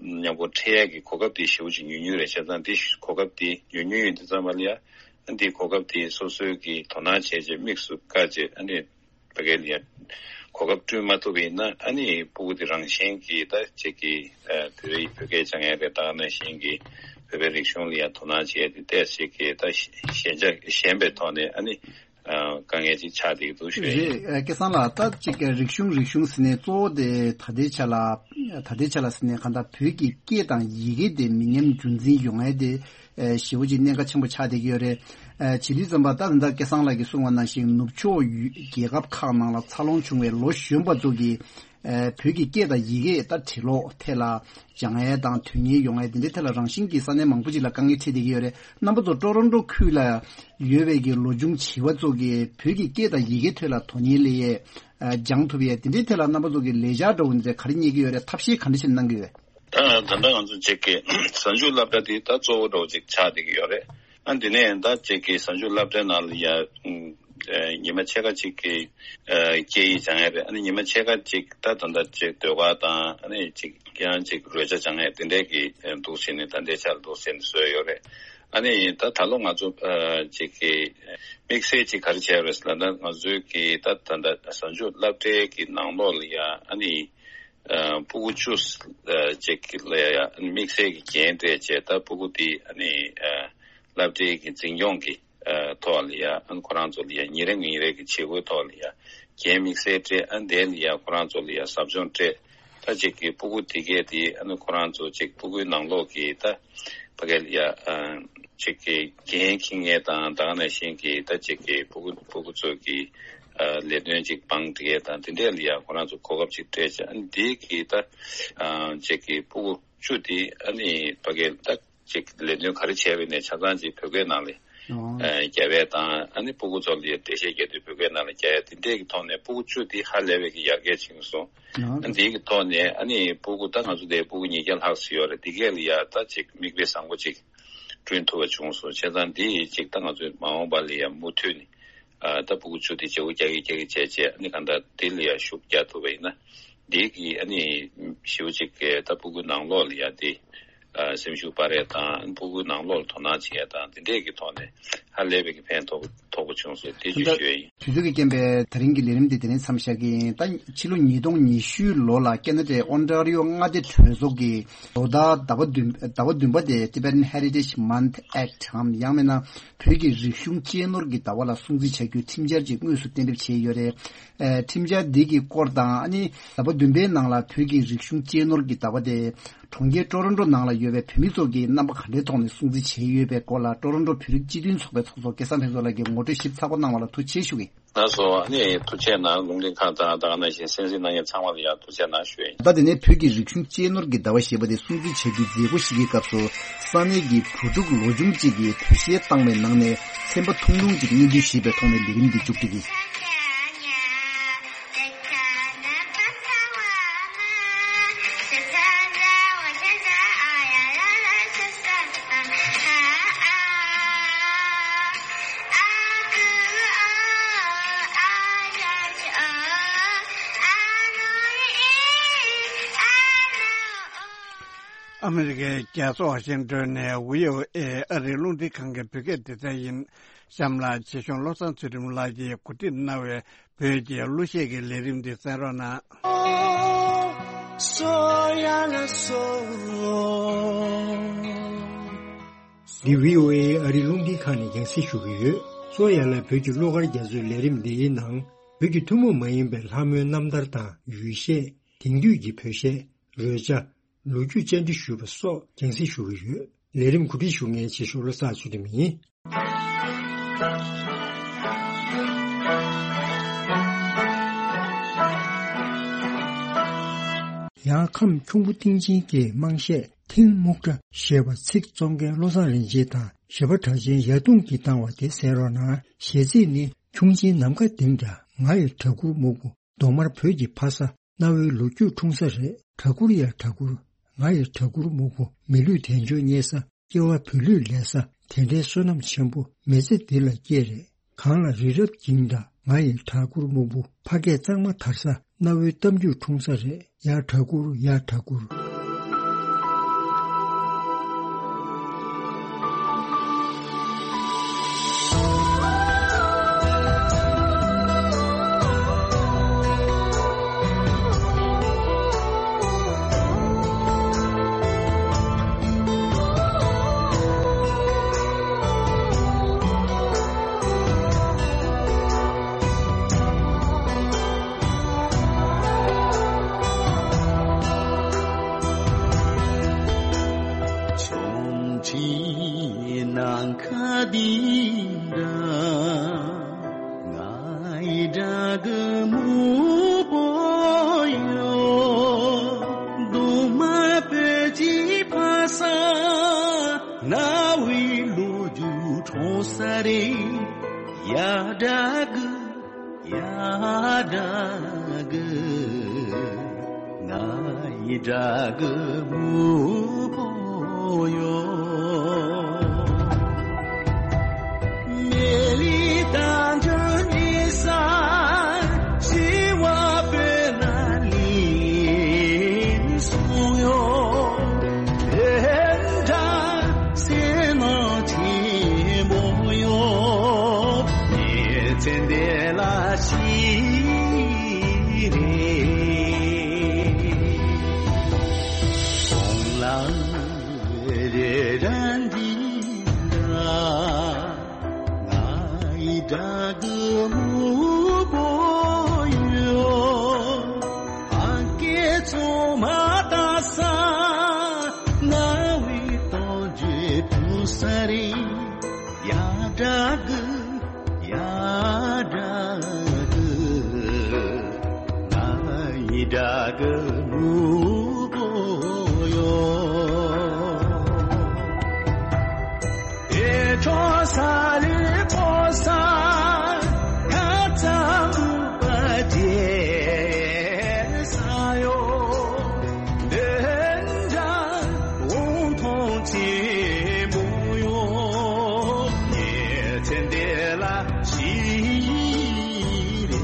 མཉམ་པོ་འཕྲད་ཡ་གི་གོ་སྐབས་དེ་ཞེ་པོ་ཅིག་ཉུང་ཉུང་རེད། བྱས་ཙང་དེ་གོ་སྐབས་དེ་ཉུང་ཉུང་ཡིན་དུས་ཙམ་པ་ལ་ཡ་ཨ་འདི་གོ་སྐབས་དེ་སོ་སོའི་གི་དོ་སྣང་བྱས་རྗེས་དམིགས་སུ་བཀར་རྗེས་ཨ་ནི་ཕ་གི་ལ་ཡ་གོ་སྐབས་བསྐྲུན་མ་ཐུབ་པ་ཡིན་ན་ཨ་ནི་སྤུ་གུ་དེ་རང་བཞིན་གྱིས་ད་ཅིག་གི་ཨ་བོད་རིགས་བོད་སྐད་སྦྱང་ཡ་རེད། ད་ག་ནང་བཞིན་གྱི་བོད་པའི་རིག་གཞུང་ལ་ཡ་དོ་སྣང་བྱས་ཏེ་ཏོག་ཙམ་གྱི་ད་ཞན་ཆ་ཞན་པའི་ཐོག་ནས་ཨ་ནི་ ཨ་དཀའ་ངལ་ཅིག་ཆགས་བསྡད་ཀྱི་འདུག་ཞུ་ཡ་ཡིན། རེད། ཨ་སྐལ་བཟང་ལགས། ད་ཅིག་རིག་གཞུང་རིག་གཞུང་ཟེར་ནས་གཙོ་བོ་དེ་ད་ལྟའི་ཆ་ལ་ད་ལྟའི་ཆ་ལ་ཟེར་ནས་གང་ལྟར་བོད་ཀྱི་སྐད་དང་ཡི་གེ་དེ་མི་ཉམས་རྒྱུན་འཛིན་ཡོང་ཡ་དེ་ཨ་ཞེ་པོ་ཅིག་གནད་འགག་ཆེན་པོ་ཆགས་བསྡད་ཀྱི་ཡོད་རེད། ཨ་བྱེད་དུས་ཙམ་པ་ད་ད་ལྟ་སྐལ་བཟང་ལགས་ཀྱིས་གསུངས་པ་ནང་བཞིན་ནུབ་ཕྱོགས་ཡུལ་རྒྱལ་ཁབ་ཁག་ནང་ལ་འཚར་ལོངས་བྱུང་བའི་ལོ་གཞོན་པ་ཚོ་གིས་ཨ་བོད་ཀྱི་སྐད་དང་ཡི་གེ་ད་བྲིས་ཀློག་ཐད་ལ་སྦྱང་ཡས་དང་དོན་གཉེར་ཡོང་ཡས་དེ་འདྲའི་ཐད་ལ་རང་བཞིན་གྱིས་ས་གནས་མང་པོ་ཅིག་ལ་དཀའ་ངལ་འཕྲད་བསྡད་ཀྱི་ཡོད་རེད། རྣམ་པ་ཚོ་ཀྲོ་རོན་ཀྲོ་ཁུལ་ལ་ཡོད་པའི་གི་ལོ་ཆུང་བྱིས་པ་ཚོ་གིས་བོད་ཀྱི་སྐད་དང་ཡི་གེ་ཐད་ལ་དོན་གཉེར་སླེབས་ཡས་ཨ་སྦྱང་ཐུབ་ཡས་དེ་འདྲའི་ཐད་ལ་རྣམ་པ་ཚོ་གིས་ལས་འཆར་འདྲ་བོ་འདི་ག་རེ་རྙེད་ཀྱི་ཡོད་རེད། ཐབས་ཤེས་ག་འདྲ་ཞིག་གནང་གི་ཡོད། ད་ད་ལྟ་ང་ཚོ་གཅིག་གི་གཟའ་མཇུག་སློབ་གྲྭ་དེ་ད་གཙོ་བོ་འདྲ་བོ་ཅིག་ཆགས་བསྡད་ཀྱི་ཡོད་རེད། ཨ་འདི་ནས་ད་ཅིག་གི་གཟའ་མཇུག་སློབ་གྲྭའི་ནང་ལ་ཡ་ཨ་ཉི་མ་ཕྱེད་ཀ་ཅིག་གི་ཨ་སྐད་ཡིག་སྦྱང་ཡ་རེད། ཨ་ནི་ཉི་མ་ཕྱེད་ཀ་ཅིག་ད་ད་ལྟ་ཅིག་ཟློས་གར་དང་ཨ་ནི་ཅིག་ཡང་ཅིག་རོལ་ཆ་སྦྱང་ཡ་དེ་འདྲས་ཀྱི་ཨ་འདུག་ཟེར་ནས་ད་ལྟའི་ཆར་འདུག་ཟེར་ནས་བཟོས་ཡོད་རེད། ཨ་ནི་ད་ད་ལོ་ང་ཚོ་ཨ་ཅིག་གི་དམིགས་བསལ་ཅིག་ག་རེ་བྱས་ཡོད་རེད་ཟེར་ན། ད་ང་ཚོའི་གི་ད་ད་ལྟ་གཟའ་མཇུག་སློབ་གྲྭའི་གི་ནང་ལོགས་ལ་ཡ་ཨ་ནི་ཨ་སྤུ་གུ་བཅུ་ཨ་ཅིག་ལ་ཡ་དམིགས་བསལ་གྱི་འགན་སྤྲད་བྱས། ད་སྤུ་གུ་དེ་ཨ་ནི་ཨ་སློབ་གྲྭའི་གི་འཛིན་སྐྱོང་གི་ཨ་ཐོག་ལ་ཡ་ཨ་ནི་ཁོ་རང་ཚོ་ལ་ཡ་ཉིན་རེ་ཉིན་རེ་གི་བྱེད་སྒོའི་ཐོག་ལ་ཡ་འགན་དམིགས་བསལ་སྤྲད། ཨ་ནི་དེ་ལ་ཡ་ཁོ་རང་ཚོ་ལ་ཡ་ཟབ་སྦྱོང་སྤྲད། ད་ཅིག་གི་སྤུ་གུ་དེ་གས་དེ་ཨ་ནི་ཁོ་རང་ཚོ་ཅིག་སྤུ་གུའི་ནང་ལོགས་ཀྱི་ད་ཕ་གི་ལ་ཡ་ཨ་ཅིག་གི་འགན་འཁྱེར་མཁན་དང་ད་ག་ནང་བཞིན་གྱི་ད་ཅིག་གི་སྤུ་གུ་སྤུ་གུ་ཚོ་གི་ཨ་ལས་དོན་ཅིག་བང་སྒྲིག་ཡས་དང་དེ་འདྲས་ལ་ཡ་ཁོ་རང་ཚོ་གོ་སྐབས་ཅིག་སྤྲད་བྱས། ཨ་ནི་དེ་གི་ད་ཨ་ཅིག་གི་སྤུ་གུ་བཅུ་དེ་ཨ་ནི་ཕ་གི་ད་ཅིག་ལས་དོན་ག་རེ་བྱས་པ་ཡིན་ནའི་ཆ་ཚང་ཅིག་བོད་སྐད་ནང་ལ་ཨ་རྒྱབ་ཡས་དང་། ཨ་ནི་སྤུ་གུ་ཚོ་ལ་ཡ་འགྲེལ་བཤད་རྒྱག་དུས་བོད་སྐད་ནང་ལ་རྒྱག་ཡས་དེ་འདྲས་ཀྱི་ཐོག་ནས་སྤུ་གུ་བཅུ་དེ་ཧ་ལས་པའི་གི་ཡར་རྒྱས་ཕྱིན་སོང་། ཨ་ནི་དེ་གི་ཐོག་ནས་ཨ་ནི་སྤུ་གུ་ད་ང་ཚོ་དེ་སྤུ་གུ་ཉིས་བརྒྱ་ལྷག་ཙམ་ཡོད་རེད། དེ་གས་ལ་ཡ་ད་ཅིག་མིག་དཔེ་བཟང་པོ་ཅིག་བསྐྲུན་ཐུབ་པ་བྱུང་སོང་། བྱས་ཙང་འདི་ཅིག་ད་ང་ཚོའི་མ་འོངས་པ་ལ་ཡ་མུ་མཐུད་ནས་ཨ་ད་སྤུ་གུ་བཅུ་དེ་བྱེད་སྒོ་རྒྱག་གི་རྒྱག་གི་བྱས་བྱས། ཨ་ནི་གང་ལྟར་དེ་ལ་ཡ་ཤུགས་རྒྱག་ཐུབ་པ་ཡིན་ན། འདི་གི་ཨ་ནི་ཞེ་པོ་ཅིག་གི་ད་སྤུ་གུ་ནང་ལོགས་ལ་ཡ་དེ་ཨ་སེམས་ཤུགས་སྤར་ཡས་དང་། སྤུ་གུ་ནང་ལོགས་ལ་དོ་སྣང་བྱེད་ཡས་དང་དེ་འདྲས་ཀྱི་ཐོག་ནས་ཧ་ལས་པའི་གི་ཕན་ཐོགས་ཐོགས་པོ་བྱུང་སོང་། དེ་ཅིག་ཞུ་ཡ་ཡིན། དུས་ཚོད་ཀྱི་རྐྱེན་པས་ད་རིང་གི་ལས་རིམ་འདི་དེ་རིང་མཚམས་བཞག་གི་ཡིན། ད་ཕྱི་ལོ་ཉིས་སྟོང་ཉི་ཤུའི་ལོ་ལ་ཁེ་ན་ཌའི་ཨོན་ཊ་རི་ཡོ་མངའ་སྡེ་གྲོས་ཚོགས་ཀྱིས་ལོ་ལྟར་ཟླ་བ་བདུན་ཟླ་བ་བདུན་པ་དེ་Tibetan Heritage Month Act འམ་ཡང་མིན་ན་བོད་ཀྱི་རིག་གཞུང་གཅེས་ནོར་གྱི་ཟླ་བ་ལ་སྲུང་བརྩི་བྱ་རྒྱུའི་ཁྲིམས་འཆར་ཅིག་དངོས་སུ་གཏན་འབེབས་བྱས་ཡོད་རེད། ཨེ་ཁྲིམས་འཆར་འདི་གི་སྐོར་དང་། ཨ་ནི་ཟླ་བ་བདུན་པའི་ནང་ལ་བོད་ཀྱི་རིག་གཞུང་གཅེས་ནོར་གྱི་ཟླ་བ་དེ་གྲོང་ཁྱེར་ཀྲོ་རོན་ཀྲོ་ནང་ལ་ཡོད་པའི་བོད་མི་ཚོ་གིས་རྣམ་པ་ག་འདྲའི་ཐོག་ནས་སྲུང་བརྩི་བྱས་ཡོད་པའི་སྐོར་ལ་ཀྲོ་རོན་ཀྲོ་བོད་རིགས་སྤྱི་མཐུན་ཚོགས་པའི་ཚོགས་གཙོ་སྐལ་བཟང་ཕུན་ཚོགས་ལགས་ཀྱིས་ངོ་སྤྲོད་ཞིབ་ཚགས་པོ་གནང་བ་ལ་ཐུགས་རྗེ་ཆེ་ཞུ་གི་ཡིན། ལགས་སོ། ཨ་ནི་ཐུགས་རྗེ་གནང་། རླུང་འཕྲིན་ཁང་དང་ད་ག་ནང་བཞིན་གསན་གཟིགས་གནང་མཁན་ཚང་མ་ལ་ཡང་ཐུགས་རྗེ་གནང་ཞུ་ཡ་ཡིན། ད་དེ་ནས་བོད་ཀྱི་རིག་གཞུང་གཅེས་ནོར་གྱི་ཟླ་བ་ཞེས་པ་དེ་སྲུང་བརྩི་བྱ་རྒྱུའི་མཛད་སྒོ་ཞིག་གི་སྐབས་སུ་ས་གནས་ཀྱི་བུ་ཕྲུག་ལོ་ཆུང་གཅིག་གིས་དོས་ཞལ་བཏང་བའི་ནང་ནས་ཚན་པ་ཐུང་ཐུང་གཅིག་སྙན་སྒྲོན་ཞུས་པའི་ཐོག་ནས་ལས་རིམ་འདི་མཇུག་སྒྲིལ་གྱི་ཡིན། ཨ་མི་རི་ཀའི་རྒྱལ་ས་ཝ་ཤིང་ཏོན་ནས་བྷི་ཨོ་ཨེ་ཨ་རིའི་རླུང་འཕྲིན་ཁང་གི་བོད་སྐད་སྡེ་ཚན་ཡིན། གཤམ་ལ་ཆེད་གཞུང་བློ་བཟང་ཚུལ་ཁྲིམས་ལགས་ཀྱིས་གོ་སྒྲིག་གནང་བའི་བོད་ཀྱི་གླུ་གཞས་ཀྱི་ལས་རིམ་འདི་གསན་རོགས་གནང་། འདི་བྷི་ཨོ་ཨེ་ཨ་རིའི་རླུང་འཕྲིན་ཁང་ནས་རྒྱང་སྲིང་ཞུ་གི་ཡོད། གཙོ་ཡ་ལ་བོད་ཀྱི་གླུ་གར་རྒྱ་མཚོའི་ལས་རིམ་འདིའི་ནང་བོད་ཀྱི་ཐུན་མོང་མ་ཡིན་པའི་ལྷ་མོའི་རྣམ་ཐར་དང་ཡུལ་གཞས། དེང་དུས་ཀྱི་བོད་གཞས། རོལ་ཆ། ལོ་རྒྱུས་བཅར་འདྲི་ཞུས་པ་སོགས་རྒྱང་སྲིང་ཞུ་གི་ཡོད། ལས་རིམ་གོ་སྒྲིག་ཞུ་མཁན་ཆེད་ཞུ་བློ་བཟང་ཚུལ་ཁྲིམས་ཡིན། ཡང་ཁམས་ཁྱུང་པོ་སྟེང་ཆེན་གྱི་དམངས་གཞས་ཐིང་སྨུག་སྒྲ་ཞེས་པ་ཚིག་རྩོམ་མཁན་བློ་བཟང་རིན་ཆེན་དང་གཞས་པ་གྲགས་ཅན་ཡ་དུང་གིས་བཏང་བ་དེ་གསན་རོགས་གནང་། གཞས་ཚིག་ནི། ཁྱུང་ཆེན་ནམ་མཁའ་ལྡིང་འདྲ། ང་ཡི་གྲྭ་གུར་སྨུག་པོ། གདོང་དམར་བོད་ཀྱི་ཕ་ས། གནའ་བོའི་ལོ་རྒྱུས་འཁྲུངས་ས་རེད། གྲྭ་གུར་ཡ་གྲྭ་གུར། ང་ཡི་གྲྭ་གུར་སྨུག་པོ། མི་ལུས་དལ་འབྱོར་རྙེད་ས། སྐྱེ་བ་བོད་ལུས་ལེན་ས། དེ་འདྲའི་བསོད་ནམས་ཆེན་པོ་མི་ཚེ་འདི་ལ་སྐྱེས་རེད། གངས་ལ་རི་རབ་འགྱིང་འདྲ། ང་ཡི་གྲྭ་གུར་སྨུག་པོ། ཕ་སྐད་གཙང་མ་དར་ས། གནའ་བོའི་གཏམ་རྒྱུད་འཁྲུངས་ས་རེད། ཡ་གྲྭ་གུར། ཡ་གྲྭ་གུར། ནམ་མཁའ་འདི་འདྲ་ང་ཡི་དགྲ་རྒུད་མང་པོ་ཡོད། གདོང་དམར་པོའི་ཕ་ས་རྣ་བའི་ལོ་རྒྱུས་འཁྲུག་ས་རེད། ཡ་དགྲ་རྒུད། ཡ་དགྲ་རྒུད། ང་ཡི་དགྲ་རྒུད་མང་པོ་ཡོད། མེ་ལི་དང་ཇོ་ནི་ས་ཞི་བ་པོའི་ན་ལི་སོང་ཡོད། དེ་འདྲ་སེམས་ནང་ཆེན་པོ་ཡོད། ཉིན་མཚན་འདི་ལ་ཤི་རེ། གོང་ལ་རེ་ར་འདི་འདྲ་ང་ཡི་དགྲ་རྒུད་མང་པོ་ཡོད། ཨ་ཀེ་ཚོ་མ་ད་ས་རྣ་བའི་གཏམ་རྒྱུད་འཁྲུག་ས་རེད། ཡ་དགྲ་རྒུད། ཡ་དགྲ་རྒུད། ང་ཡི་དགྲ་རྒུད་མང་པོ་ཡོད། ཨེ་ཁྲོ་ས་ལི་ཁོ་ས་ཁ་ཙམ་པ་རྒྱལ་ས་ཡོད། འདི་འདྲ་འོང་ཐོང་ཆེན་པོ་ཡོད། ཉེ་ཚན་འདི་ལ་ཤི་རེ།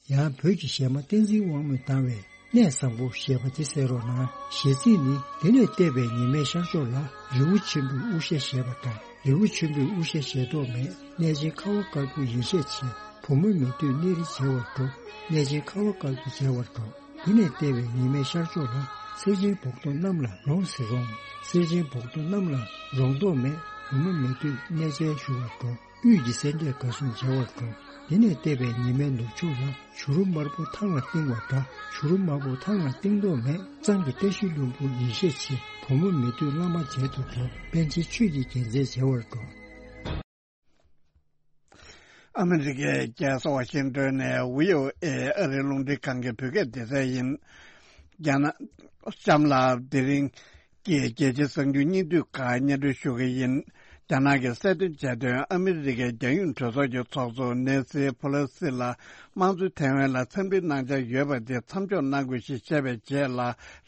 ཡང་བོད་ཀྱི་གཞས་མ་བསྟན་འཛིན་དབང་མོས་བཏང་བའི་གནས་བཟང་པོ་ཞེས་པ་དེ་གསན་རོགས་གནང་། གཞས་ཚིག་ནི། དེ་ནས་བལྟས་པའི་ཉི་མའི་ཤར་ཕྱོགས་ལ། རི་བོ་ཆེན་པོའི་དབུ་ཞྭ་བཞད་པ་འདྲ། རི་བོ་ཆེན་པོའི་དབུ་ཞྭ་བཞད་མདོག་མེད། གནས་ཆེན་ཁ་བ་དཀར་པོ་ཡིད་ཆེས་ཆེ། བུ་མོ་མེད་དུས་གནས་རི་མཇལ་བར་འགྲོ། གནས་ཆེན་ཁ་བ་དཀར་པོ་མཇལ་བར་འགྲོ། དེ་ནས་བལྟས་པའི་ཉི་མའི་ཤར་ཕྱོགས་ལ། གསེར་ཆེན་སྦུག་རྡོ་གནམ་ལ་ལོངས་ཟེར་རུང་། གསེར་ཆེན་སྦུག་རྡོ་གནམ་ལ་ལོངས་མདོག་མེད། བུ་མོ་མེད་དུས་གནས་མཇལ་ཞུ་བར་འགྲོ། དབུས་ཀྱི་སེ་འབྲས་དགའ་གསུམ་མཇལ་བར་འགྲོ། དེ་ནས་བལྟས་པའི་ཉི་མའི་ནུབ་ཕྱོགས་ལ། བྱུ་རུ་དམར་པོ་ཐང་ལ་བཏིང་བ་འདྲ། བྱུ་རུ་དམར་པོ་ཐང་ལ་བཏིང་མདོག་མེད། གཙང་གི་བཀྲ་ཤིས་ལྷུན་པོ་ཡིད་ཆེས་ཆེ། བུ་མོ་མེད་དུས་བླ་མ་མཇལ་དུ་འགྲོ། པཎ་ཆེན་ཆོས་ཀྱི་རྒྱལ་མཚན་མཇལ་བར་འགྲོ། ཨ་མི་རི་ཀའི་རྒྱལ་ས་ཝ་ཤིང་ཏོན་ནས་བྷི་ཨོ་ཨེ་ཨ་རིའི་རླུང་འཕྲིན་ཁང་གི་བོད་སྐད་སྡེ་ཚན་ཡིན། རྒྱ་ནག་གཤམ་ལ་དེ་རིང་གི་རྒྱལ་སྤྱིའི་གསར་འགྱུར་སྙིང་བསྡུས་ཁག་སྙན་སྒྲོན་ཞུ་གི་ཡིན། རྒྱ་ནག་གི་གསལ་སྟོན་བྱས་དོན། ཨ་མི་རི་ཀའི་རྒྱལ་ཡོངས་གྲོས་ཚོགས་ཀྱི་ཚོགས་གཙོ་ནེན་སི་ཕོ་ལོ་སི་ལ་དམངས་གཙོའི་ཐའེ་ཝན་ལ་འཚམས་འདྲི་གནང་འཆར་ཡོད་པ་དེ་མཚམས་འཇོག་གནང་དགོས་ཞེས་བཤད་པའི་རྗེས་ལ།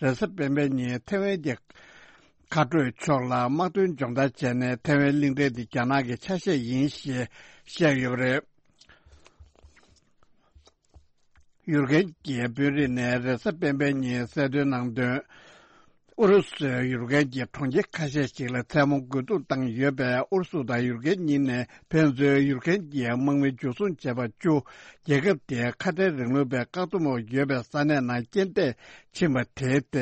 རེས་གཟའ་སྤེན་པའི་ཉིན་ཐའེ་ཝན་གྱི་མཁའ་འགྲོའི་ཕྱོགས་ལ་དམག་དོན་སྦྱོང་བརྡར་བྱས་ནས། ཐའེ་ཝན་གླིང་ཕྲན་དེ་རྒྱ་ནག་གི་ཆ་ཤས་ཡིན་ཞེས་བཤད་ཡོད་པ་རེད། ཡུར་གན་གྱི་དཔོན་རིགས་ནས་རེས་གཟའ་སྤེན་པའི་ཉིན་གསལ་སྟོན་གནང་དོན། ཨུ་རུ་སུས་ཡུར་གན་གྱི་གྲོང་ཁྱེར་ཁ་ཤས་ཤིག་ལ་མཚན་མོ་རྒོལ་རྡུང་བཏང་ཡོད་པས། ཨུ་རུ་སུ་དང་ཡུར་གན་གཉིས་ནས་ཕན་ཚུན་ཡུར་གན་གྱི་དམག་མི་འཇུ་བཟུང་བྱས་པ་བཅུ། རྒྱལ་ཁབ་དེའི་ཁ་བྲལ་རིང་ལུགས་པའི་བཀག་སྡོམ་འོག་ཡོད་པའི་ས་གནས་ནང་རྐྱེན་འདས་ཕྱིན་པ་དེའི་ཐད་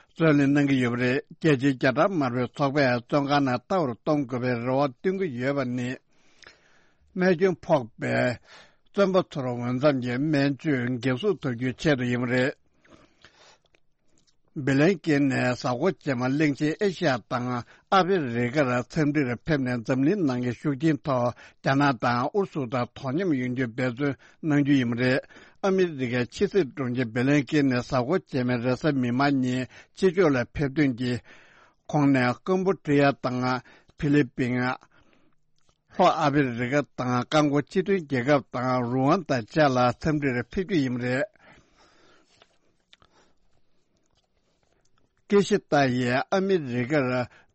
རྩོད་གླེང་གནང་གི་ཡོད་པ་རེད། རྒྱལ་སྤྱིའི་རྒྱ་གྲམ་དམར་པོའི་ཚོགས་པས་བཙོན་ཁང་ནང་ལྟ་བར་གཏོང་དགོས་པའི་རེ་བ་བཏོན་གྱི་ཡོད་པ་ནི། རྨས་སྐྱོན་ཕོག་པའི་བཙོན་པ་ཚོར་འོས་འཚམ་གྱི་སྨན་བཅོས་འགན་སྲུང་ཐུབ་རྒྱུའི་ཆེད་དུ་ཡིན་པ་རེད། སྦི་ལན་ཀེན་ནས་གཟའ་འཁོར་རྗེས་མ་གླིང་ཆེན་ཨེ་ཤི་ཡ་དང་ཨ་ཕི་རི་ཀར་འཚམས་འདྲིར་ཕེབས་ནས། འཛམ་གླིང་ནང་གི་ཤུགས་རྐྱེན་ཐོག་རྒྱ་ནག་དང་ཨུ་རུ་སུ་དང་དོ་མཉམ་ཡོང་རྒྱུའི་འབད་བརྩོན་གནང་རྒྱུ་ཡིན་པ་རེད། ཨ་མི་རི་ཀའི་ཕྱི་སྲིད་དྲུང་ཆེ་སྦི་ལན་ཀེན་ནས་གཟའ་འཁོར་རྗེས་མའི་རེས་གཟའ་མིག་དམར་ཉིན་ཕྱི་ཕྱོགས་ལ་ཕེབས་ཐོན་གྱི་ཁོངས་ནས། ཀམ་བུ་ཌི་ཡ་དང་ཕི་ལི་པིན། ལྷོ་ཨ་ཕི་རི་ཀ་དང་རྐང་འཁོར་སྤྱི་མཐུན་རྒྱལ་ཁབ་དང་རུ་ཝན་དང་བཅས་ལ་འཚམས་འདྲིར་ཕེབས་རྒྱུ་ཡིན་པ་རེད། ཀི་ཤི་ཏ་ཡིས་ཨ་མི་རི་ཀར་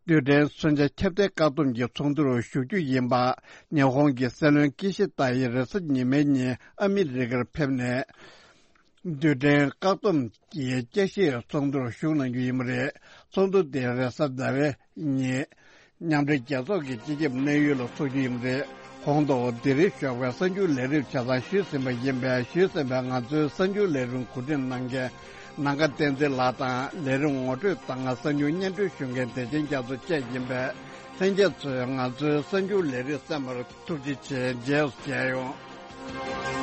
རྡུལ་ཕྲན་མཚོན་ཆ་ཁྱབ་གདལ་བཀག་སྡོམ་གྱི་ཚོགས་འདུར་ཞུགས་རྒྱུ་ཡིན་པ། ཉི་ཧོང་གི་སྲིད་བློན་ཀི་ཤི་ཏ་ཡིས་རེས་གཟའ་ཉི་མའི་ཉིན་ཨ་མི་རི་ཀར་ཕེབས་ནས། རྡུལ་ཕྲན་བཀག་སྡོམ་གྱི་དཔྱད་ཞིབ་ཚོགས་འདུར་ཞུགས་གནང་རྒྱུ་ཡིན་པ་རེད། ཚོགས་འདུ་དེ་རེས་གཟའ་ཟླ་བའི་ཉིན། མཉམ་འབྲེལ་རྒྱལ་ཚོགས་ཀྱི་སྤྱི་ཁྱབ་གནད་ཡོད་ལ་ཚོགས་རྒྱུ་ཡིན་པ་རེད། གོང་དུ་དེ་རིང་ཞོགས་པའི་གསར་འགྱུར་ལས་རིམ་ཆ་ཚང་ཞུས་ཟིན་པ་ཡིན་པས། ཞུས་ཟིན་པའི་ང་ཚོའི་གསར་འགྱུར་ལས་རིམ་གོ་སྒྲིག་གནང་མཁན་ནམ་མཁའ་བསྟན་འཛིན་ལགས་དང་། ལས་རིམ་ངོ་སྤྲོད་དང་གསར་འགྱུར་སྙན་སྒྲོན་ཞུ་མཁན་བདེ་ཆེན་རྒྱ་མཚོ་བཅས་ཡིན་པས། ལྷན་རྒྱས་ཚོས་ང་ཚོའི་གསར་འགྱུར་ལས་རིམ་གསན་པར་ཐུགས་རྗེ་ཆེ། རྗེས་སུ་མཇལ་ཡོང་།